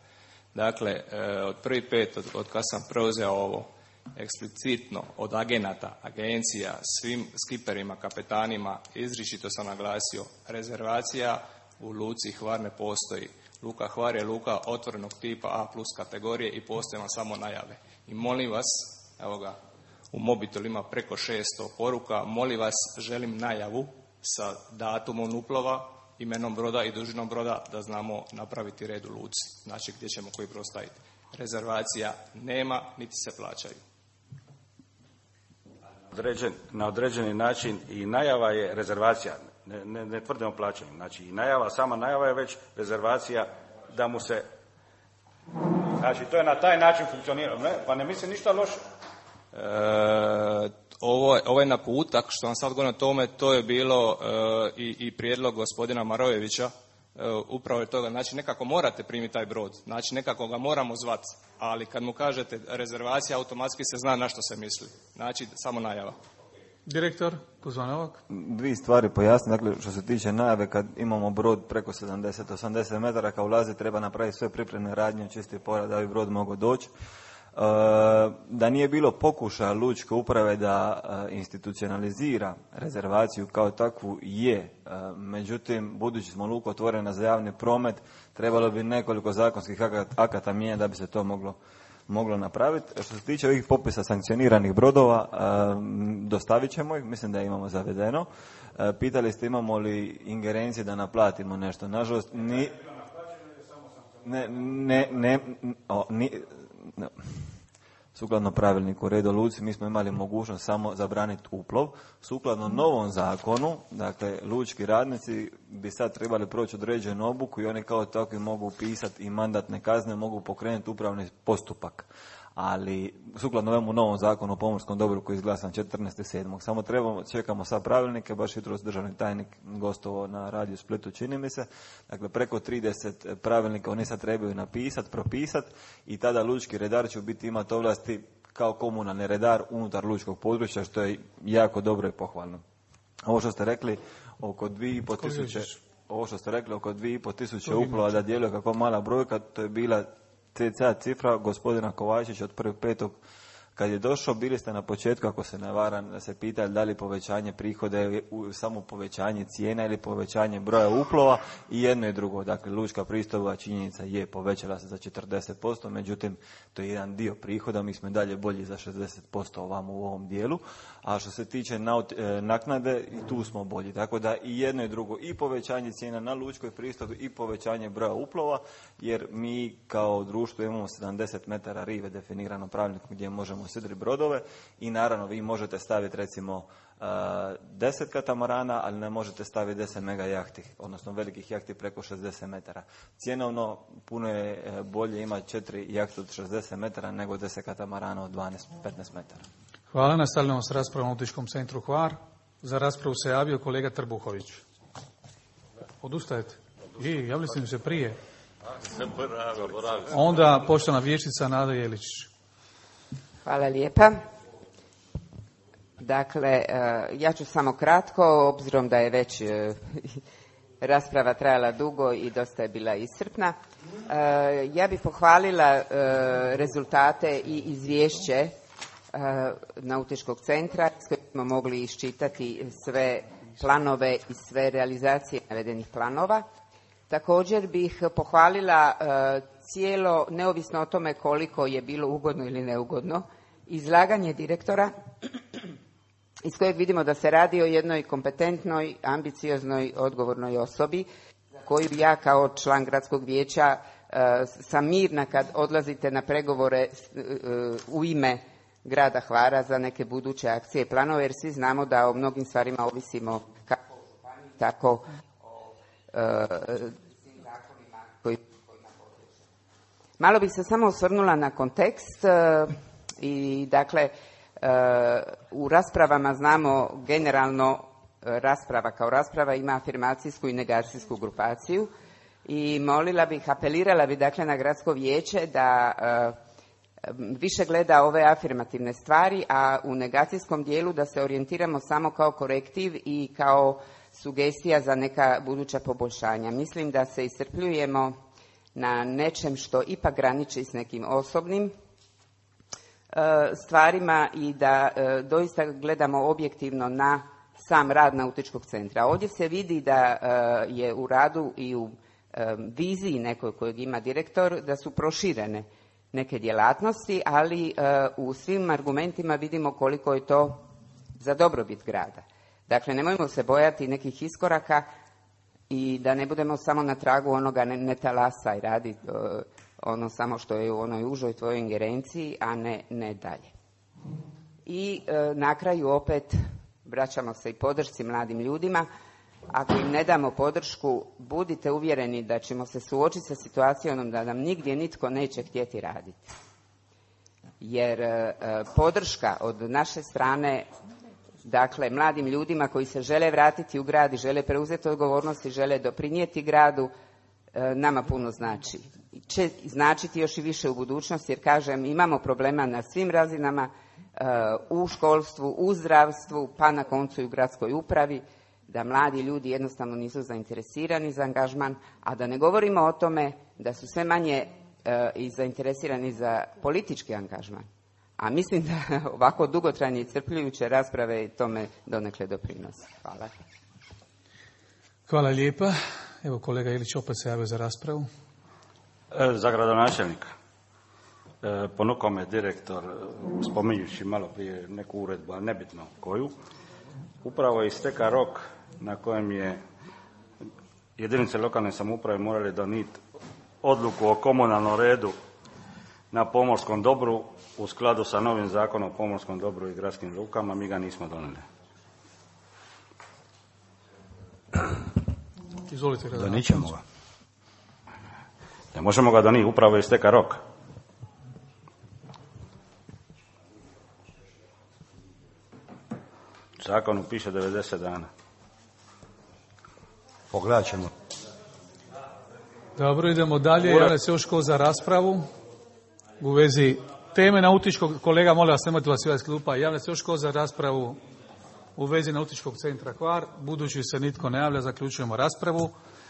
Dakle, od prvi pet, od, od kad sam preuzeo ovo, eksplicitno od agenata, agencija, svim skiperima, kapetanima, izričito sam naglasio, rezervacija u luci Hvar ne postoji. Luka Hvar je luka otvorenog tipa A plus kategorije i postoje vam samo najave. I molim vas, evo ga, u mobitelu ima preko šesto poruka, molim vas, želim najavu sa datumom uplova, imenom broda i dužinom broda da znamo napraviti red u luci, znači gdje ćemo koji brod staviti. Rezervacija nema, niti se plaćaju. Određen, na određeni način i najava je rezervacija, ne, ne, ne tvrdimo plaćanje, znači i najava, sama najava je već rezervacija da mu se, znači to je na taj način funkcionira, ne, pa ne mislim ništa loše. E, ovo, ovaj naputak što vam sad govorim o tome, to je bilo e, i, i prijedlog gospodina Marojevića, e, upravo je toga, znači nekako morate primiti taj brod, znači nekako ga moramo zvati, ali kad mu kažete rezervacija, automatski se zna na što se misli, znači samo najava. Direktor Kuzma Novak. Dvije stvari pojasnim, dakle što se tiče najave, kad imamo brod preko sedamdeset do osamdeset metara kao ulazi, treba napraviti sve pripremne radnje, čisti porad da bi brod mogao doći. E, da nije bilo pokušaja lučke uprave da e, institucionalizira rezervaciju kao takvu je, e, međutim budući smo luku otvorena za javni promet, trebalo bi nekoliko zakonskih akata mijenjati da bi se to moglo moglo napraviti. Što se tiče ovih popisa sankcioniranih brodova, e, dostavit ćemo ih, mislim da imamo zavedeno. E, pitali ste imamo li ingerencije da naplatimo nešto. Nažalost, ni... Ne, ne, ne, o, ni, ne. Sukladno pravilniku o redu luci mi smo imali mogućnost samo zabraniti uplov. Sukladno novom zakonu, dakle lučki radnici bi sad trebali proći određenu obuku i oni kao takvi mogu pisati i mandatne kazne, mogu pokrenuti upravni postupak. Ali sukladno ovom novom zakonu o pomorskom dobru koji je izglasan četrnaestog sedmog Samo trebamo, čekamo sad pravilnike, baš jutros državni tajnik gostovao na radiju Splitu, čini mi se. Dakle, preko trideset pravilnika oni sad trebaju napisati, propisati i tada lučki redar će biti imati ovlasti kao komunalni redar unutar lučkog područja, što je jako dobro i pohvalno. Ovo što ste rekli oko dvije i pol tisuće, ovo što ste rekli oko dvije i pol tisuće uplova da djeluje kako mala brojka, to je bila cca cifra gospodina Kovačića od prvog petog kad je došao. Bili ste na početku, ako se ne varam, da se pitali da li povećanje prihoda je samo povećanje cijena ili povećanje broja uplova, i jedno i drugo. Dakle, lučka pristojba činjenica je povećala se za četrdeset posto, međutim to je jedan dio prihoda, mi smo dalje bolji za šezdeset posto ovamo u ovom dijelu. A što se tiče naknade, i tu smo bolji. Tako da i jedno i drugo, i povećanje cijena na lučkoj pristojbi i povećanje broja uplova, jer mi kao društvo imamo sedamdeset metara rive definirano pravilnikom gdje možemo sidri brodove i naravno vi možete staviti recimo deset katamarana, ali ne možete staviti deset mega jahti, odnosno velikih jahti preko šezdeset metara. Cjenovno puno je bolje imati četiri jahte od šezdeset metara nego deset katamarana od dvanaest do petnaest metara. Hvala. Nastavljamo s raspravom u Nautičkom centru Hvar. Za raspravu se javio kolega Trbuhović. Odustajete? I, javili ste mi se prije. Onda poštovana vijećnica Nada Jeličić. Hvala lijepa. Dakle, ja ću samo kratko, obzirom da je već rasprava trajala dugo i dosta je bila iscrpna. Ja bih pohvalila rezultate i izvješće Nautičkog centra s kojim smo mogli iščitati sve planove i sve realizacije navedenih planova. Također bih pohvalila cijelo, neovisno o tome koliko je bilo ugodno ili neugodno, izlaganje direktora iz kojeg vidimo da se radi o jednoj kompetentnoj, ambicioznoj, odgovornoj osobi koju ja kao član gradskog vijeća sam mirna kad odlazite na pregovore u ime grada Hvara za neke buduće akcije i planove, jer svi znamo da o mnogim stvarima ovisimo kako o županiji, tako o svim zakonima koji kojima podliježu. Malo bih se samo osvrnula na kontekst i dakle u raspravama znamo generalno rasprava kao rasprava ima afirmacijsku i negacijsku grupaciju i molila bih, apelirala bih dakle na gradsko vijeće da više gleda ove afirmativne stvari, a u negacijskom dijelu da se orijentiramo samo kao korektiv i kao sugestija za neka buduća poboljšanja. Mislim da se iscrpljujemo na nečem što ipak graniči s nekim osobnim stvarima i da doista gledamo objektivno na sam rad Nautičkog centra. Ovdje se vidi da je u radu i u viziji nekoj kojeg ima direktor da su proširene neke djelatnosti, ali u svim argumentima vidimo koliko je to za dobrobit grada. Dakle, nemojmo se bojati nekih iskoraka, i da ne budemo samo na tragu onoga ne, ne talasaj, radi ono samo što je u onoj užoj tvojoj ingerenciji, a ne, ne dalje. I e, na kraju opet vraćamo se i podršci mladim ljudima. Ako im ne damo podršku, budite uvjereni da ćemo se suočiti sa situacijom da nam nigdje nitko neće htjeti raditi. Jer e, podrška od naše strane, dakle, mladim ljudima koji se žele vratiti u grad i žele preuzeti odgovornost i žele doprinijeti gradu, e, nama puno znači. Će značiti još i više u budućnosti, jer kažem, imamo problema na svim razinama, e, u školstvu, u zdravstvu, pa na koncu i u gradskoj upravi, da mladi ljudi jednostavno nisu zainteresirani za angažman, a da ne govorimo o tome da su sve manje e, i zainteresirani za politički angažman. A mislim da ovako dugotrajne i crpljujuće rasprave tome donekle doprinose. Hvala. Hvala lijepa. Evo kolega Ilić opet se javio za raspravu. E, za gradonačelnika. E, ponukao me direktor, spominjući malo prije neku uredbu, ali nebitno koju. Upravo je isteka rok na kojem je jedinice lokalne samouprave morali donijeti odluku o komunalnom redu na pomorskom dobru u skladu sa novim zakonom o pomorskom dobru i gradskim lukama. Mi ga nismo donijeli. Izvolite. Donijet ćemo ga. Ne možemo ga donijeti, upravo je isteka rok. U zakonu piše devedeset dana. Pogledat ćemo. Dobro, idemo dalje. Javlja se još ko za raspravu u vezi teme nautičkog, kolega, molim vas, nemojte vas iz klupa, javlja se još ko za raspravu u vezi nautičkog centra Hvar. Budući se nitko ne javlja, zaključujemo raspravu.